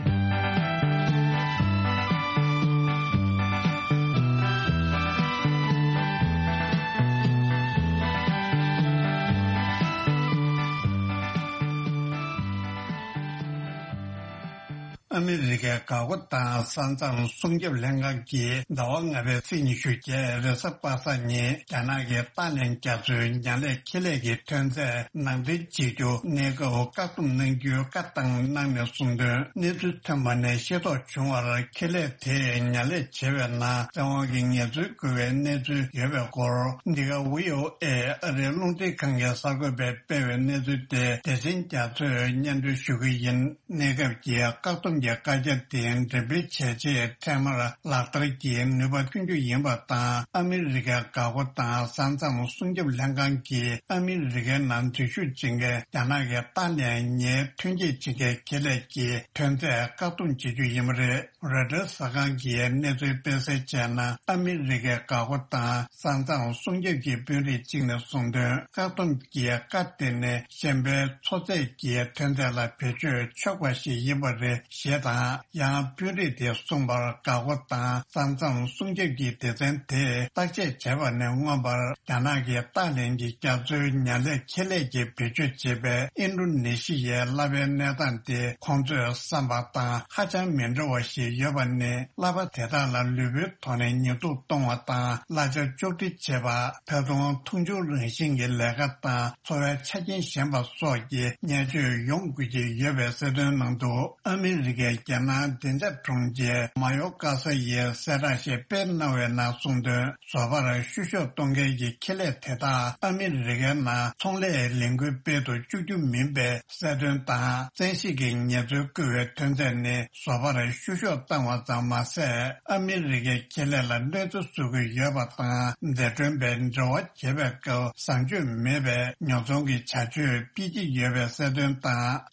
ཨ་མི་རི་ཀའི་འགག་སྒོ་དང་ས་མཚམས་སྲུང་སྐྱོབ་ལྷན་ཁང་གིས་ཟླ་བ་ལྔ་པའི་ཚེས་ཉི་ཤུ་བརྒྱད་རེས་གཟའ་པ་སངས་ཉིན་རྒྱ་ནག་གི་ཏཱ་ལའི་རྒྱ་མཚོའི་ཉ་ལས་ཁེ་ལས་ཀྱི་ཐོན་རྫས་ནང་འདྲེན་བྱེད་རྒྱུ་གནས་སྐབས་བཀག་སྡོམ་གནང་རྒྱུའི་བཀའ་བཏང་གནང་ནས་གསུངས་དོན། གནས་ཚུལ་ཐོན་པ་ནས་ཤེས་རྟོགས་བྱུང་བར། ཁེ་ལས་དེས་ཉ་ལས་བྱེད་པའི་ནང་བཙན་དབང་གིས་ངལ་རྩོལ་བསྐུལ་བའི་གནས་ཚུལ་ཡོད་པའི་སྐོར། འདི་ག་ཝི་ཨོ་ཨེ་ཨ་རིའི་རླུང་འཕྲིན་ཁང་གི་གསར་འགོད་པས་སྤེལ་བའི་གནས་ཚུལ་དེ་བདེ་ཆེན་རྒྱ་མཚོས་སྙན་སྒྲོན་ཞུ་གི་ཡིན། གནས་སྐབས་ཀྱི་བཀག་སྡོམ་གྱི་བཀའ་རྒྱ་དེ་འགྲེམས་སྤེལ་བྱས་རྗེས། འཕྲལ་མར་ལག་བསྟར་གྱི་ནུས་པ་ཐོན་རྒྱུ་ཡིན་པ་དང་། ཨ་མི་རི་ཀའི་འགག་སྒོ་དང་ས་མཚམས་སྲུང་སྐྱོབ་ལྷན་ཁང་གིས་ཨ་མི་རི་ཀའི་ནང་འཛུལ་ཞུགས་བྱེད་མཁན་རྒྱ་ནག་གི་ཏཱ་ལའི་ཉའི་ཐོན་སྐྱེད་བྱེད་མཁན་ཁེ་ལས་ཀྱི་ཐོན་རྫས་བཀག་སྡོམ་བྱེད་རྒྱུ་ཡིན་པ་རེད། རོའི་ཊར་གསར་ཁང་གིས་གནས་ཚུལ་སྤེལ་གསལ་བྱས་ན། ཨ་མི་རི་ཀའི་འགག་སྒོ་དང་ས་མཚམས་སྲུང་སྐྱོབ་ཀྱི་དཔོན་རིགས་གཅིག་ནས་གསུངས་དོན། བཀག་སྡོམ་གྱི་བཀའ་དེ་ནི་གཞན་པའི་མཚོ་ཚད་ཀྱི་ཐོན་རྫས་ལ་བེད་སྤྱོད་ཆོག་པ་ཞིག་ཡིན་པ་རེད་ཞེས་དང་། ཡང་དཔོན་རིགས་དེས་གསུངས་པར། འགག་སྒོ་དང་ས་མཚམས་སྲུང་སྐྱོབ་ཀྱི་སྡེ་ཚན་དེས་བརྟག་དཔྱད་བྱས་པ་ནས། མངོན་པར་རྒྱ་ནག་གི་ཏཱ་ལའི་གྱི་རྒྱ་མཚོའི་ཉ་ལས་ཁེ་ལས་ཀྱིས་བེད་སྤྱོད་བྱེད་པའི་ཨིན་ཌོ་ནེ་ཤི་ཡའི་གླ་པའི་གནས་སྟངས་དེ་ཁོང་ཚོས་བསམ་པ་དང་ཧ་ཅང་མི་འདྲ་བ་ཞིག་ཡོད་པ་ནི། གླ་པ་དེ་དག་ལ་ལུས་པོའི་ཐོག་ནས་ཉེས་འཛུགས་གཏོང་བ་དང་། གླ་ཆ་གཅོག་འཕྲི་བྱེད་པ། ད་དུང་མཐོང་ཆུང་རང་བཞིན་གྱི་ལས་ཀ་དང་། འཚོ་བའི་ཆ་རྐྱེན་ཞན་པ་སོགས་ཀྱི་བརྙས་བཅོས་ཡོང་དགོས་ཀྱི་ཡོད་པའི་གསལ་སྟོན་གནང་འདུག་ཨ་མི་རི་ཀའི་རྒྱལ་ནང་བདེ་འཇགས་དྲུང་ཆེ་མ་ཡོ་ཀ་ས་ཡིས་གསལ་བསྒྲགས་ཤིག་སྤེལ་གནང་བའི་ནང་གསུངས་དོན། བཟོ་པར་བཤུ་གཞོག་གཏོང་མཁན་གྱི་ཁེ་ལས་དེ་དག་ཨ་མི་རི་ཀའི་ནང་ཚོང་ལས་ལས་འགུལ་སྤེལ་དུ་བཅུག་རྒྱུ་མིན་པའི་གསལ་སྟོན་དང་། བཙན་ཤེད་ཀྱིས་ངལ་རྩོལ་བསྐུལ་བའི་ཐོན་རྫས་ནི་བཟོ་པར་བཤུ་གཞོག་བཏང་བ་ཙམ་མ་ཟད། ཨ་མི་རི་ཀའི་ཁེ་ལས་ལ་གནོད་འཚེ་བཟོ་གི་ཡོད་པ་དང་། འཛད་གྲོན་པས་འབྲེལ་བ་བྱེད་པའི་སྐབས་བཟང་སྤྱོད་མེད་པའི་ཉོ་ཚོང་གི་བྱ་སྤྱོད་སྤེལ་གྱི་ཡོད་པའི་གསལ་སྟོན་དང་།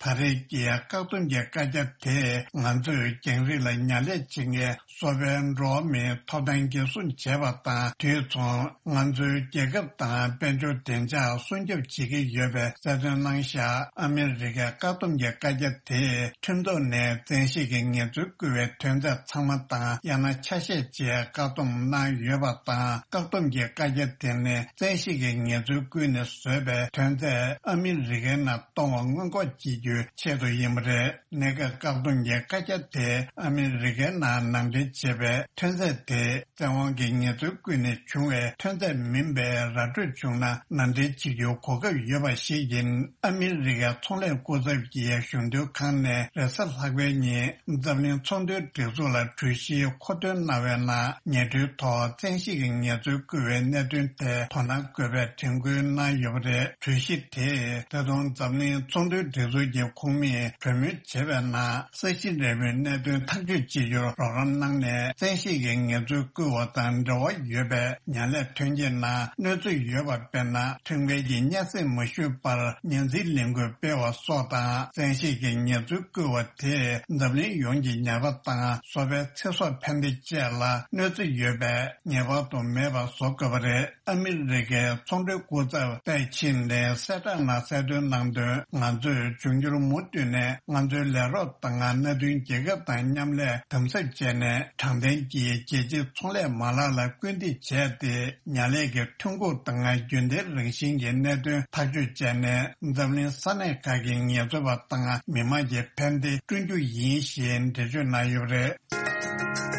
ད་རེས་ཀྱི་བཀག་སྡོམ་གྱི་བཀའ་རྒྱ་དེས་ང་ཚོས་རྒྱང་རིང་ལ་ཉ་ལས་བྱེད་མཁན་གསོ་བའི་འགྲོ་བ་མིའི་ཐོབ་ཐང་འགན་སྲུང་བྱས་པ་དང་། དུས་མཚུངས་ང་ཚོའི་རྒྱལ་ཁབ་དང་དཔལ་འབྱོར་བདེ་འཇགས་སྲུང་སྐྱོབ་བྱེད་ཀྱི་ཡོད་པའི་གསལ་སྟོན་གནང་བཞག་ཨ་མི་རི་ཀའི་བཀག་སྡོམ་གྱི་བཀའ་རྒྱ་དེས་ཁྲིམས་ཐོག་ནས་བཙན་ཤེད་ཀྱིས་ངལ་རྩོལ་བསྐུལ་བའི་ཐོན་རྫས་ཚང་མ་དང་། ཡང་ན་ཆ་ཤས་བཅས་བཀག་སྡོམ་གནང་ཡོད་པ་དང་། བཀག་སྡོམ་གྱི་བཀའ་རྒྱ་དེ་ནི་བཙན་ཤེད་ཀྱིས་ངལ་རྩོལ་བསྐུལ་ནས་བཟོས་པའི་ཐོན་རྫས་ཨ་མི་རི་ཀའི་ནང་གཏོང་བ་སྔོན་འགོག་བྱེད་རྒྱུའི་ཆེད་དུ་ཡིན་པ་རེད། གནས་སྐབས་བཀག་སྡོམ་གྱི་བཀའ་རྒྱ་དེ་ཨ་མི་རི་ཀའི་ནང་ནང་འདྲེན་བྱས་པའི་ཐོན་རྫས་དེ་བཙན་དབང་གིས་ངལ་རྩོལ་བསྐུལ་ནས་བྱུང་བའི་ཐོན་རྫས་མིན་པའི་ར་སྤྲོད་བྱུང་ན་ནང་འདྲེན་བྱེད་རྒྱུའི་གོ་སྐབས་ཡོད་པ་ཞིག་ཡིན། ཨ་མི་རི་ཀའི་ཚོང་ལས་སྐུ་ཚབ་ཀྱི་གཞུང་དོན་ཁང་ནས་རེས་གཟའ་ལྷག་པའི་ཉིན་འཛམ་གླིང་ཚོང་དོན་སྒྲིག་འཛུགས་ལ་གྲོས་གཞིའི་མཁོ་འདོན་གནང་བའི་ནང་། ཉེ་དུས་ཐོག་བཙན་ཤེད་ཀྱིས་ངལ་རྩོལ་བསྐུལ་བའི་གནད་དོན་ཐད་དོ་སྣང་དགོས་པའི་དྲན་སྐུལ་གནང་ཡོད་པ་རེད། གྲོས་གཞི་དེས་ད་དུང་འཛམ་གླིང་ཚོང་དོན་སྒྲིག་འཛུགས་ཀྱི་ཁོངས་མིས་གྲོས་མོལ་བྱས་པའི་ནང་། ས་ཞིང་འབྲེལ་བའི་གནད་དོན་ཐག་གཅོད་བྱེད་རྒྱུར་རོགས་རམ་གནང་ནས། བཙན་ཤེད་ཀྱིས་ངལ་རྩོལ་བསྐུལ་བ་དང་འབྲེལ་བ་ཡོད་པའི་ཉ་ལས་ཐོན་སྐྱེད་ནང་གནོད་འཚེ་ཡོད་པ། དཔེར་ན། ཁྲིམས་འགལ་གྱི་སྙན་སེང་མ་ཞུས་པར་སྙན་འཛུལ་ལས་འགུལ་སྤེལ་བ་སོགས་དང་། བཙན་ཤེད་ཀྱིས་ངལ་རྩོལ་བསྐུལ་བ་དེས་འཛམ་གླིང་ཡོངས་ཀྱི་ཉ་པ་དང་སོ་པའི་ཚེ་སྲོག་ཕན་བདེ་བཅས་ལ་གནོད་འཚེ་ཡོད་པས། ངེས་པར་དུ་མེད་པ་བཟོ་དགོས་པ་རེད། ཨ་མི་རི་ཀའི་ཚོང་འབྲེལ་སྐུ་ཚབ་ཏའེ་ཆིན་ནས་གསལ་བསྒྲགས་ནང་གསལ་སྟོན་གནང་དོན། ང་ཚོས་འབྱུང་འགྱུར་མུ་མཐུད་ནས་ང་ཚོའི་ལས་རོགས་དང་མནའ་མཐུན་རྒྱལ་ཁབ་དང་མཉམ་ལས་དམ་ཟབ་བྱས་ནས། དྲང་བདེན་གྱི་རྒྱལ་སྤྱིའི་ཚོང་ལས་མ་ལག་ལ་སྐུལ་འདེད་བྱས་ཏེ། ཉ་ལས་ཀྱི་ཐོན་ཁུངས་དང་རྒྱུན་ལྡན་རང་བཞིན་གྱི་གནད་དོན་ཐག་གཅོད་བྱས་ནས། འཛམ་གླིང་ས་གནས་ཁག་གི་ངལ་རྩོལ་པ་དང་མི་དམངས་ཀྱི་ཕན་བདེ་བསྐྲུན་རྒྱུ་ཡིན་ཞེས་འགྲེལ་བརྗོད་གནང་ཡོད་པ་རེད།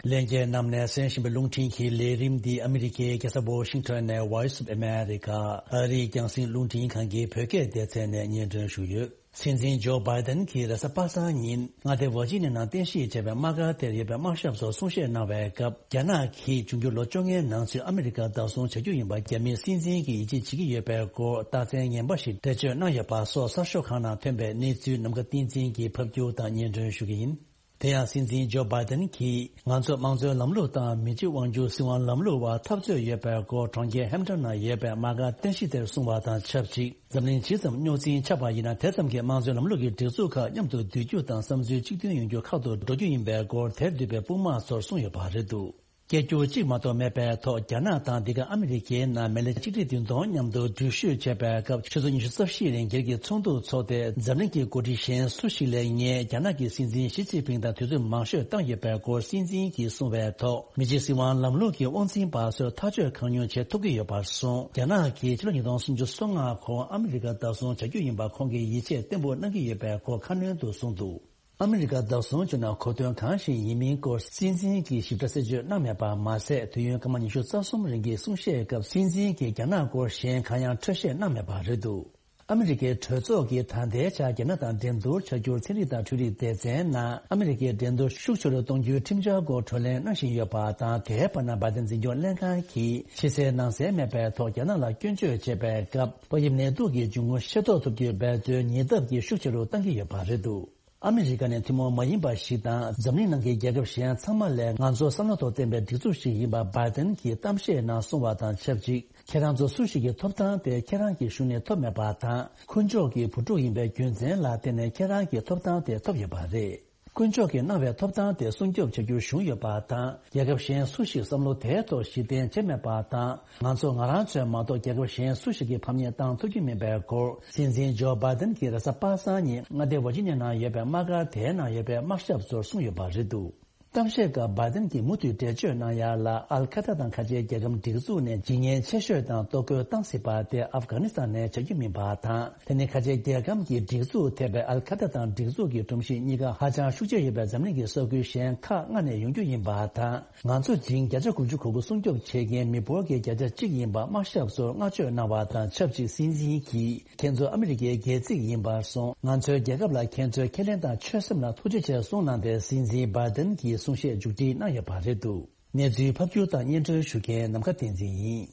ལྷན་རྒྱས་རྣམས་ནས་གསན་བཞིན་པའི་རླུང་འཕྲིན་གྱི་ལས་རིམ་འདི་ཨ་མི་རི་ཀའི་རྒྱལ་ས་ཝོ་ཤིང་ཊོན་ནས་Voice of America ཨ་རིའི་རྒྱང་སྲིང་རླུང་འཕྲིན་ཁང་གི་བོད་སྐད་སྡེ་ཚན་ནས་སྙན་སྒྲོན་ཞུས་ཡོད། སྲིད་འཛིན་ཇོ་བྷའི་ཏན་གྱིས་རེས་གཟའ་པ་སངས་ཉིན་མངའ་སྡེ་ཝར་ཇི་ནི་ཡ་ནང་རྟེན་གཞི་བྱས་པའི་དམག་སྒར་དེར་ཡོད་པའི་དམག་ཞབས་ཚོར་གསུང་བཤད་གནང་བའི་སྐབས། རྒྱ་ནག་གིས་འབྱུང་འགྱུར་ལོ་བཅོ་ལྔའི་ནང་ཚུད་ཨ་མི་རི་ཀར་བདག་བཟུང་བྱ་རྒྱུ་ཡིན་པར་རྒྱ་མིའི་སྲིད་འཛིན་གྱིས་ཡིད་ཆེས་བྱེད་ཀྱི་ཡོད་པའི་སྐོར་རྟགས་མཚན་ངན་པ་ཞིག་འགྲེལ་བརྗོད་གནང་ཡོད་པ་སོགས་གསར་ཤོག་ཁག་ནང་ཐོན་པའི་གནས་ཚུལ་ནམ་མཁའ་བསྟན་འཛིན་གྱིས་ཕབ་སྒྱུར་དང་སྙན་སྒྲོན་ཞུ་གི་ཡིན། དེ་ཡང་སྲིད་འཛིན་ཇོ་བྷའི་ཏན་གྱིས་ང་ཚོ་དམངས་གཙོའི་ལམ་ལུགས་དང་མི་གཅིག་དབང་སྒྱུར་སྲིད་དབང་ལམ་ལུགས་བར་འཐབ་རྩོད་ཡོད་པའི་སྐོར་གྲོང་ཁྱེར་ཧེམ་ཊོན་ནང་ཡོད་པའི་དམག་སྒར་རྟེན་གཞི་དེར་གསུངས་པ་དང་ཆབས་ཅིག་འཛམ་གླིང་ཇི་ཙམ་རྙོག་འཛིང་ཆགས་པ་ཡིན་ན། དེ་ཙམ་གྱིས་དམངས་གཙོའི་ལམ་ལུགས་ཀྱི་སྒྲིག་འཛུགས་ཁག་མཉམ་དུ་སྡོད་རྒྱུ་དང་བསམ་ཚུལ་གཅིག་མཐུན་ཡོང་རྒྱུ་ཁག་ཏུ་འགྲོ་རྒྱུ་ཡིན་པའི་སྐོར་དེར་འདུས་པའི་དཔུང་དམག་ཚོར་གསུངས་ཡོད་པ་རེད་འདུག་སྐད་སྒྱུར་གཅིག་མ་གཏོགས་མེད་པའི་ཐོག་རྒྱ་ནག་དང་འདི་ག་ཨ་མི་རི་ཀའི་ནང་མི་ལེ་གཅིག་ཁྲི་བདུན་སྟོང་མཉམ་དུ་འགྲུལ་བཞུད་བྱས་པའི་སྐབས་ཆུ་ཚོད་ཉི་ཤུ་རྩ་བཞི་རིང་སྒེར་གྱི་ཚོགས་འདུ་འཚོགས་ཏེ། འཛམ་གླིང་གི་འགོ་ཁྲིད་གཞན་སུ་ཞིག་ལས་ངས་རྒྱ་ནག་གི་སྲིད་འཛིན་ཞི་ཅིན་ཕིང་དང་དུས་ཚོད་མང་ཤོས་བཏང་ཡོད་པའི་སྐོར་སྲིད་འཛིན་གྱིས་གསུངས་པའི་ཐོག་མི་རྗེ་སྲིད་དབང་ལམ་ལུགས་ཀྱི་དབང་འཛིན་པ་ཚོས་ཐག་གཅོད་གང་མྱུར་བྱེད་ཐུབ་ཀྱི་ཡོད་པར་གསུངས། རྒྱ་ནག་གིས་ཕྱི་ལོ་ཉིས་སྟོང་སུམ་ཅུ་སོ་ལྔ་གོང་ཨ་མི་རི་ཀ་བདག་བཟུང་བྱ་རྒྱུ་ཡིན་པ་ཁོང་གིས་ཡིད་ཆེས་བརྟན་པོ་གནང་གི་ཡོད་པའི་སྐོར་ཁ་སྣོན་དུ་གསུངས་འདུག་ཨ་མི་རི་ཀ་བདག་བཟུང་བྱུང་ན་གོ་དོན་གང་ཞིག་ཡིན་མིན་སྐོར་སྲིད་འཛིན་གྱིས་ཞིབ་ཕྲ་གསལ་བརྗོད་གནང་མེད་པ་མ་ཟད། དུས་ཡུན་སྐར་མ་ཉི་ཤུ་རྩ་གསུམ་རིང་གི་གསུང་བཤད་སྐབས་སྲིད་འཛིན་གྱིས་རྒྱ་ནག་སྐོར་གཞན་གང་ཡང་འཕྲོས་བཤད་གནང་མེད་པ་རེད་འདུག་ཨ་མི་རི་ཀའི་གྲོས་ཚོགས་ཀྱིས་ད་ལྟའི་ཆར་རྒྱ་ནག་དང་འགྲན་བསྡུར་བྱ་རྒྱུར་ཚན་རིག་དང་འཕྲུལ་རིག་སྡེ་ཚན་ནང་ཨ་མི་རི་ཀའི་འགྲན་བསྡུར་ཤུགས་ཆེ་རུ་གཏོང་རྒྱུའི་ཁྲིམས་འཆར་སྐོར་བགྲོ་གླེང་གནང་བཞིན་ཡོད་པ་དང་། དེའི་བར་ན་བྷའི་ཏན་འཛིན་སྐྱོང་ལྷན་ཁང་གིས་ཕྱི་གསལ་ནང་གསལ་མེད་པའི་ཐོག་རྒྱ་ནག་ལ་སྐྱོན་བརྗོད་བྱེད་པའི་སྐབས། ཏོག་དབྱིབས་ནད་དུག་གི་འབྱུང་ཁུངས་ཤེས་རྟོགས་ཐུབ་རྒྱུའི་འབད་བརྩོན་ཉེ་ལྟབ་ཀྱིས་ཤུགས་ཆེ་རུ་གཏང་གི་ཡོད་པ་རེད་འདུག་ཨ་མི་རི་ཀ་ནི་ཐུན་མོང་མ་ཡིན་པ་ཞིག་དང་། འཛམ་གླིང་ནང་གི་རྒྱལ་ཁབ་གཞན་ཚང་མ་ལས་ང་ཚོ་བསམ་བློ་ཐོག་བརྟན་པའི་སྒྲིག་འཛུགས་ཤིག་ཡིན་པ་བྷའི་ཏན་གྱིས་གཏམ་བཤད་ནང་གསུངས་པ་དང་ཆབས་ཅིག་ཁྱེད་རང་ཚོ་སུ་ཞིག་གི་ཐོབ་ཐང་དེ་ཁྱེད་རང་གི་གཞུང་ནས་ཐོབ་མེད་པ་དང་། འཁོན་ཕྱོགས་ཀྱི་བུ་ཕྲུག་ཡིན་པའི་རྒྱུ་མཚན་ལ་བརྟེན་ནས་ཁྱེད་རང་གི་ཐོབ་ཐང་དེ་ཐོབ་ཡོད་པ་རེད། དཀོན་མཆོག་གིས་གནང་བའི་ཐོབ་ཐང་དེ་སྲུང་སྐྱོབ་བྱ་རྒྱུར་ཞུགས་ཡོད་པ་དང་། རྒྱལ་ཁབ་གཞན་སུ་ཞིག་བསམ་བློ་དེའི་ཐོག་གཞི་རྟེན་བྱས་མེད་པ་དང་། ང་ཚོ་ང་རང་ཚོས་མ་གཏོགས་རྒྱལ་ཁབ་གཞན་སུ་ཞིག་གིས་ཕམ་ཉེས་བཏང་ཐུབ་ཀྱི་མིན་པའི་སྐོར། སྲིད་འཛིན་ཇོ་བྷའི་ཏན་གྱིས་རེས་གཟའ་པ་སངས་ཉིན་མངའ་སྡེ་ཝར་ཇི་ནི་ཡ་ནང་ཡོད་པའི་དམག་སྒར་དེའི་ནང་ཡོད་པའི་དམག་ཞབས་ཚོར་གསུངས་ཡོད་པ་རེད་འདུག་གཏམ་བཤད་སྐབས་བྷའི་ཏན་གྱིས་མུ་མཐུད་འགྲེལ་བརྗོད་གནང་ཡ་ལ། ཨལ་ཁ་ཏ་དང་ཁ་ཆེའི་རྒྱལ་ཁམས་སྒྲིག་འཛུགས་ནས་ཇི་སྙེད་ཆེ་ཤོས་དང་གཏོར་རྒོལ་བཏང་སྲིད་པ་དེ་ཨབ་གྷ་ནི་སི་ཐན་ནས་བྱ་རྒྱུ་མིན་པ་དང་། དེ་ནི་ཁ་ཆེའི་རྒྱལ་ཁམས་ཀྱི་སྒྲིག་འཛུགས་ཐེ་བའི་ཨལ་ཁ་ཏ་དང་སྒྲིག་འཛུགས་ཀྱི་སྒྲོམ་གཞི་གཉིས་ཀ་ཧ་ཅང་ཤུགས་ཆེ་ཡོད་པའི་འཛམ་གླིང་གི་ས་ཁུལ་གཞན་ཁག་ལྔ་ནས་ཡོང་རྒྱུ་ཡིན་པ་དང་། ང་ཚོ་ཇིང་བརྒྱ་ཆ་དགུ་བཅུ་གོ་དགུ་སྲུང་སྐྱོབ་བྱེད་མཁན་མི་འབོར་གྱི་བརྒྱ་ཆ་གཅིག་ཡིན་པ་དམག་ཞབས་ཚོར་བསྔགས་བརྗོད་གནང་བ་དང་ཆབས་ཅིག་སྲིད་འཛིན་གྱིས། ཁྱེད་ཚོ་ཨ་མི་རི་ཀའི་སྒལ་ཚིགས་ཡིན་པར་སོང་། ང་ཚོའི་རྒྱལ་ཁབ་ལ་ཁྱེད་ཚོའི་ཁས་ལེན་དང་ཆོད་སེམས་ལ་ཐུགས་རྗེ་ཆེ་གསུངས་གནང་སྟེ། སྲིད་འཛིན་བྷའི་ཏན་གྱིས་གསུང་བཤད་མཇུག་སྒྲིལ་གནང་ཡོད་པ་རེད་འདུག་གནས་ཚུལ་ཕབ་སྒྱུར་དང་སྙན་སྒྲོན་ཞུ་མཁན་ནམ་མཁའ་བསྟན་འཛིན་ཡིན།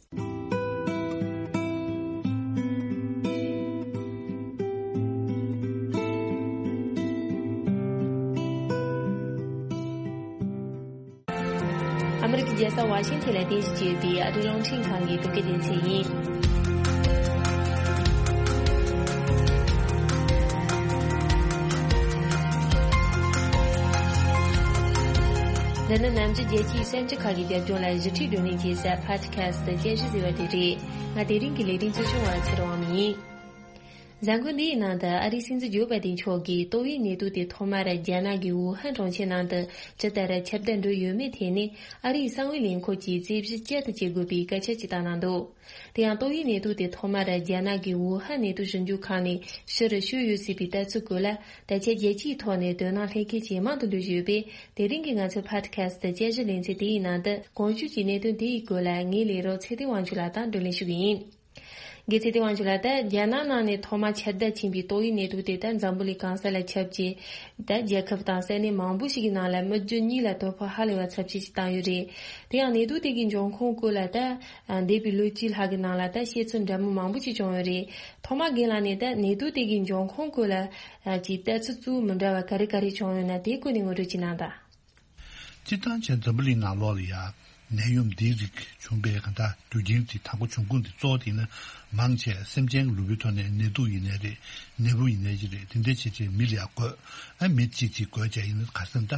ཨ་མི་རི་ཀའི་རྒྱལ་ས་ཝ་ཤིང་ཐན་ལ་རྟེན་གཞི་བྱས་ཡོད་པའི་ཨ་རིའི་རླུང་འཕྲིན་ཁང་གི་བོད་སྐད་སྡེ་ཚན་ཡིན། འདི་ནི་ནམ་རྒྱུན་རྒྱལ་སྤྱིའི་གསར་འགྱུར་ཁག་གི་རྒྱབ་ལྗོངས་ལ་བཞི་ཁྲིད་བགྲོ་གླེང་བྱེད་ས་Podcast་དཔྱད་གཞི་ཟེར་བ་དེ་རེད། ང་དེ་རིང་གི་ལས་རིམ་གཙོ་སྐྱོང་བ་ཚེ་རིང་དབང་མོ་ཡིན། གཟའ་འཁོར་འདིའི་ནང་དུ་ཨ་རིའི་སྲིད་འཛིན་ཇོ་བྷའི་ཏན་མཆོག་གིས་ཏོག་དབྱིབས་ནད་དུག་དེ་ཐོག་མར་རྒྱ་ནག་གི་ཝུ་ཧན་གྲོང་ཁྱེར་ནང་དུ་ཇི་ལྟར་ཁྱབ་གདལ་འགྲོ་ཡོད་མེད་ཐད་ནས་ཨ་རིའི་གསང་བའི་ལས་ཁུངས་ཀྱིས་རྩད་ཞིབ་བསྐྱར་དུ་བྱེད་དགོས་པའི་སྐད་ཆ་ཅིག་བཏང་གནང་འདུག་དེ་ཡང་ཏོག་དབྱིབས་ནད་དུག་དེ་ཐོག་མར་རྒྱ་ནག་གི་ཝུ་ཧན་ནད་དུག་ཞིབ་འཇུག་ཁང་ནས་ཕྱིར་བཤོལ་ཡོད་སྲིད་པའི་ལྟ་ཚུལ་སྐོར་ལ་ད་ཆ་རྒྱལ་སྤྱིའི་ཐོག་ནས་དོ་སྣང་སླེབས་མཁན་ཇེ་མང་དུ་འགྲོ་བཞིན་ཡོད་པས། དེ་རིང་གི་ང་ཚོའི་Podcast་དཔྱད་གཞི་ལེ་ཚན་དེའི་ནང་དུ་གོང་ཞུས་ཀྱི་གནད་དོན་དེའི་སྐོར་ལ་ངའི་ལས་རོགས་ཚེ་བརྟན་དབང་ཕྱུག་ལགས་དང་བགྲོ་གླེང་ཞུ་གི་ཡིན། དགེ་ཚེ་བདེ་བ་ཆོས་ལགས། ད་རྒྱ་ནག་ནང་ནས་ཐོག་མ་ཁྱབ་གདལ་ཕྱིན་པའི་ཏོག་དབྱིབས་ནད་དུག་དེ་ད་འཛམ་བུ་གླིང་གང་ས་ལ་ཁྱབ་རྗེས། ད་རྒྱལ་ཁབ་དང་ས་གནས་མང་པོ་ཞིག་གི་ནང་ལ་མི་རྒྱུ་གཉིས་ལ་དོ་ཕོག་ཧ་ལས་པ་ཚབས་ཆེ་ཞིག་བཏང་ཡོད་རེད། དེ་ཡང་ནད་དུག་དེ་གའི་འབྱུང་ཁུངས་སྐོར་ལ་ད་འདས་པའི་ལོ་གཅིག་ལྷག་གི་ནང་ལ་ད་བཤད་ཚུལ་འདྲ་མིན་མང་པོ་ཞིག་བྱུང་ཡོད་རེད། ཐོག་མ་རྒན་ལགས་ནས་ད་ནད་དུག་དེ་གའི་འབྱུང་ཁུངས་སྐོར་ལ་ཅིག་ལྟ་ཚུལ་གཙོ་བོ་མི་འདྲ་བ་ག་རེ་ག་རེ་བྱུང་ཡོད་ན། དེའི་སྐོར་ནས་ངོ་སྤྲོད་ཅིག་གནང་དང་། སྤྱིར་བཏང་བྱས་འཛམ་བུ་གླིང་ནང་ལོགས་ལ་ཡ་ནད་ཡམས་འདིའི་རིགས་བྱུང་པའི་གང་ལྟར་རྒྱུ་རྐྱེན་དེ་དང་པོ་བྱུང་ཁུངས་དེ་གཙོ་བོ་དེ་ཡིན་ན། མང་ཆེ་སེམས་ཅན་གྱི་ལུས་པོའི་ཐོག་ནས་ནད་དུག་ཡིན་ནའི་རེད། ནད་འབུ་ཡིན་ནའི་རེད། དེ་འདྲ་བྱས་བྱས་མི་ལ་ཡ་འགོས། ཨ་མི་གཅིག་གཅིག་འགོས་བྱས་ཡིན་ན། ག་རེ་ཟེར་ན་ད་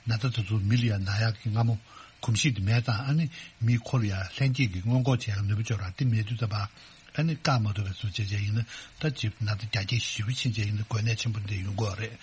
ན་ཚ་དེ་ཚོ་མི་ལ་ཡ་ན་ཡག་གི་སྔ་མོ་གོམས་གཤིས་དེ་མེད་ཙང་། ཨ་ནི་མི་ཁོ་ལ་ཡ་ལྷན་སྐྱེས་ཀྱི་སྔོན་འགོག་བྱེད་ཡག་ནུས་པ་ཅིག་ཡོད་ར། དེ་མེད་དུས་ཙམ་པ། ཨ་ནི་བཀག་མ་ཐུབ་པའི་བཟོ་བྱས་བྱས་ཡིན་ན། ད་ཅིག་ན་ཚ་རྒྱ་སྐྱེད་ཞེ་པོ་ཕྱིན་བྱས་ཡིན་ན་འགོས་ནད་ཆེན་པོ་འདི་ཡོང་གི་ཡོད་རེད།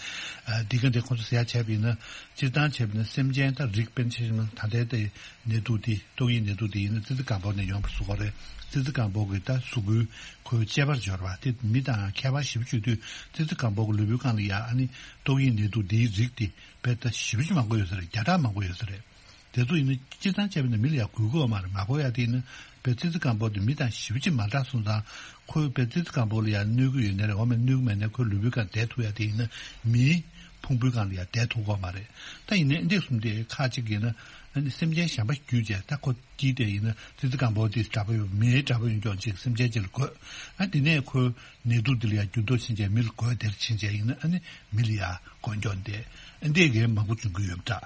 ཨ་འདི་ག་འདི་ཁོང་ཚོ་ཟེར་ཡག་བྱས་པ་ཡིན་ན། སྤྱིར་བཏང་བྱས་པ་ཡིན་ན་སེམས་ཅན་ད་རིགས་དཔེར་ན་ཆ་བཞག་ན་ད་ལྟའི་དེ་ནད་དུག་དེ་ཏོག་དབྱིབས་ནད་དུག་དེ་ཡིན་ན་ཙི་ཙི་གང་པོ་ནས་ཡོང་བ་བཟོ་གི་རེད། ཙི་ཙི་གང་པོ་གི་ད་གཟུགས་པོའི་ཁོའི་དཔྱད་པར་འབྱོར་བ་དེ་མི་དང་ཁྱད་པར་ཞེ་པོ་ཅིག་དུས། ཙི་ཙི་གང་པོ་གི་ལུས་པོའི་སྒང་ལ་ཡ་ཨ་ནི་ཏོག་དབྱིབས་ནད་དུག་དེའི་རིགས་དེ་དཔེ་ད་ཞེ་པོ་ཅིག་མང་པོ་ཡོད་ས་རེད། བརྒྱ་ཕྲག་མང་པོ་ཡོད་ས་རེད། དེ་ཚོ་ཡིན་ན་སྤྱིར་བཏང་བྱས་པ་ཡིན་ན་མི་ལ་ཡ་འགོས་ཀྱི་ཡོད་མ་རེད། མ་འགོས་ཡ་དེ་ཡིན་ན་དཔེ་ཙི་ཙི་གང་པོ་དེ་མི་དང་ཞེ་པོ་ཅིག་མ་འདྲ་སོང་ཙང་། ཁོས་དཔེ་ཙི་ཙི་གང་པོ་ལ་ཡ་གནོད་ཀྱི་ཡོད་ནའི་རེད། འོ་མ་གནོད་ཀྱི་མེད་ནའི་ཁོའི་ལུས་པོའི་སྒང་བསྡད་ཐུབ་ཡ་དེ་ཡིན་ན་མིའི་ཕུང་པོའི་སྒང་ལ་ཡ་བསྡད་ཐུབ་ཀྱི་ཡོད་མ་རེད། ད་ཡིན་ནའི་འདི་གསུམ་དེ་ཁག་ཅིག་ཡིན་ན། ཨ་ནི་སེམས་ཅན་གཞན་པ་བརྒྱུད་བྱས་ད་ཁོ་སྐྱེས་དེ་ཡིན་ན་ཙི་ཙི་གང་པོ་དེ་འདྲ་པོ་ཡོད། མིའི་འདྲ་པོ་ཡོད་ཀྱང་ཅིག་སེམས་ཅན་ཅིག་ལ་འགོས། ཨ་དེ་ནས་ཁོའི་ནད་དུག་འདི་ལ་ཡ་འགྱུར་ལྡོག་ཕྱིན་བྱས་མི་ལ་འགོས། དེར་ཕྱིན་བྱས་ཡིན་ན་ཨ་ནི་མི་ལ་ཡ་འགོས་འགྱོ་འདི་ཨ་འདི་གའི་མང་པོ་བྱུང་གི་ཡོད་པ་འདྲ།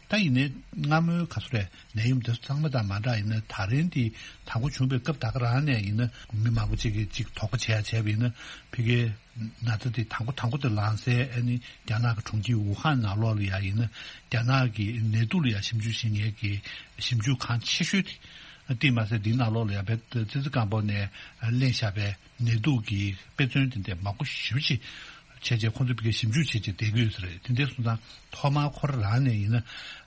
ད་ཡིན་ནའི་སྔ་མོའི་ག་ཚོད་རེད། ནད་ཡམས་དེ་ཚོ་ཚང་མ་དང་མ་འདྲ་ཡིན་ན། ད་རིང་དེ་དང་པོ་བྱུང་བའི་སྐབས་ད་ག་རང་ནས་ཡིན་ན། མི་མང་པོ་ཅིག་གིས་ཅིག་དོགས་པ་བྱེད་ཡ་བྱས་པ་ཡིན་ན། ཕ་གིའི་ན་ཚ་དེ་དང་པོ་དང་པོ་དེ་ལངས་སའི་ཨ་ནི་རྒྱ་ནག་གི་གྲོང་ཁྱེར་ཝུ་ཧན་ནང་ལོགས་ལ་ཡ་ཡིན་ན། རྒྱ་ནག་གི་ནད་དུག་ལ་ཡ་ཞིབ་འཇུག་བྱེད་མཁན་གྱི་ཞིབ་འཇུག་ཁང་ཆེ་ཤོས་དེ། དེ་མ་ཟད་དེའི་ནང་ལོགས་ལ་ཡ་བལ་ཙི་ཙི་སྐམ་པོ་ནས་ལེན་བཞག་པའི་ནད་དུག་གི་དཔེ་མཚོན་དེ་འདྲ་མང་པོ་ཞེ་པོ་ཅིག་བྱས་རྗེས། ཁོང་ཚོ་ཕ་གིར་ཞིབ་འཇུག་བྱས་རྗེས་བསྡད་ཀྱི་ཡོད་ས་རེད། དེ་འདྲ་སོང་ཙང་ཐོག་མར་ཁོ་རང་རང་ནས་ཡིན་ན།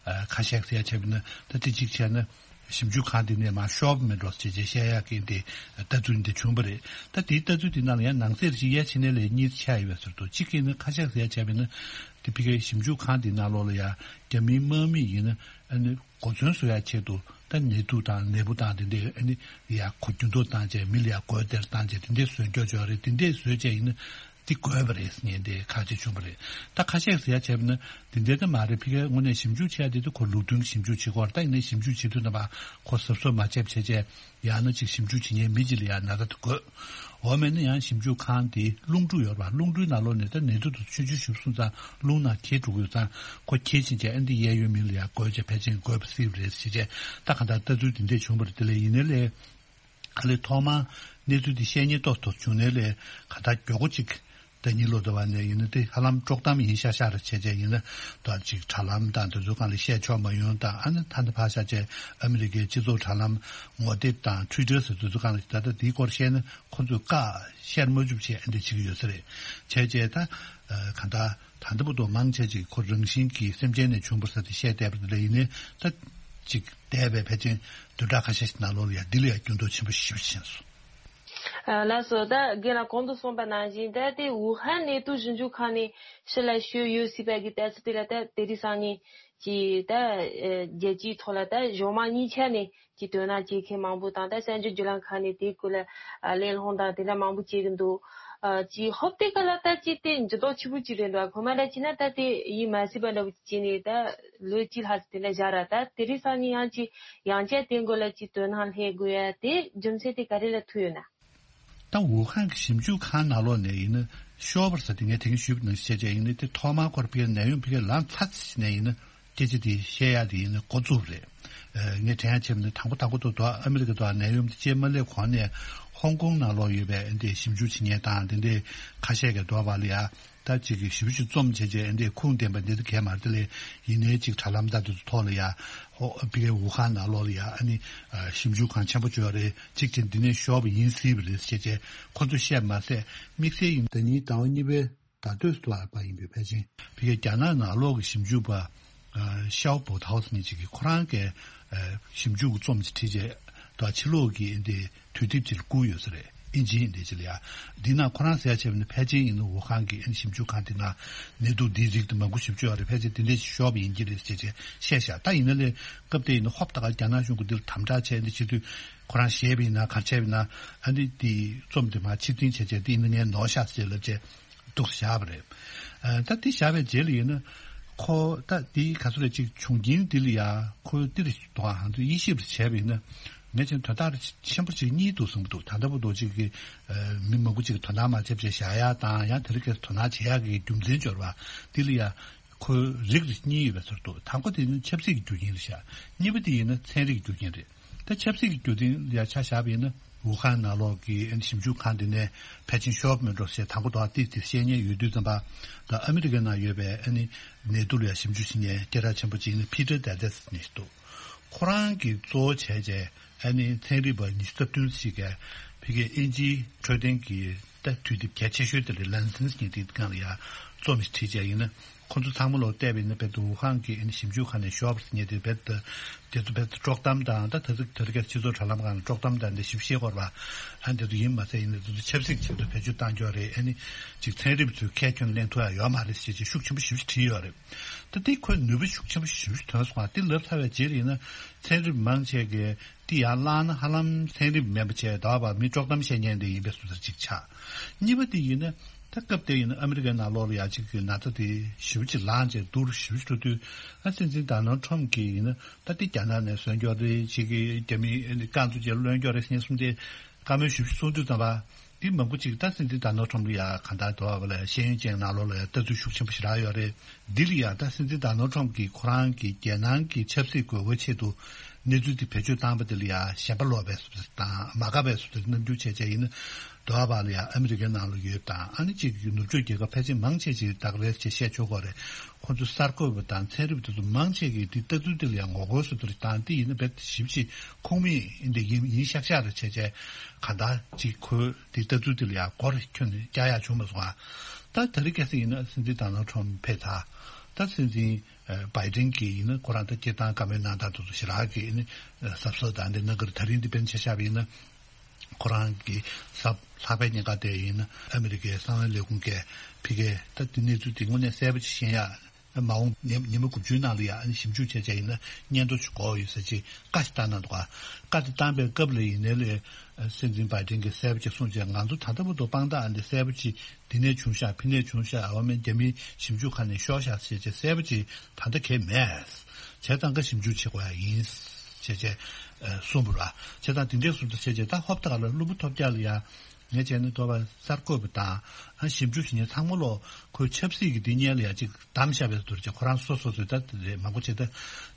ཨ། ཁ་ཤས་ཟེར་ཡ་བྱས་པ་ཡིན་ན། ད་དེ་གཅིག་བྱས་ན་ཞིབ་འཇུག་ཁང་དེ་ནས་མར་ཤོར་བ་མེད་འགྲོ་ཟེར་བྱས་བཤད་ཡག་གི་འདི་ལྟ་ཚུལ་འདི་བྱུང་བ་རེད། ད་དེའི་ལྟ་ཚུལ་དེ་ནང་ལ་ཡང་ནང་གསེས་ཅིག་ཡ་ཕྱི་ནས་ལས་གཉིས་ཆགས་ཡོད་པའི་ཟུར་དུ། གཅིག་གིས་ནི་ཁ་ཤས་ཟེར་ཡ་བྱས་པ་ཡིན་ན། དེ་ཕ་གིའི་ཞིབ་འཇུག་ཁང་དེའི་ནང་ལོགས་ལ་ཡ་རྒྱ་མིའི་དམག་མི་ཡིན་ན། ཨ་ནི་གོ་མཚོན་བཟོ་ཡ་ཆེད་དུ་ད་ནད་དུག་དང་ནད་འབུ་དང་དེ་འདྲའི་ཨ་ནི་ཡ་གོ་འགྱུར་ལྡོག་བཏང་བྱས། མི་ལ་ཡ་འགོས་དེར་བཏང་བྱས། དེ་འདྲའི་བཟོས་འཇོག་ཆོག་རེད། དེ་འདྲའི་བཟོས་བྱས་ཡིན་ན་དེ་འགོས་པ་རེད་ཟེར་མཁན་དེ་ཁ་ཤས་བྱུང་བ་རེད། ད་ཁ་ཤས་ཟེར་ཡ་བྱས་པ་ན་དེ་འདྲའི་ད་མ་རེད། ཕ་གིའི་དངོས་གནས་ཞིབ་འཇུག་བྱས་དེ་དུ་ཁོ་ལུགས་མཐུན་གྱི་ཞིབ་འཇུག་བྱེད་དགོས་རེད། ད་ཡིན་ནའི་ཞིབ་འཇུག་བྱེད་དུས་ཙམ་པ་ཁོ་གཟབ་གཟབ་མ་བྱས་བྱས་བྱས། ཡང་ན་ཅིག་ཞིབ་འཇུག་བྱེད་མཁན་མི་གཅིག་ལ་ཡང་ན་ཚ་དེ་འགོས། འོ་མེད་ན་ཡང་ཞིབ་འཇུག་ཁང་དེ་རླུང་འཕྲུལ་ཡོད་རེད་པ། རླུང་འཕྲུལ་ནང་ལོགས་ནས་ད་ནད་དུག་དེ་ཆུང་ཆུང་ཞིག་སོང་ཙང་རླུང་ནང་འཁྱེར་འགྲོ་གི་ཡོད་ཙང་། ཁོ་འཁྱེར་ཕྱིན་བྱས་ཨ་འདི་གཡས་གཡོན་མི་ལ་ཡང་འགོས་བྱས་ཕལ་ཆེར་འགོས་པ་སྲིད་པ་རེད་ཟེར་བྱས། ད་གང་ལྟར་ལྟ་ཚུལ་དེ་འདྲས་བྱུང་བ་རེད། དེ་ལས་ཡིན་ནའི་ལས་ག་ལེར་ཐོག་མར་གནས་ཚུལ་དེ་བཤད་སྙིང་ཏོག་ཏོ་བྱུང་ནའི་ལས་གང་ལྟར་མགྱོགས་པོ་ཅིག་ཟླ་ཉིན་ལོ་ཟླ་བ་ནས་ཡིན་ན་དེ་ཧ་ལམ་དཀྲོག་གཏམ་ཡིན་ཤག་ཤག་རེད། བྱས་བྱས་ཡིན་ན་ད་ཅིག་དྲ་ལམ་དང་དེ་ཚོའི་སྒང་ལ་བཤད་ཆོག་མ་ཡོང་དང་། ཨ་ནི་ད་ནི་ཕར་བཞག་བྱས་ཨ་མི་རི་ཀའི་སྤྱི་ཚོགས་དྲ་ལམ་ངོ་དེབ་དང་ཊུའི་ཊར་ཟེར་དེ་ཚོའི་སྒང་ལ་ད་ལྟ་དེའི་སྐོར་བཤད་ན་ཁོ་ཚོས་བཀག་བཤད་མ་བཅུག་བྱས་ཨ་འདི་བྱེད་ཀྱི་ཡོད་ས་རེད། བྱས་བྱས་ད་གང་ལྟར་ད་ལྟ་བར་དུ་མང་ཆེ་ཅིག་ཁོ་རང་བཞིན་གྱིས་སེམས་ཅན་ནས་བྱུང་བ་ཟེར་དེ་བཤད་བསྡད་པ་དེ་ལ་ཡིན་ནའི། ད་ཅིག་འདས་པའི་ཕལ་ཆེར་བདུན་ཕྲག་ཁ་ཤས་ཤིག་ནང་ལོགས་ལ་ཡ་འདི་ལ་ཡ་འགྱུར་ལྡོག་ཆེན་པོ་ཞེ་པོ་ཕྱིན་སོང་། ལགས་སོ། ད་རྒན་ལགས་གོང་དུ་གསུངས་པ་ནང་བཞིན། ད་དེ་ཝུ་ཧན་ནད་དུག་ཞིབ་འཇུག་ཁང་ནས་ཕྱི་ལ་བཤོལ་ཡོད་སྲིད་པ་གི་ལྟ་ཚུལ་དེ་ལ་ད་དེ་རིང་སང་ཉིན་གྱི་ད་རྒྱལ་སྤྱིའི་ཐོག་ལ་ད་གཞུང་མང་གཉིས་ཆ་ནས་ཀྱི་དོ་སྣང་བྱེད་མཁན་མང་པོ་དང་། ད་གསར་འགྱུར་བརྒྱུད་ལམ་ཁག་ནས་དེའི་སྐོར་ལ་གླེང་སློང་དང་དེ་འདྲ་མང་པོ་བྱེད་ཀྱི་འདུག་ཅིག་ཧོབ་སྟེ་ག་ལ་ད་ཅིག་དེ་འགྱུར་ལྡོག་ཆེན་པོ་ཅིག་རེད་འདུག་གོང་མ་ལ་བྱས་ན་ད་དེ་ཡིད་མ་སྲིད་པ་འདྲ་བོ་ཅིག་བྱས་ནས་ད་ལོ་གཅིག་ལྷག་ཙམ་དེ་འདྲ་བཞག་ར། ད་དེ་རིང་སང་ཉིན་ཡང་ཅིག་ཡང་བསྐྱར་དེ་སྐོར་ལ་ཅིག་དོ་སྣང་སླེབས་དགོས་ཡ་དེ་རྒྱུ་མཚན་དེ་ག་རེ་ལ་ཐུག་ཡོད་ན། ད་ཝུ་ཧན་གྱི་ཞིབ་འཇུག་ཁང་ནང་ལོགས་ནས་ཡིན་ན་ཤོར་བ་ཟེར་དེ་ངས་དེ་རིང་ཞུས་པ་ནང་བཞིན་བྱས་བྱས་ཡིན་ན། དེ་ཐོག་མར་ཁོ་རང་ཕ་གིར་ནད་ཡམས་ཕ་གིར་ལངས་ཚར་ཙམ་ནས་ཡིན་ན་སྐད་ཆ་དེ་བཤད་ཡག་དེ་ཡིན་ན་འགོ་བཙུགས་པ་རེད། ཨ། ངས་དྲན་ཡག་བྱས་པ་ན་དང་པོ་དང་པོ་དུ་དུ་ཨ་མི་རི་ཀ་དུ་ནད་ཡམས་དེ་སྐྱེས་མ་སླེབས་གོང་ནས་ཧོང་ཀོང་ནང་ལོགས་ཡོད་པའི་འདི་ཞིབ་འཇུག་བྱེད་མཁན་དང་དེ་འདྲའི་ཁ་ཤས་ཀྱིས་དོགས་པ་ལ་ཡ། ད་ཅིག་གི་ཞིབ་ཞིབ་རྩོམ་བྱས་བྱས་འདི་ཁུངས་ལྡན་པ་འདི་ཚོ་གས་མ་རེད། དེ་ལས་ཡིན་ནའི་ཅིག་དྲ་ལམ་དང་དེ་ཚོ་ཐོག་ལ་ཡ། ཧོ། ཕ་གིའི་ཝུ་ཧན་ནང་ལོགས་ལ་ཡ་ཨ་ནི་ཨ་ཞིབ་འཇུག་ཁང་ཆེན་པོ་ཅིག་ཡོད་རེད། གཅིག་བྱས་འདི་ནས་ཤོར་བ་ཡིན་སྲིད་པ་རེད་ཟེར་བྱས་ཁོ་ཚོས་བཤད་མ་ཟད། དམིགས་བསལ་ཡིན་ཟླ་ཉིན་ཟླ་བ་གཉིས་པའི་ཟླ་སྟོད་ལ་པ་ཡིན་པའི་ཕལ་ཆེར་ཕ་གིའི་རྒྱ་ནག་ནང་ལོགས་ཀྱི་ཞིབ་འཇུག་པ་ཨ་ཤའོ་པོ་ཐའོ་ཟེར་མཁན་ཅིག་གིས་ཁོ་རང་གིས་ཨ་ཞིབ་འཇུག་གི་རྩོམ་ཅིག་བྲིས་བྱས། ད་ཕྱི་ལོགས་ཀྱི་འདི་དུས་དེབ་ཅིག་ལ་བསྐུར་ཡོད་ས་རེད། ཨིན་ཇིའི་འདི་ཅིག་ལ་ཡ། འདི་ན་ཁོ་རང་ཟེར་ཡ་བྱས་པ་ནི་ཕལ་ཆེར་ཡིན་ན་ཝུ་ཧན་གྱི་ཨ་ནི་ཞིབ་འཇུག་ཁང་དེ་ན་ནད་དུག་འདིའི་རིགས་དེ་མང་པོ་ཞིབ་འཇུག་ཡོད་རེད། ཕལ་ཆེར་དེ་འདྲས་ཤོར་བ་ཡིན་གྱི་རེད་ཅེས་བཤད་བཞག་ད་ཡིན་ན་ལས་སྐབས་དེ་ཡིན་ན་ཧོབ་ཏེ་ག་རྒྱ་ནག་གཞུང་གི་འདིར་དམ་དྲག་བྱས་འདི་བྱེད་དུས། ཁོ་རང་ཞེད་པ་ཡིན་ན་ག་རེ་བྱས་པ་ཡིན་ན། ཨ་ནི་དེ་རྩོམ་དེ་མར་ཕྱིར་འཐེན་བྱས་བྱས་དེ་ཡིན་ན་ངས་ནོར་ཤག་ཟེར་ལབ་བྱས་འདུག་བཞག་པ་རེད། ཨ། ད་དེ་བཞག་པའི་རྗེས་ལ་ཡིན་ན་ཁོ་ད་དེ་ག་ཚོད་རེད། ཅིག་བྱུང་རྐྱེན་འདི་ལ་ཡ་ཁོ་འདིར་དོ་ཧང་དུ་དབྱེ་ཞིབ་བྱས་པ་ཡིན་ན། ངས་ཅིག་དོན་དག་ཆེན་པོ་ཅིག་གཉིས་འདུག་བསམ་གྱི་འདུག་ད་ལྟ་བར་དུ་ཅིག་གི་ཨ་མི་མང་པོ་ཅིག་གིས་དོ་སྣང་མ་བྱས་བྱས་བཞག་ཡ་དང་། ཡང་དེ་རིང་ཁ་སང་དོ་སྣང་བྱེད་ཡག་གི་རྒྱུ་མཚན་འབྱོར་བ་འདི་ལ་ཡ་ཁོའི་རིགས་རིགས་གཉིས་ཡོད་པའི་ཚུལ་འདུག་དང་པོ་དེ་ནི་ཆབ་སྲིད་ཀྱི་རྒྱུ་རྐྱེན་རེད་ཤག་གཉིས་པ་དེ་ཡིན་ན་ཚན་རིག་གི་རྒྱུ་རྐྱེན་རེད། ད་ཆབ་སྲིད་ཀྱི་རྒྱུ་རྐྱེན་ལ་ཡ་ཆ་བཞག་པ་ཡིན་ན། ཝུ་ཧན་ནང་ལོགས་ཀྱི་ཨ་ནི་ཞིབ་འཇུག་ཁང་དེ་ནས་ཕལ་ཆེར་ཤོར་མེད་འགྲོ་ཞེས་དང་པོ་དོགས་ཏེ་དེ་བཤད་མཁན་ཡོད་དུས་ཙམ་པ། ད་ཨ་མི་རི་ཀའི་ནང་ཡོད་པའི་ཨ་ནི་ནད་དུག་ལ་ཡ་ཞིབ་འཇུག་བྱེད་མཁན་སྐད་གྲགས་ཆེན་པོ་ཅིག་ནི་ཕི་ཏར་ཌེ་ཏེ་ཟེར་མཁན་ཞིག་འདུག་ཁོ་རང་གིས་གཙོ་བོ་བྱས་བྱས་ཨ་ནི་ཚན་རིག་པ་ཉི་ཤུ་རྩ་བདུན་ཞིག་གིས་ཕ་གིའི་དབྱིན་ཇིའི་འཕྲོད་བསྟེན་གྱི་ད་དུས་དེབ་གལ་ཆེ་ཤོས་དེ་ལ་ལན་སེན་ཟེར་མཁན་དེའི་སྒང་ལ་ཡ་རྩོམ་ཞིག་བྲིས་བྱས་ཡིན་ན། ཁོ་ཚོ་ཚང་མ་ལོག་བལྟས་པ་ཡིན་ན་རྦད་དེ་ཝུ་ཧན་གྱི་ཨ་ནི་ཞིབ་འཇུག་ཁང་ནས་ཤོར་བ་ཟེར་མཁན་དེ་རྦད་དེ་དེ་ཚོ་རྦད་དེ་དཀྲོག་གཏམ་དང་། ད་དེ་ཚོ་དེ་རིང་ཁ་སང་སྤྱི་ཚོགས་དྲ་ལམ་སྒང་ལ་དཀྲོག་གཏམ་དང་འདི་ཞིབ་བཤད་སྐོར་བ། ཨ་ནི་དེ་ཚོ་ཡིན་མ་ཚད་ཡིན་ན་དེ་ཚོ་ཆབ་སྲིད་ཀྱི་ཆེད་དུ་བེད་སྤྱོད་བཏང་ཀྱོག་རེད། ཨ་ནི་ཅིག་ཚན་རིག་པ་ཚོས་ཁས་ཁྱོན་ལེན་ཐུབ་ཡ་ཡོད་མ་རེད་ཟེར་ཅིག་ཤུགས་ཆེན་པོ་ཞིབ་ཞིབ་བྲིས་ཡོད་རེད། ད་དེ་ཁོའི་ནུས་པ་ཤུགས་ཆེན་པོ་ཞིབ་ཞིབ་ཐོན་སོང་བ་དེ་ལབ་ཚར་བའི་རྗེས་ལ་ཡིན་ན། ཚན་རིག་པ་མང་ཆེ་གིས་དེ་ཡར་བླངས་ན་ཧ་ལམ་ཚན་རིག་པ་མིན་པ་བྱས། ད་བར་མི་དཀྲོག་གཏམ་བཤད་མཁན་དེ་ཡིན་པའི་བཟོ་ལྟ་ཅིག་ཆགས། གཉིས་པ་དེ་ཡིན་ན། ད་སྐབས་དེ་ཡིན་ན་ཨ་མི་རི་ཀའི་ནང་ལོགས་ལ་ཡ་གཅིག་གི་ན་ཚ་དེ་ཞེ་པོ་ཅིག་ལངས་བྱས་སྡུག་རུ་ཞེ་པོ་ཅིག་འགྲོ་དུས། ཨ། སྲིད་འཛིན་ཌོ་ནལ་ཌི་ཊརམ་གྱིས་ཡིན་ན་ད་དེ་རྒྱ་ནག་ནས་བཟོས་ཀྱོག་རེད། གཅིག་གི་རྒྱ་མིའི་ཨ་ནི་རྐང་བཙུགས་བྱས་ལོན་ཀྱོག་རེད་ཟེར་མཁན་གསུམ་དེ་བཀའ་མོལ་ཞེ་པོ་ཅིག་གསུང་དུས་ཙམ་པ། འདི་མང་པོ་ཅིག་ད་སྲིད་འཛིན་ཌོ་ནལ་ཊམ་ལ་ཡ་གང་ལྟར་དོ་བ་ལ་ཤེས་ཡོན་ཅན་ནང་ལོགས་ལ་ཡ་ལྟ་ཚུལ་ཤུགས་ཆེན་པོ་ཞེ་དྲག་ཡོད་རེད། འདི་ལ་ཡ་ད་སྲིད་འཛིན་ཌོ་ནལ་ཊམ་གྱིས་ཁོ་རང་གི་རྒྱལ་ནང་གི་ཆབ་སྲིད་དགོས་མཁོའི་ཆེད་དུ་གནས་ཚུལ་དེ་བེད་སྤྱོད་བཏང་པ་དེ་ལ་ཡ་ཞེན་པ་ལོག་པའི་བཟོ་འདྲ་དང་མ་དགའ་བའི་བཟོ་འདྲ་རྣམ་འགྱུར་བྱས་བྱས་ཡིན་ན། དོ་བ་ལ་ཡ་ཨ་མི་རི་ཀའི་ནང་ལ་ཡོད་དང་ཨ་ནི་ཅིག་ནུབ་ཕྱོགས་རྒྱལ་ཁབ་ཕལ་ཆེར་མང་ཆེ་ཅིག་ད་ག་རེ་ཅིག་བཤད་ཆོག་གོ་རེད། ཁོ་ཚོ་གསར་འགོད་པ་དང་ཚན་རིག་པ་དེ་ཚོ་མང་ཆེ་གིས་དེ་ལྟ་ཚུལ་དེ་ལ་ཡང་ངོ་རྒོལ་བཟོ་འདྲ་དང་དེ་ཡིན་ན་རྦད་ཞིབ་ཞིབ་ཁུངས་མེད་འདི་ཡིན་ཡིན་ཤག་ཤག་རེ་བྱས་བྱས་གང་ལྟར་ཅིག་ཁོས་དེ་ལྟ་ཚུལ་དེ་ལ་ཡང་མགོ་རེ་ཁྱོན་ནས་བཀྱག་ཡག་བྱུང་མ་སོང་ཨ། ད་དེ་རིང་ཁ་སང་ཡིན་ན་སྲིད་འཛིན་ཌོ་ནལ་ཊམ་ཕེབས་ཚར། ད་སྲིད་འཛིན་བྷའི་ཌེན་གྱིས་ཡིན་ན་ཁོ་རང་ད་སྐད་བཏང་བཀའ་མོལ་གནང་སྟངས་དེ་ཚོ་ཞེ་དྲག་གི་ཡིན་ན་གཟབ་གཟབ་དང་འདི་གནང་གི་རེད། ད་རིང་འདི་དཔེར་ན་ཆ་བཞག་པ་ཡིན་ན། ཁོ་རང་གི་གཟའ་ལྷག་པའི་ཉིན་ཀ་དེ་ཡིན་ན་ཨ་མི་རི་ཀའི་གསང་བའི་ལས་ཁུངས་ཀྱིས་ཕ་གིར་ད་དེ་གནས་ཚུལ་དེ་དངོས་གནས་གསལ་པོ་ཅིག་ཤེས་ཡ། མ་འོངས་ཉི་ཉི་མ་དགུ་བཅུའི་ནང་ལ་ཡང་ཞིབ་འཇུག་བྱས་བྱས་ཡིན་ན་སྙན་ཐོ་ཞིག་དགོས་ཡོད་ཟེར་ཅིག་བཀའ་ཞིག་བཏང་གནང་འདུག་ག་བཀའ་དེ་བཏང་པའི་སྐབས་ལ་ཡིན་ནའི་ལས་སྲིད་འཛིན་བྷའི་ཌེན་གྱིས་གསལ་པོ་ཅིག་གསུངས་བྱས་ང་ཚོ་ད་ལྟ་བར་དུ་དཔང་རྟགས་ཨ་འདི་གསལ་པོ་ཅིག་འདི་ནས་བྱུང་ཤག་ཕི་ནས་བྱུང་ཤག་འོ་མའི་རྒྱ་མིའི་ཞིབ་འཇུག་ཁང་ནས་ཤོར་ཤག་ཟེར་བྱས་གསལ་པོ་ཅིག་ད་ལྟ་གས་མེད། བྱས་ཙང་ཀ་ཞིབ་འཇུག་བྱེད་དགོས་ཡ་ཡིན། ཞེས་བྱས་གསུངས་པ་རེད། བྱས་ཙང་དེ་འདྲའི་བཟོ་འདྲ་བྱས་བྱས་ད་ཧོབ་ཏེ་ག་ལ་གློ་བུར་ཐོལ་རྒྱག་ལ་ཡ། ངས་བྱས་ན་དོ་བ་གསར་འགོད་པ་དང་ཨ་ཞིབ་འཇུག་བྱེད་མཁན་ཚང་མ་ལོ་ཁོའི་ཆབ་སྲིད་ཀྱི་འདི་སྙན་ལ་ཡ་ཅིག་བདམས་བཞག་པའི་བཟོ་འདྲ་བྱས་ཁོ་རང་སོ་སོ་སོས་ད་དེ་རེད་མང་པོ་བྱས་ད།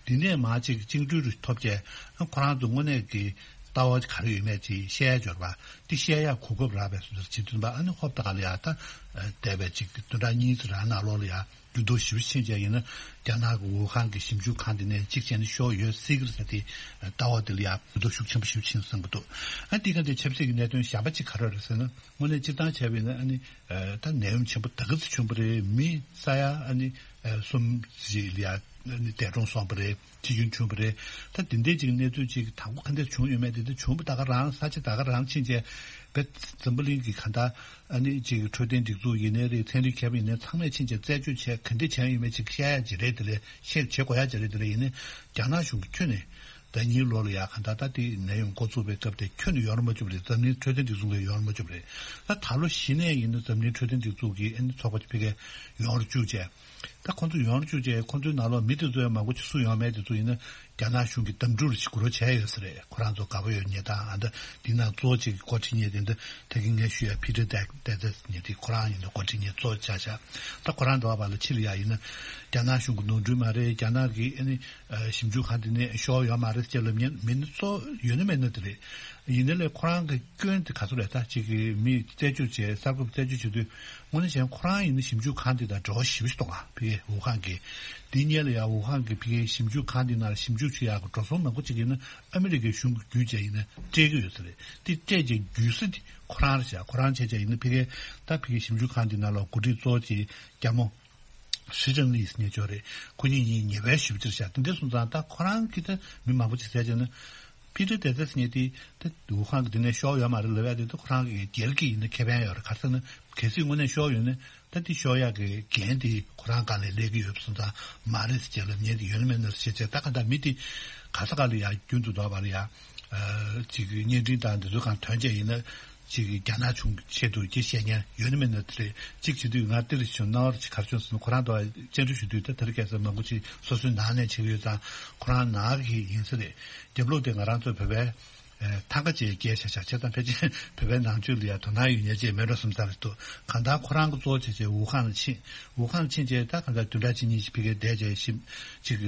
འདི་ནས་མ་ཅིག་བཅིངས་འགྲོལ་རུ་ཐོབ་བྱས་ཨ་ཁོ་རང་ཚོ་དངོས་གནས་ཀྱི་ལྟ་བ་ག་རེ་ཡོད་མེད་ཅིག་བཤད་ཡ་འབྱོར་བ་འདི་བཤད་ཡ་གོ་སྐབས་རག་པའི་བཟོ་འདྲ་བྱེད་དུས་པ་ཨ་ནི་ཧོབ་ཏེ་ག་ལ་ཡ་ད་བསྡད་པའི་ཅིག་བདུན་ཕྲག་གཉིས་ཙམ་རང་ནང་ལོགས་ལ་ཡ། འགྱུར་ལྡོག་ཞེ་པོ་ཕྱིན་བྱས་ཡིན་ན་རྒྱ་ནག་གི་ཝུ་ཧན་གྱི་ཞིབ་འཇུག་ཁང་དེ་ནས་གཅིག་བྱས་ན་ཤོར་ཡོད་སྲིད་ཀྱི་རེད་ཟེར་དེ་ལྟ་བ་དེ་ལ་ཡང་འགྱུར་ལྡོག་ཤུགས་ཆེན་པོ་ཞེ་པོ་ཕྱིན་བསམ་གྱི་འདུག་ཨ་འདི་ག་འདི་ཆབ་སྲིད་ཀྱི་གནད་དོན་གཞན་པ་གཅིག་ག་རེ་རེད་ཟེར་ན་དངོས་གནས་སྤྱིར་བཏང་བྱས་པ་ཡིན་ན་ཨ་ནི་ད་ནད་ཡམས་ཆེན་པོ་ད་ག་ཚོད་བྱུང་བ་རེད། མི་ས་ཡ་ཨ་ནི་གསུམ་ཞིག་ལ་ཡང་ཨ་ནི་འདས་གྲོངས་སོང་བ་རེད། འཆི་སྐྱོན་བྱུང་བ་རེད། ད་དེ་འདྲའི་ཅིག་གནས་ཚུལ་ཅིག་དང་པོ་ག་འདྲ་བྱུང་ཡོད་མེད་དེ་འདྲ་བྱུང་བ་ད་ག་རང་ས་ཆ་ད་ག་རང་ཕྱིན་བྱས་བེད་འཛམ་བུ་གླིང་གི་ག་འདྲ་ཨ་ནི་ཅིག་འཕྲོད་བསྟེན་སྒྲིག་འཛུགས་ཡིན་ནའི་རེད། ཚན་རིག་མཁས་པ་ཡིན་ནའི་ཚང་མས་ཕྱིན་བྱས་རྩད་གཅོད་བྱས་ག་འདྲ་བྱས་ཡོད་མེད་ཅིག་བཤད་ཡ་ཅིག་རེད། དེ་ལས་བཤད་བྱེད་དགོས་ཡ་ཅིག་རེད། དེ་ལས་ཡིན་ནའི་རྒྱ་ནག་གཞུང་གིས་ཁྱོན་ནས་ཟླ་གཉིས་ལོ་ལ་ཡ་ག་འདྲ་ད་དེ་ནད་ཡམས་འགོ་བཙུགས་པའི་སྐབས་དེ་ཁྱོན་ནས་ཡོང་ར་མ་བཅུག་པ་རེད། འཛམ་གླིང་འཕྲོད་བསྟེན་སྒྲིག་འཛུགས་ལ་ཡོང་ར་མ་བཅུག་པ་རེད། ད་ད་ལོ་གཞི་ནས་ཡིན་ན་འཛམ་གླིང་འཕྲོད་བསྟེན་སྒྲིག་འཛུགས་ཀྱི་ཨ་ནི་ཚོགས་པ་དེ་ཕ་གིར་ཡོང་ར་བཅུག་བྱས། ད་ཁོང་ཚོ་ཡོང་རྒྱུ་བྱས་ཁོང་ཚོའི་ནང་ལོགས་མི་དེ་ཚོ་ཡང་མང་པོ་ཅིག་སུ་ཡོང་མེད་དེ་ཚོ་ཡིན་ན་རྒྱ་ནག་གཞུང་གིས་གདམ་འཕྲུལ་ཞིག་འགུལ་རོགས་བྱས་ཡོད་ས་རེད། ཁོ་རང་ཚོ་དགའ་པོ་ཡོད་མཁན་དང་ཨ་འདྲ་འདི་ནང་གཙོ་བོ་གཅིག་གི་འགོ་ཁྲིད་མཁན་དེ་འདྲ་ད་གིན་ངས་ཞུ་ཡ་ཕི་ཊར་ཏེ་ཏེ་ཏེ་ཟེར་མཁན་དེ་ཁོ་རང་ཡིན་ན་འགོ་ཁྲིད་མཁན་གཙོ་བོ་ཆགས་ཤག་ད་ཁོ་རང་འགྲོ་བ་ལ་ཕྱི་ལ་ཡ་ཡིན་ན་རྒྱ་ནག་གཞུང་གི་ནོར་འཁྲུལ་མ་རེད། རྒྱ་ནག་གི་ཨ་ནི་ཞིབ་འཇུག་ཁང་དེ་ནས་ཤོར་ཡོད་མ་རེད་ཅེས་ལབ་མཁན་མི་ནི་གཙོ་བོ་ཡོད་ན་མེད་ན་དེ་རེད། ཡིན་ན་ལས་ཁོ་རང་གི་སྐྱོན་དེ་ག་ཚོད་རེད། ད་ཅིག་གི་མི་རྩད་གཅོད་བྱས་གསར་འགོད་པ་རྩད་གཅོད་བྱེད་དུས་དངོས་གནས་བྱས་ན་ཁོ་རང་ཡིན་ན་ཞིབ་འཇུག་ཁང་དེ་དང་འབྲེལ་བ་ཞེ་པོ་ཞིག་གཏོང་ཨ། ཕ་གིའི་ཝུ་ཧན་གྱི་དེའི་སྔོན་ལ་ཡང་ཝུ་ཧན་གྱི་ཕ་གིའི་ཞིབ་འཇུག་ཁང་དེ་ནང་ལ་ཞིབ་འཇུག་བྱེད་ཡག་གི་འགྲོ་སོང་མང་པོ་ཅིག་ཡིན་ན་ཨ་མི་རི་ཀའི་གཞུང་གི་བརྒྱུད་བྱས་ཡིན་ན་སྤྲད་ཀྱི་ཡོད་ས་རེད། དེ་སྤྲད་བྱས་བརྒྱུད་ས་དེ་ཁོ་རང་རེད་ཤག་ཁོ་རང་བྱས་བྱས་ཡིན་ན་ཕ་གིའི་ད་ཕ་གིའི་ཞིབ་འཇུག་ཁང་དེ་ནང་ལ་འགོ་ཁྲིད་གཙོ་བོ་གཅིག་རྒྱ་མོ་ཧྲི་ཅང་ལི་ཟེར་མཁན་ཅིག་ཡོད་རེད། ཁོ་གཉིས་གཉིས་ཉེ་བའི་ཞུ་རྒྱུ་རེད་ཤག་དེ་འདྲ་སོང་ཙང་ད་ཁོ་རང་གིས་ད་མི་མང་པོ་ཅིག་ཟེར་བྱས་ན། ཕི་ཊར་ཏེ་ཏེ་ཟེར་མཁན་དེ་ད་ཝུ་ཧན་གྱི་དེ་ནས་ཤོར་ཡོད་མ་རེད་ལབ་ཡ་དེ་ད་ཁོ་རང་གི་རྒྱལ་གྱི་ཡིན་ན་ཁེ་ཕན་ཡོད་རེད། ག་རེ་ཟེར་ན་གལ་སྲིད་དངོས་གནས་ཤོར་ཡོད་ན་ད་དེ་ཤོར་ཡག་གི་འགན་དེ་ཁོ་རང་སྒང་ལ་སླེབས་ཀྱི་ཡོད་པ་སོང་ཙང་མ་རེད་ཟེར་བྱས་ལབ་མཁན་དེ་ཡོད་ན་མེད་ན་ཟེར་བྱས་ད་ག་ད་མི་དེ་ག་ས་ག་ལ་ཡ་རྒྱུན་དུ་འགྲོ་བ་ལ་ཡ་ཅིག་བརྙན་འཕྲིན་དང་འདི་ཚོ་གང་ཐོན་བྱས་ཡིན་ན། ཅིག་རྒྱ་ནག་གཞུང་གི་ཆེད་དུ་ཅིག་བཤད་མཁན་ཡོད་ན་མེད་ན་དེ་རེད། ཅིག་བྱེད་དུས་ང་ཏི་རི་བྱུང་སྣང་བ་ཅིག་ག་རེ་བྱུང་ཟེར་ན་ཁོ་རང་དང་བཅར་འདྲི་ཞུ་དུས་ད་དེ་རིང་ཁ་སང་མང་པོ་ཅིག་སོ་སོའི་ནང་ནས་བྱེད་ཀྱི་ཡོད་ཙང་ཁོ་རང་ནང་གི་ཡིན་ས་རེད། རྒྱབ་ལོགས་དེ་ང་རང་ཚོ་བོད་པའི་ཐང་ག་ཅིག་བསྐྱལ་བཞག་བཞག་བྱས་ཙང་ཕལ་ཆེར་བོད་པའི་ནང་ཆོས་ལ་ཡང་དོ་སྣང་ཡོད་མཁན་ཅིག་མེད་འགྲོ་བསམ་ས་རེད་འདུག་གང་ལྟར་ཁོ་རང་གི་གཙོ་བོ་བྱས་བྱས་ཝུ་ཧན་ལ་ཕྱིན། ཝུ་ཧན་ལ་ཕྱིན་བྱས་ད་གང་ལྟར་བདུན་ཕྲག་གཅིག་གཉིས་ཅིག་ཕ་གིར་བསྡད་བྱས་ཞིབ་ཅིག་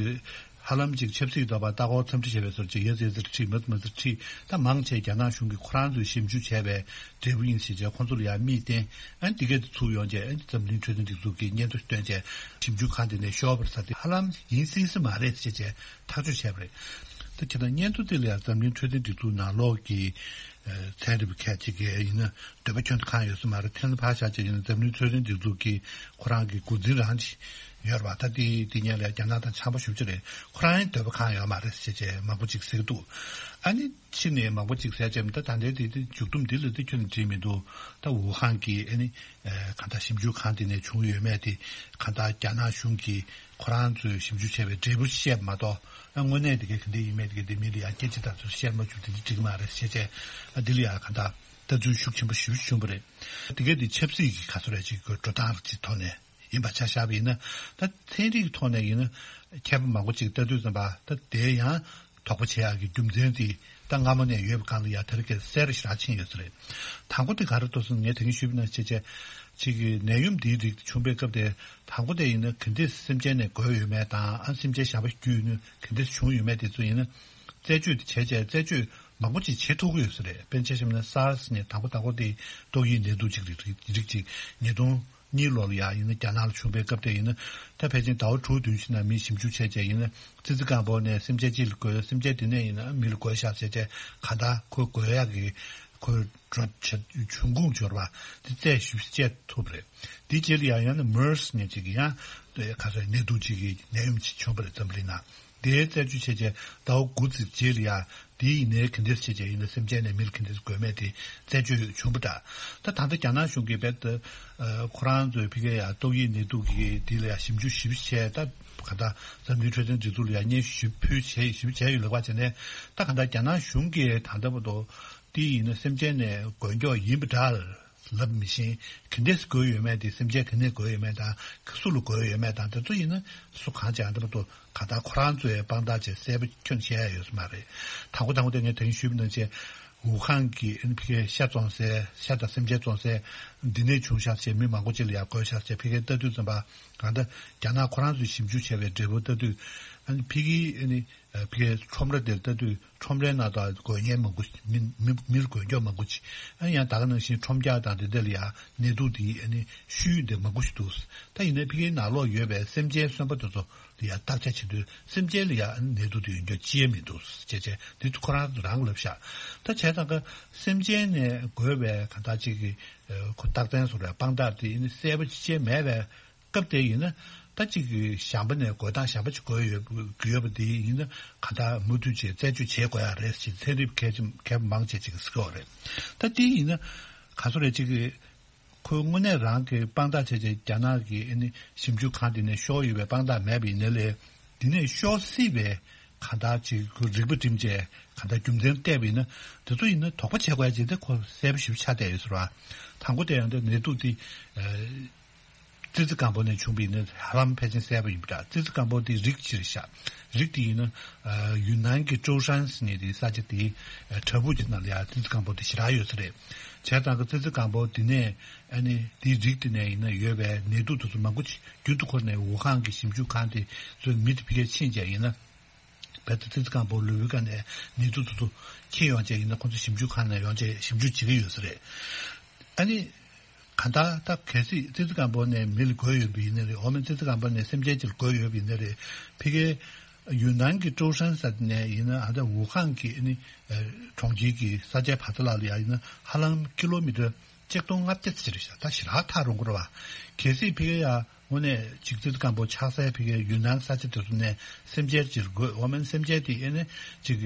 ཧ་ལམ་ཅིག་ཆབ་སྲིད་ཀྱི་འདོད་པ་ལྟ་སྐོར་འཚམས་འདྲི་བྱས་པའི་ཚོར་ཅིག་ཡ་ཙེ་ཙེར་ཁྲིད་མ་ཙེ་མ་ཙེར་ཁྲིད་ད་མང་ཆེ་རྒྱ་ནག་གཞུང་གིས་ཁོ་རང་ཚོས་ཞིབ་འཇུག་བྱས་པའི་འབྲས་བུ་ཡིན་ཟེར་བྱས་ཁོང་ཚོ་ལ་ཡང་མིག་བསྟན་ཨ་འདི་གས་དེ་ཚུར་ཡོང་བྱས་ཨ་འཛམ་གླིང་འཕྲོད་བསྟེན་སྒྲིག་འཛུགས་ཀྱིས་སྙན་ཐོ་བཏོན་བྱས་ཞིབ་འཇུག་ཁང་དེ་ནས་ཤོར་བ་རེད་ཟེར་དེ་ཧ་ལམ་ཡིན་སྲིད་ས་མ་རེད་ཟེར་བྱས་ཐག་གཅོད་བྱས་པ་རེད། ད་ཁྱེད་རང་སྙན་ཐོ་དེ་ལ་ཡང་འཛམ་གླིང་འཕྲོད་བསྟེན་སྒྲིག་འཛུགས་ནང་ལོགས་ཀྱི་ཚན་རིག་པ་ཁག་ཅིག་གིས་ཡིན་ན། འདོད་པ་ཁྱོན་དུ་གང་ཡོད་ས་མ་རེད། ཐེངས་ལ་ཕར་བཞག་ཅིག་ཡིན་ན་འཛམ་གླིང་འཕྲོད་བསྟེན་སྒྲིག་འཛུགས་ཀྱིས་ཁོ་རང་གི་འགོ་འཛིན་རང་ཅིག་ཡོད་རེད་པ། ད་དེ་དེ་ཉིད་ལ་རྒྱ་ནག་དང་འཆམ་པོ་ཞེ་པོ་ཅིག་རེད། ཁོ་རང་ཡང་འདོད་པ་གང་ཡོད་མ་རེད་ཟེར་བྱས་མང་པོ་ཅིག་ཟེར་གྱི་འདུག་ཨ་ནི་ཕྱི་ནས་མང་པོ་ཅིག་ཟེར་བྱས་ད་ད་ལྟའི་དེ་དེ་མཇུག་སྡོམ་འདི་ལ་དེ་ཁྱོན་ནས་བྲིས་མི་འདུག་ད་ཝུ་ཧན་གྱི་ཨ་ནི་གང་ལྟར་ཞིབ་འཇུག་ཁང་དེ་ནས་བྱུང་ཡོད་མེད་དེ་གང་ལྟར་རྒྱ་ནག་གཞུང་གིས་ཁོ་རང་ཚོས་ཞིབ་འཇུག་བྱས་པའི་འབྲས་བུ་བཤད་མ་གཏོགས། ཨ་དངོས་གནས་དེ་གའི་ག་འདྲ་ཡིན་མིན་དེ་གའི་དེ་མི་ལ་ཡང་སྐད་ཆ་དག་ཚོད་བཤད་མ་བཅུག་དེ་འདྲ་འགྲིག་མ་རེད་ཟེར་བྱས། ཨ་དེ་ལ་ཡང་གང་ལྟར་ལྟ་ཚུལ་ཤུགས་ཆེན་པོ་ཞེ་པོ་ཞིག་བྱུང་བ་རེད། དེ་གའི་དེ་ཆབ་སྲིད་ཀྱི་ག་ཚོད་རེད་ཅིག་གི་འགྲོ་སྟངས་ཅིག་ཐོག་ནས་ཡིན་པ་ཆ་བཞག་པ་ཡིན་ན། ད་ཚན་རིག་གི་ཐོག་ནས་ཡིན་ན་མཁས་པ་མང་པོ་ཅིག་ལྟ་དུས་ཙམ་པ་ད་དེ་ཡང་ དོགས་པ་བྱེད་ཡག་གི་རྒྱུ་མཚན་དེ་ད་སྔ་མོ་ནས་ཡོད་པའི་སྒང་ལ་ཡ་དེ་རིང་ཁ་སང་གསལ་རུ་ཞེ་དྲག་ཕྱིན་ཡོད་ས་རེད། དང་པོ་དེ་ག་རེ་འདུག་ཟེར་ན། ངས་དེ་རིང་ཞུས་པ་ནང་བཞིན་བྱས་བྱས་ཅིག་གི་ནད་ཡམས་འདིའི་རིགས་དེ་བྱུང་པའི་སྐབས་དེ། དང་པོ་དེ་ཡིན་ན་ག་འདྲས་སེམས་ཅན་ནས་འགོས་ཡོད་མེད་དང་། ཨ། སེམས་ཅན་གཞན་པ་བརྒྱུད་ནས་ག་འདྲས་བྱུང་ཡོད་མེད་དེ་ཚོ་ཡིན་ན། རྩད་གཅོད་དེ་བྱས་བྱས་རྩད་གཅོད་མང་པོ་ཅིག་བྱེད་ཐུབ་ཀྱི་ཡོད་ས་རེད། དཔེར་ན་ཆ་བཞག་ན་SARS ནས་དང་པོ་དང་པོ་དེ་ཏོག་དབྱིབས་ནད་དུག་ཅིག་རིགས་རིགས་ཅིག་ཉིས་སྟོང་གཉིས་ལོ་ལ་ཡ་ཡིན་ན་རྒྱ་ནག་ལ་བྱུང་པའི་སྐབས་དེ་ཡིན་ན། ད་ཕལ་ཆེར་ཟླ་བ་དྲུག་བདུན་ཕྱིན་ན་མི་ཞིབ་འཇུག་བྱས་བྱས་ཡིན་ན། ཙི་ཙི་སྐམ་པོ་ནས་སེམས་ཅན་གཅིག་ལ་འགོས། སེམས་ཅན་དེ་ནས་ཡིན་ན་མི་ལ་འགོས་ཤག་བྱས་བྱས། གང་ལྟར་ཁོ་འགོས་ཡག་གི་ཁོའི་འབྱུང་ཁུངས་འབྱོར་བ་དེ་རྩད་ཞིབ་བྱེད་ཐུབ་རེད། དེའི་རྗེས་ལ་ཡང་ཡང་ན་MERS ནས་ཅིག་གི་ཡང་ཁ་སང་ནད་དུག་ཅིག་གི་ནད་ཡམས་ཅིག་བྱུང་བ་རེད། འཛམ་གླིང་ནང་། དེའི་རྩད་གཅོད་བྱས་རྗེས་ཟླ་བ་དགུ་ཙམ་རྗེས་ལ་ཡ། དེ་ཡིན་ནའི་ག་འདྲས་བྱས་རྗེས་ཡིན་ན་སེམས་ཅན་ནས་མིར་ག་འདྲས་འགོས་མེད་དེ་རྩད་གཅོད་བྱུང་བ་འདྲ། ད་ད་ལྟ་རྒྱ་ནག་གཞུང་གིས་རྦད་དེ་ཁོ་རང་ཚོའི་ཕ་གིའི་ཡ་ཏོག་དབྱིབས་ནད་དུག་གི་དེ་ལ་ཡ་ཞིབ་འཇུག་ཞིབ་བྱས། ད་ག་ད་འཛམ་གླིང་འཕྲོད་བསྟེན་སྒྲིག་འཛུགས་ལ་ཡ་སྙན་ཞུ་ཞིབ་ཕུལ་བྱས་ཞིབ་བྱས་ཡོད་ལབ་པ་བྱས་ནས། ད་ག་ད་རྒྱ་ནག་གཞུང་གིས་ད་ལྟ་བར་དུ་དེ་ཡིན་ན་སེམས་ཅན་ནས་འགོས་མགྱོགས་ཡིན་པ་འདྲ་ལབ་མི་ཤེས། ག་འདྲས་འགོས་ཡོད་མེད་དེ། སེམས་ཅན་ག་ནས་འགོས་ཡོད་མེད་དང་། སུ་ལ་འགོས་ཡོད་མེད་དང་། དེ་ཚོ་ཡིན་ན་སུ་གང་བྱས་ཨ་འདི་བར་དུ་ག་ད་ཁོ་རང་ཚོའི་དཔང་རྟགས་བྱས་གསལ་པོ་ཁྱོན་བཤད་ཡ་ཡོད་ས་མ་རེད། དང་པོ་དང་པོ་དེ་ངས་དེ་རིང་ཞུས་པ་ནང་བཞིན། ཝུ་ཧན་གྱི་ཨ་ནི་ཕ་གིའི་ཤ་བཙོང་སའི། ཤ་དང་སེམས་ཅན་བཙོང་སའི་འདི་ནས་བྱུང་ཤག་བྱས། མི་མང་པོ་ཅིག་ལ་ཡ་འགོས་ཤག་བྱས་ཕ་གིར་ལྟ་དུས་ཙམ་པ། གང་ལྟར་རྒྱ་ནག་ཁོ་རང་ཚོས་ཞིབ་འཇུག་བྱས་པའི་འབྲས་བུ་ལྟ་དུས། ཨ་ནི་ཕ་གིའི་ཨ་ནི་ཕ་གིའི་ཁྲོམ་ར་དེར་ལྟ་དུས། ཁྲོམ་རའི་ནང་དུ་འགོས་མཁན་མང་པོ། མི་མི་མིར་འགོས་མགྱོགས་མང་པོ་ཅིག་ཨ་ཡང་ད་ག་ནང་བཞིན་ཁྲོམ་རྒྱག་དང་དེ་འདྲ་ལ་ཡ་ནད་དུག་དེ་ཨ་ནི་བཤུས་ཡོད་འདི་མང་པོ་ཞིག་འདུག་ད་ཡིན་ནའི་ཕ་གིའི་ནང་ལོགས་ཡོད་པའི་སེམས་ཅན་གསོན་པོ་དེ་ཚོ་ལ་ཡ་བརྟག་དཔྱད་བྱེད་དུས། སེམས་ཅན་ལ་ཡ་ཨ་ནི་ནད་དུག་དེ་ཡོད་མགྱོགས་ཅི་ཡང་མི་འདུག་ཅེས་བྱས། འདི་ཁོ་རང་རང་ལབ་ཤག་ད་བྱས་ཙང་ཀ་སེམས་ཅན་ནས་འགོས་པའི་གང་ལྟར་ཅིག་གི་ཁོ་རྟགས་མཚན་བཟོ་ར་དཔང་རྟགས་དེ་ཨ་ནི་གསལ་པོ་ཅི་བྱས་མེད་པའི་སྐབས་དེ་ཡིན་ན། ད་ཅིག་གི་གཞན་པ་ནས་འགོས་སྟངས་གཞན་པ་ཅིག་འགོས་ཡོད་ཡོད་པ་དེ་ཡིན་ན། ག་ད་མུ་མཐུད་བྱས་རྩད་གཅོད་བྱེད་དགོས་ཡ་རེད་ཅེས་ཚན་རིག་གལ་ཆེ་གལ་མང་ཆེ་ཅིག་གིས་ཟེར་གྱི་ཡོད་རེད། ད་དེ་ཡིན་ན་ག་ཚོད་རེད། ཅིག་གི་ཁོས་དངོས་གནས་རང་གི་དཔང་རྟགས་བྱས་བྱས་རྒྱ་ནག་གི་ཨ་ནི་ཞིབ་འཇུག་ཁང་དེ་ནས་ཤོར་ཡོད་པའི་དཔང་རྟགས་མེད་པ་ཡིན་ན་ལས། དེ་ནས་ཤོར་སྲིད་པའི་ག་ད་ཅིག་ཁོས་རིག་པ་བསྒྲིམས་བྱས་ག་ད་རྒྱུ་མཚན་བལྟས་པ་ཡིན་ན། དེ་ཚོ་ཡིན་ན་དོགས་པ་བྱེད་དགོས་ཡ་ཅིག་དེ་ཁོ་གསལ་པོ་ཞིབ་ཆགས་བསྡད་ཡོད་ཟེར་བ། དང་པོ་དེ་ཡང་དེ་ནད་དུག་དེ་ཨ། ཙི་ཙི་སྐམ་པོ་ནས་བྱུང་བ་ཡིན་ན་ཧ་ལམ་ཕལ་ཆེར་གསལ་པོ་ཡིན་པ་འདྲ། ཙི་ཙི་སྐམ་པོ་དེ་རིགས་གཅིག་རེད་ཤག་རིགས་དེ་ཡིན་ན་ཨ། ཡུན་ནན་གྱི་ཀྲོའུ་ཧྲན་ཟེར་མཁན་དེའི་ས་ཆ་དེའི་ཨ། བྲག་ཕུག་ཅིག་ནང་ལ་ཡ་ཙི་ཙི་སྐམ་པོ་དེ་ཞེ་དྲག་ཡོད་ས་རེད། བྱས་ཙང་ཀ་ཙི་ཙི་སྐམ་པོ་དེ་ནས་ཨ་ནི་དེའི་རིགས་དེ་ནས་ཡིན་ན་ཡོད་པའི་ནད་དུག་དེ་ཚོ་མང་པོ་ཅིག་རྒྱུན་དུ་ཁོ་ནས་ཝུ་ཧན་གྱི་ཞིབ་འཇུག་ཁང་དེ་ཚོའི་མི་དེ་ཕ་གིར་ཕྱིན་བྱས་ཡིན་ན། རྦད་དེ་ཙི་ཙི་སྐམ་པོ་ལུས་པོའི་ཀ་ནས་ནད་དུག་དེ་ཚོ་འཁྱེར་ཡོང་བྱས་ཡིན་ན། ཁོང་ཚོ་ཞིབ་འཇུག་ཁང་ནས་ཡོང་བྱས་ཞིབ་འཇུག་བྱེད་ཀྱི་ཡོད་ས་རེད། ཨ་ནི་གང་ལྟར་ད་གལ་སྲིད་ཙི་ཙི་སྐམ་པོ་ནས་མི་ལ་འགོས་ཡོད་པ་ཡིན་ན་རེད། འོ་མ་ཙི་ཙི་སྐམ་པོ་ནས་སེམས་ཅན་ཅིག་ལ་འགོས་ཡོད་པ་ཡིན་ན་རེད། ཕ་གིའི་ཡུན་ནན་གྱི་ཀྲོའུ་ཧྲན་ས་དེ་ནས་ཡིན་ན། ཨ་ད་ཝུ་ཧན་གྱི་ཨ་ནི་གྲོང་ཁྱེར་གྱི་ས་ཆའི་བར་ཐག་ལ་ཡ་ཡིན་ན་ཧ་ལམ་ཀི་ལོ་མི་ཊར་ཆིག་སྟོང་ལྔ་བརྒྱ་ཙམ་རེད་ཤག་ད་ཞེ་དྲག་ཐག་རིང་པོ་རེད་བ། གལ་སྲིད་ཕ་གིར་ཡ་དངོས་གནས་ཅིག་ཙི་ཙི་སྐམ་པོ་ཆགས་སའི་ཕ་གིའི་ཡུན་ནན་ས་ཆ་དེ་ཚོ་ནས་སེམས་ཅན་ཅིག་འགོས། འོ་མ་སེམས་ཅན་དེ་ཨེ་ནས་ཅིག་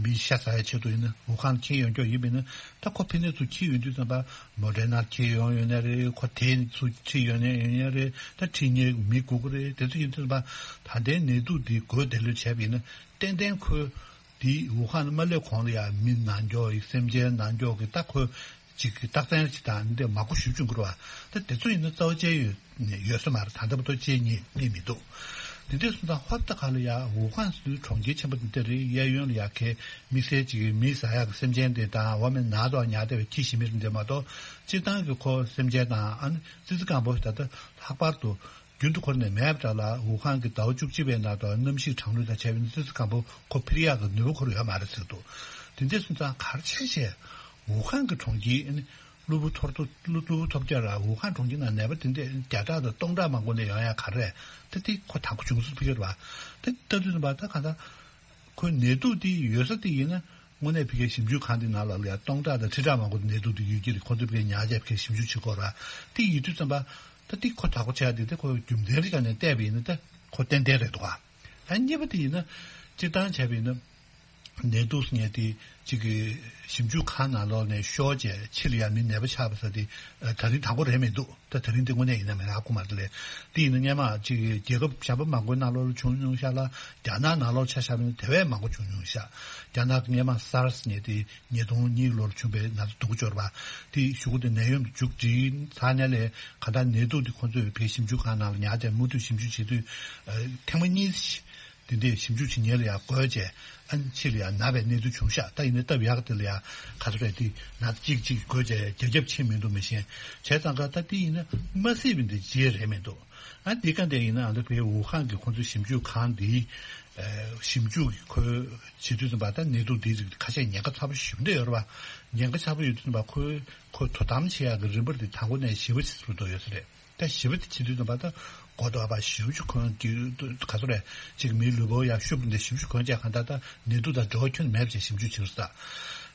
མི་ཤ་ཟ་ཡའི་ཆེད་དུ་ཡིན་ན་ཝུ་ཧན་འཁྱེར་ཡོང་རྒྱུ་ཡིན་པ་ཡིན་ན། ད་ཁོ་ཕ་ནས་ཚུར་འཁྱེར་ཡོང་དུས་ཙམ་པ་མོ་ཌེ་ན་འཁྱེར་ཡོང་ཡོད་ནའི་རེད། ཁོ་དེ་ཚུར་ཁྲིད་ཡོང་ནའི་ཡོད་ནའི་རེད། ད་ཁྲིད་མཁན་མི་དགོས་ཀྱི་རེད། དེ་ཚོ་ཡིན་དུས་ཙམ་པ་ད་ལྟའི་ནད་དུག་འདི་འགོས་བསྡད་ལོས་བྱས་པ་ཡིན་ན། ཏན་ཏན་ཁོས་དེ་ཝུ་ཧན་མ་སླེབས་གོང་ལ་ཡ་མི་ནང་འགྱོག་ཡིག་སེམས་ཅན་ནང་འགྱོག་གི་ད་ཁོས་ཅིག་གི་རྟགས་མཚན་ཅིག་དང་འདི་མང་པོ་ཞིག་བྱུང་གི་རེད་བ། ད་དེ་ཚོ་ཡིན་ན་རྩ་བ་བཅད་ཡོད་ཡོད་ས་མ་རེད། ད་ལྟ་བར་དུ་བཅད་རྙེད་རྙེད་མི་འདུག་དེ་འདྲ་སོང་ཙང་ཧོབ་ཏེ་ག་ལ་ཡ་ཝུ་ཧན་ཟེར་དུས་གྲོང་ཁྱེར་ཆེན་པོ་འདི་འདྲ་རེད། གཡས་གཡོན་ལ་ཡ་གའི་དམིགས་བསལ་ཅིག་གི་མི་ཟ་ཡག་གི་སེམས་ཅན་དེ་དང་། འོ་མ་ནང་དུ་ཉར་བསྡད་པའི་ཁྱི་ཞིག་མི་རིགས་འདི་མ་གཏོགས། སྤྱིར་བཏང་གི་ཁོ་སེམས་ཅན་དང་ཨ་ནི་ཙི་ཙི་སྐམ་པོ་ད་ལྟ་ལྷག་པར་དུ་རྒྱུན་དུ་འཁོར་ནས་མེད་པ་འདྲ་ལ། ཝུ་ཧན་གྱི་ཟླ་བ་བཅུ་གཅིག་པའི་ནང་དུ་གནམ་གཤིས་གྲང་ལུགས་དང་བྱས་པའི་ཙི་ཙི་སྐམ་པོ་ཁོ་འཕུར་ཡག་གི་ནུས་པ་ཁོར་ཡོད་མ་རེད་ཟེར་འདུག་དེ་འདྲ་སོང་ཙང་ག་རེ་བྱས་བྱས་ཝུ་ཧན་གྱི་གྲོང་ཁྱེར་ཨ་ནི་གློ་བུར་ཐོར་ཐོར་གློ་བུར་ཐོར་རྒྱག་ར། ཝུ་ཧན་གྲོང་ཁྱེར་ནང་ནད་པ་དེ་འདྲ་བརྒྱ་ཕྲག་དང་སྟོང་ཕྲག་མང་པོ་ནས་ཡོང་ཡག་ག་རེ་རེད། ད་དེ་ཁོ་དང་པོ་བྱུང་ས་ཕ་གི་རེད་བ། དེ་ལྟ་དུས་ཙམ་པ་ད་གང་ལྟར་ཁོའི་ནད་དུག་དེ་ཡོད་ས་དེ་ཡིན་ན། དངོས་གནས་ཕ་གིའི་ཞིབ་འཇུག་ཁང་དེ་ནང་ལ་ཡ་སྟོང་ཕྲག་དང་ཁྲི་ཕྲག་མང་པོ་ནད་དུག་དེ་ཡོད་ཀྱི་རེད། ཁོ་ཚོས་ཕ་གིར་ཉར་བྱས་ཕ་གིར་ཞིབ་འཇུག་བྱེད་ཀྱི་ཡོད་རེད་བ། དེ་ཡིན་དུས་ཙམ་པ་ད་དེ་ཁོ་དྲག་པོ་ཆགས་དེ། དེ་ཁོ་རྒྱུ་མཚན་རེ་ག་ནས་བལྟས་པ་ཡིན་ན་ད་ཁོ་ཏན་ཏན་རེད་འདུག་ག་ཨ། གཉིས་པ་དེ་ཡིན་ན་སྤྱིར་བཏང་བྱས་པ་ཡིན་ན་ནད་དུག་ཟེར་མཁན་དེ་གཅིག་གི་ཞིབ་འཇུག་ཁང་ནང་ལོགས་ནས་ཤོར་བྱས་ཕྱི་ལ་ཡ་མི་ནད་པ་ཆགས་པ་ཟེར་དེ་ད་རིང་དང་པོ་རེད་མི་འདུག་ད་དེ་རིང་འདི་དངོས་གནས་ཡིན་ན་མིན་ན་ཧ་གོ་མ་རེད་ལས། དེ་ཡིན་ན་སྔོན་མ་ཅིག་རྒྱལ་ཁབ་གཞན་པ་མང་པོའི་ནང་ལོགས་ལ་བྱུང་མྱོང་ཤག་ལ། རྒྱ་ནག་ནང་ལོགས་ཆ་བཞག་པ་ཡིན་ན་དེ་བས་མང་པོ་བྱུང་མྱོང་ཤག་རྒྱ་ནག་གི་སྔོན་མ་སཱར་སི་ནད་དེ་ཉིས་སྟོང་གཉིས་ལོར་བྱུང་བའི་ན་ཚ་སྡུག་གུ་འབྱོར་བ་དེ་གཞུག་གུ་དེ་ནད་ཡམས་མཇུག་སྒྲིལ་ཚར་ནས་ལས། གང་ལྟར་ནད་དུག་དེ་ཁོང་ཚོས་བོད་ཞིབ་འཇུག་ཁང་ནང་ལ་ཉར་བྱས་མུ་མཐུད་ཞིབ་འཇུག་བྱེད་དུས། ཨ། ཐེངས་མ་གཉིས། དེ་འདྲས་ཞིབ་འཇུག་བྱེད་མཁན་ལ་ཡང་བགོས་བྱས། ཨ་ནི་ཕྱི་ལ་ཡང་ན་བའི་གནས་ཚུལ་བྱུང་ཤག་ད་ཡིན་ན་སྟབས་ཡག་དེ་ལ་ཡང་ག་ཚོད་རེད། དེ་ན་གཅིག་གཅིག་བགོས་བྱས་རྒྱ་ཁྱབ་ཕྱིན་མི་འདུག་མི་ཤེས། བྱས་ཙང་ཀ་ད་དེ་ཡིན་ན་མ་སྲིད་པའི་འདི་བྱེད་རེད་མི་འདུག་ཨ་འདི་ག་འདྲས་ཡིན་ན་ཨ་འདི་བའི་ཝུ་ཧན་གྱི་ཁོང་ཚོའི་ཞིབ་འཇུག་ཁང་འདི་ཞིབ་འཇུག་གི་ཁོའི་བྱེད་དུས་ཙམ་པ་ད་ནད་དུག་འདི་རིགས་ཁ་ཤས་ཉེན་ཁ་ཚ་པོ་ཞེ་པོ་འདྲ་ཡོད་རེད་པ། ཉེན་ཁ་ཚ་པོ་ཡོད་དུས་ཙམ་པ་ཁོའི་ཁོ་དོ་དམ་བྱེད་ཡག་གི་རིམ་པ་འདི་དང་པོ་ནས་ཞི་བ་ཞིག་ཏུ་འགྲོ་ཡོད་ས་རེད། ད་ཞི་བ་དེ་བྱེད་དུས་ཙམ་པ་ད་གོ་ལྡོག་པ་ཞིབ་ཅིག་གོན་གྱི་ག་ཚོད་རེད། ཅིག་མིའི་ལུས་པོ་ཡ་ཤུབས་འདི་ཞིབ་ཅིག་གོན་བྱས་གང་ལྟར་ད་ནད་དུག་དང་འབྲེལ་བ་ཁྱོན་མེད་པ་བྱས་ཞིབ་འཇུག་བྱེད་ས།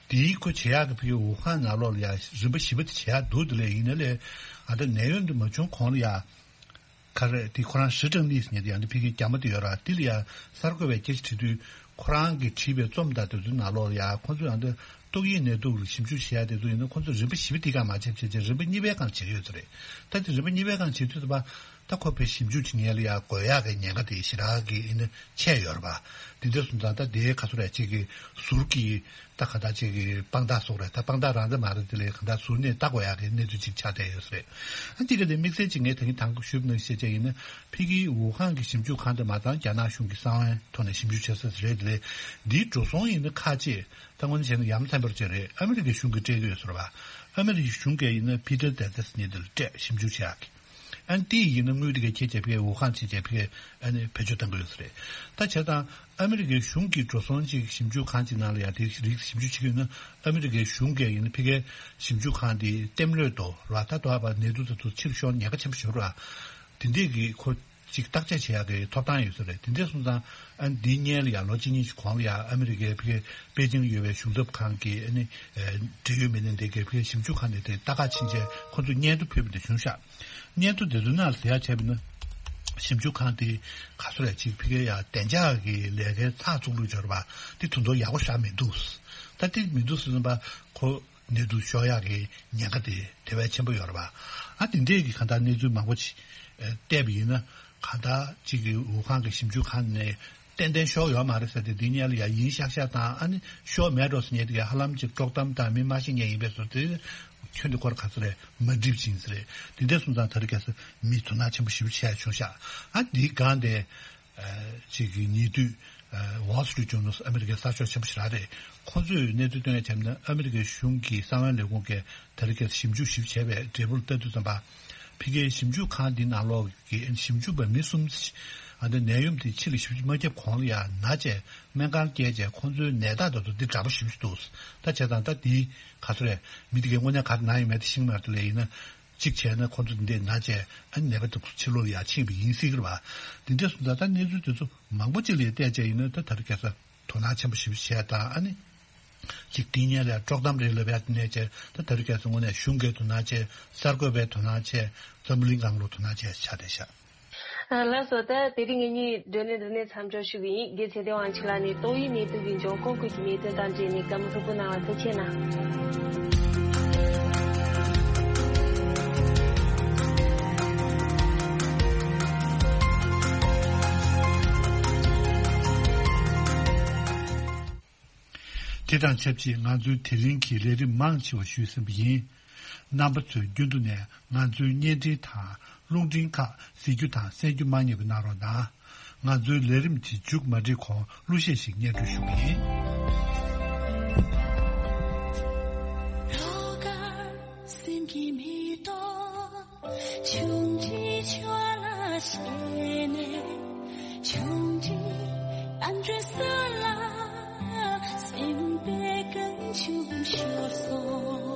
དེའི་ཁོ་བྱེད་ཡག་གི་ཕ་གི་ཝུ་ཧན་ནང་ལོགས་ལ་ཡ་རིམ་པ་ཞིབ་པ་དེ་བྱེད་ཡག་འདུག་དེ་ལས་ཡིན་ན་ལས་ཨ་ད་ནད་ཡམས་འདི་མ་བྱུང་གོང་ལ་ཡ། ག་རེ་དེ་ཁོ་རང་ཧྲི་ཀྲང་ནི་ཟེར་མཁན་དེ་ཡང་དེ་ཕ་གིའི་རྒྱ་མ་དེ་ཡོད་ར། དེ་ལ་ཡང་གསར་འགོད་པས་སྐད་ཆ་དྲིས་དུས་ཁོ་རང་གིས་བྲིས་པའི་རྩོམ་དང་དེ་ཚོའི་ནང་ལོགས་ལ་ཡང་ཁོ་ཚོས་ཡང་དེ་ཏོག་དབྱིབས་ནད་དུག་ལ་ཞིབ་འཇུག་བྱེད་ཡ་དེ་ཚོ་ཡིན་ན་ཁོ་ཚོས་རིམ་པ་བཞི་པ་དེ་གང་མ་བྱེད་བྱེད་བྱེད་རིམ་པ་གཉིས་པའི་སྒང་བྱེད་ཀྱི་ཡོད་ཚོད་རེད། ད་དེ་རིམ་པ་གཉིས་པའི་སྒང་བྱེད་དུས་ཙམ་པ་ད་ཁོ་ཕའི་ཞིབ་འཇུག་བྱེད་མཁན་ལ་ཡང་དགོས་ཡག་གི་ཉེན་ཁ་དེ་ཞེ་དྲག་གི་ཡིན་ན་ཆད་ཡོད་རེད་པ། དེ་འདྲ་སོང་ཙང་ད་དེའི་ག་ཚོད་རེད་ཅིག་གི་ཟུར་གྱི། ད་ག་ད་ཅིག་གི་དཔང་རྟགས་སོགས་རེད། ད་དཔང་རྟགས་རང་འདྲ་མ་རེད། དེ་ལས་ག་ད་ཟུར་ནས་ལྟ་དགོས་ཡག་གི་གནས་ཚུལ་ཅིག་ཆགས་བསྡད་ཡོད་ས་རེད། ཨ་འདི་ག་དེ་དམིགས་བསལ་ཅིག་ངས་ད་གིན་དང་པོ་ཞུས་པ་ནང་བཞིན་བྱས་བྱས་ཡིན་ན་ཕ་གིའི་ཝུ་ཧན་གྱི་ཞིབ་འཇུག་ཁང་དེ་མ་ཚང་རྒྱ་ནག་གཞུང་གི་གསང་བའི་ཐོག་ནས་ཞིབ་འཇུག་བྱེད་ས་རེད། དེ་ལས་འདིའི་འགྲོ་སོང་ཡིན་ན་ཁག་ཅིག་ད་དངོས་གནས་བྱས་ན་ཡ་མཚན་པར་བྱས་རེད། ཨ་མི་རི་ཀའི་གཞུང་གིས་སྤྲད་ཀྱི་ཡོད་ས་རེད་པ། ཨ་མི་རི་ཀའི་གཞུང་གིས་ཡིན་ན་ཕི་ཏྲ་ཏེ་ཏེ་སི་ཉིད་དེ་ལ་སྤྲད་ཞིབ་འཇུག་བྱེད་ཡག་གི་ཨ་ནི་དེ་ཡིན་ན་དངུལ་དེ་གའི་ཁྱེད་ཀྱིས་ཕ་གིའི་ཝུ་ཧན་ཕྱིན་བྱས་ཕ་གིའི་ཨ་ནི་བེད་སྤྱོད་གཏང་གི་ཡོད་ས་རེད། ད་བྱས་ཙང་ཨ་མི་རི་ཀའི་གཞུང་གི་འགྲོ་སོང་ཅིག་ཞིབ་འཇུག་ཁང་ཅིག་ནང་ལ་ཡང་དེ་རིགས་ཞིབ་འཇུག་བྱེད་ཀྱི་ཡོད་ན་ཨ་མི་རི་ཀའི་གཞུང་གིས་ཡིན་ན་ཕ་གིའི་ཞིབ་འཇུག་ཁང་དེ་ལྟེམ་ལོས་དོ་ར་ད་དོ་ཨ་པ་ནད་དུག་དེ་ཚོ་ཕྱིར་ཤོར་ཉེན་ཁ་ཆེན་པོ་ཞིག་ཡོད་ར། དེ་འདྲས་ཀྱི་ཁོ་ཅིག་བརྟག་དཔྱད་བྱེད་ཡག་གི་ཐོབ་ཐང་ཡོད་ས་རེད། དེ་འདྲས་སོང་ཙང་ཨ་ནི་འདིའི་སྔོན་ལ་ཡང་ལོ་གཅིག་གཉིས་ཤིག་གོང་ལ་ཡང་ཨ་མི་རི་ཀའི་ཕ་གིའི་པེ་ཅིང་ཡོད་པའི་གཞུང་ཚབ་ཁང་གི་ཨ་ནི་འབྲེལ་ཡོད་མི་སྣ་དེ་གའི་ཕ་གིའི་ཞིབ་འཇུག་ཁང་དེ་དེ་ལྟ་ག་ཕྱིན་བྱས་ཁོ་ཚོས་སྙན་ཐོ་ཕུལ་བ་དེ་བྱུང་ཤག་སྙན་ཐོ་དེ་ཚོའི་ནང་ལ་ཟེར་ཡག་བྱས་པ་ན། ཞིབ་འཇུག་ཁང་དེ་ག་ཚོད་རེད་ཅིག་ཕ་གིའི་ཡ་བདེ་འཇགས་ཀྱི་ལས་ཀའི་ཚགས་ཚུད་ལུགས་འབྱོར་བ་དེ་དོན་དུ་ཡག་པོ་ཞེ་དྲག་མི་འདུག་ད་དེ་མི་འདུག་ཟེར་ཙམ་པ་ཁོ་ནད་དུག་ཤོར་ཡག་གི་ཉེན་ཁ་དེ་དེ་བས་ཆེན་པོ་ཡོད་རེད་པ། ཨ་དེ་འདྲས་ཀྱི་གང་ལྟར་གནས་ཚུལ་མང་པོ་ཅིག་བལྟས་པ་ཡིན་ན་གང་ལྟར་ཅིག་གི་ཝུ་ཧན་གྱི་ཞིབ་འཇུག་ཁང་ནས། ཏན་ཏན་ཤོར་ཡོད་མ་རེད་ཟེར་ཏེ་འདི་སྔོན་ལ་ཡ་ཡིན་ཤག་ཤག་དང་ཨ་ནི་ཤོར་མེད་འགྲོ་ཟེར་མཁན་དེ་ག་ཧ་ལམ་ཅིག་དཀྲོག་གཏམ་དང་མི་མ་ཤེས་མཁན་ཡིན་པས་སོ་དེ་ཁྱོན་དེ་སྐོར་ག་ཚོད་རེད་མ་འགྲིག་ཅིང་ཟེར་རེད། དེ་འདྲ་སོང་ཙང་ད་རེས་ཁ་སང་མི་དོ་སྣང་ཆེན་པོ་ཞེ་པོ་བྱས་བྱུང་ཤག་ཨ་འདིའི་སྒང་དེ་ཅིག་གི་ཉེ་དུས་Wall Street Journal ཨ་མི་རི་ཀའི་གསར་ཤོག་ཆེན་པོ་ཞིག་རང་རེད། ཁོ་ཚོས་གནས་ཚུལ་སྟོན་ཡ་བྱས་ན་ཨ་མི་རི་ཀའི་གཞུང་གི་གསང་བའི་ལས་ཁུངས་ཀྱིས། ད་རེས་ཁ་སང་ཞིབ་འཇུག་ཞིབ་བྱས་པའི་འབྲས་བུར་ལྟ་དུས་ཙམ་པ། ཕ་གིའི་ཞིབ་འཇུག་ཁང་འདི་ནང་ལོགས་ཀྱི་ཞིབ་འཇུག་པ་མི་གསུམ་ཨ་ནི་ནད་ཡམས་དེ་ཕྱི་ལ་ཞིབ་འཇུག་མ་བརྒྱབ་གོང་ལ་ཡང་ན་བྱས་སྨན་ཁང་བསྐྱལ་བྱས་ཁོང་ཚོའི་ནད་རྟགས་དེ་ཚོ་འདི་འདྲ་པོ་ཞིབ་ཞིབ་འདུག་ད་བྱས་ཙང་ད་འདི་ག་ཚོད་རེད་མི་དེ་གའི་དངོས་གནས་ག་རེ་ན་ཡོད་མེད་དེ་ཤེས་ཀྱི་མ་རེད། དེ་ལས་ཡིན་ན་གཅིག་བྱས་ན་ཁོང་ཚོ་འདི་འདྲས་ན་བྱས་ཨ་ནི་ནད་པ་དེ་ཚོ་ཕྱི་ལོགས་ལ་ཡང་ཕྱིན་པ་ཡིན་སྲིད་ཀྱི་རེད་པ། འདི་འདྲས་སོང་ཙང་ད་གནས་ཚུལ་དེ་ཚོ་མང་པོ་ཅིག་ལ་བལྟས་བྱས་ཡིན་ན་ད་ད་རེས་ཁ་སང་དོ་སྣང་ཆེན་པོ་ཞིབ་བྱས་དང་ཨ་ནི། ཅིག་དེ་སྔོན་ལ་དཀྲོག་གཏམ་རེད་ལབ་ཡ་དེ་ནས་བྱས་ད་ད་རེས་ཁ་སང་དངོས་གནས་གཞུང་གིས་དོ་སྣང་བྱས། གསར་འགོད་པས་དོ་སྣང་བྱས། འཛམ་བུ་གླིང་སྒང་ལ་དོ་སྣང་བྱས་ཆགས་བསྡད་ཤག་ལགས་སོ། ད་དེ་རིང་ངེད་གཉིས་བགྲོ་གླེང་འདི་ནས་མཚམས་འཇོག་ཞུ་གི་ཡིན། རྒན་ཚེ་བརྟན་དབང་ཕྱུག་ལགས་ནས་ཏོག་དབྱིབས་ནད་དུག་གི་འབྱུང་ཁུངས་སྐོར་གྱི་གནད་དོན་དང་འབྲེལ་ནས་བཀའ་མོལ་ལྷུག་པོ་གནང་བ་ཐུགས་རྗེ་གནང་། དེ་དང་ཆབས་ཅིག་ང་ཚོའི་དེ་རིང་གི་ལས་རིམ་མང་ཆེ་བ་ཞུས་ཟིན་པ་ཡིན། རྣམ་པ་ཚོས་རྒྱུན་དུ་ནས་ང་ཚོའི་བརྙན་འཕྲིན་དང་རླུང་འཕྲིན་ཁག་གཟིགས་རྒྱུ་དང་གསན་རྒྱུ་མ་བསྙེལ་བ་གནང་རོགས་གནང་། ང་ཚོའི་ལས་རིམ་དེ་མཇུག་མ་སྒྲིལ་གོང་གླུ་གཞས་ཤིག་སྙན་སྒྲོན་ཞུ་གི་ཡིན། ཆུང་འདྲིས་ཆོག་ལ་ཞེས་ནས། ཆུང་འདྲིས་ཨ་འདྲེ་ས་ལ་སེམས་པའི་རྐང་ཆུང་ཤོར་སོང་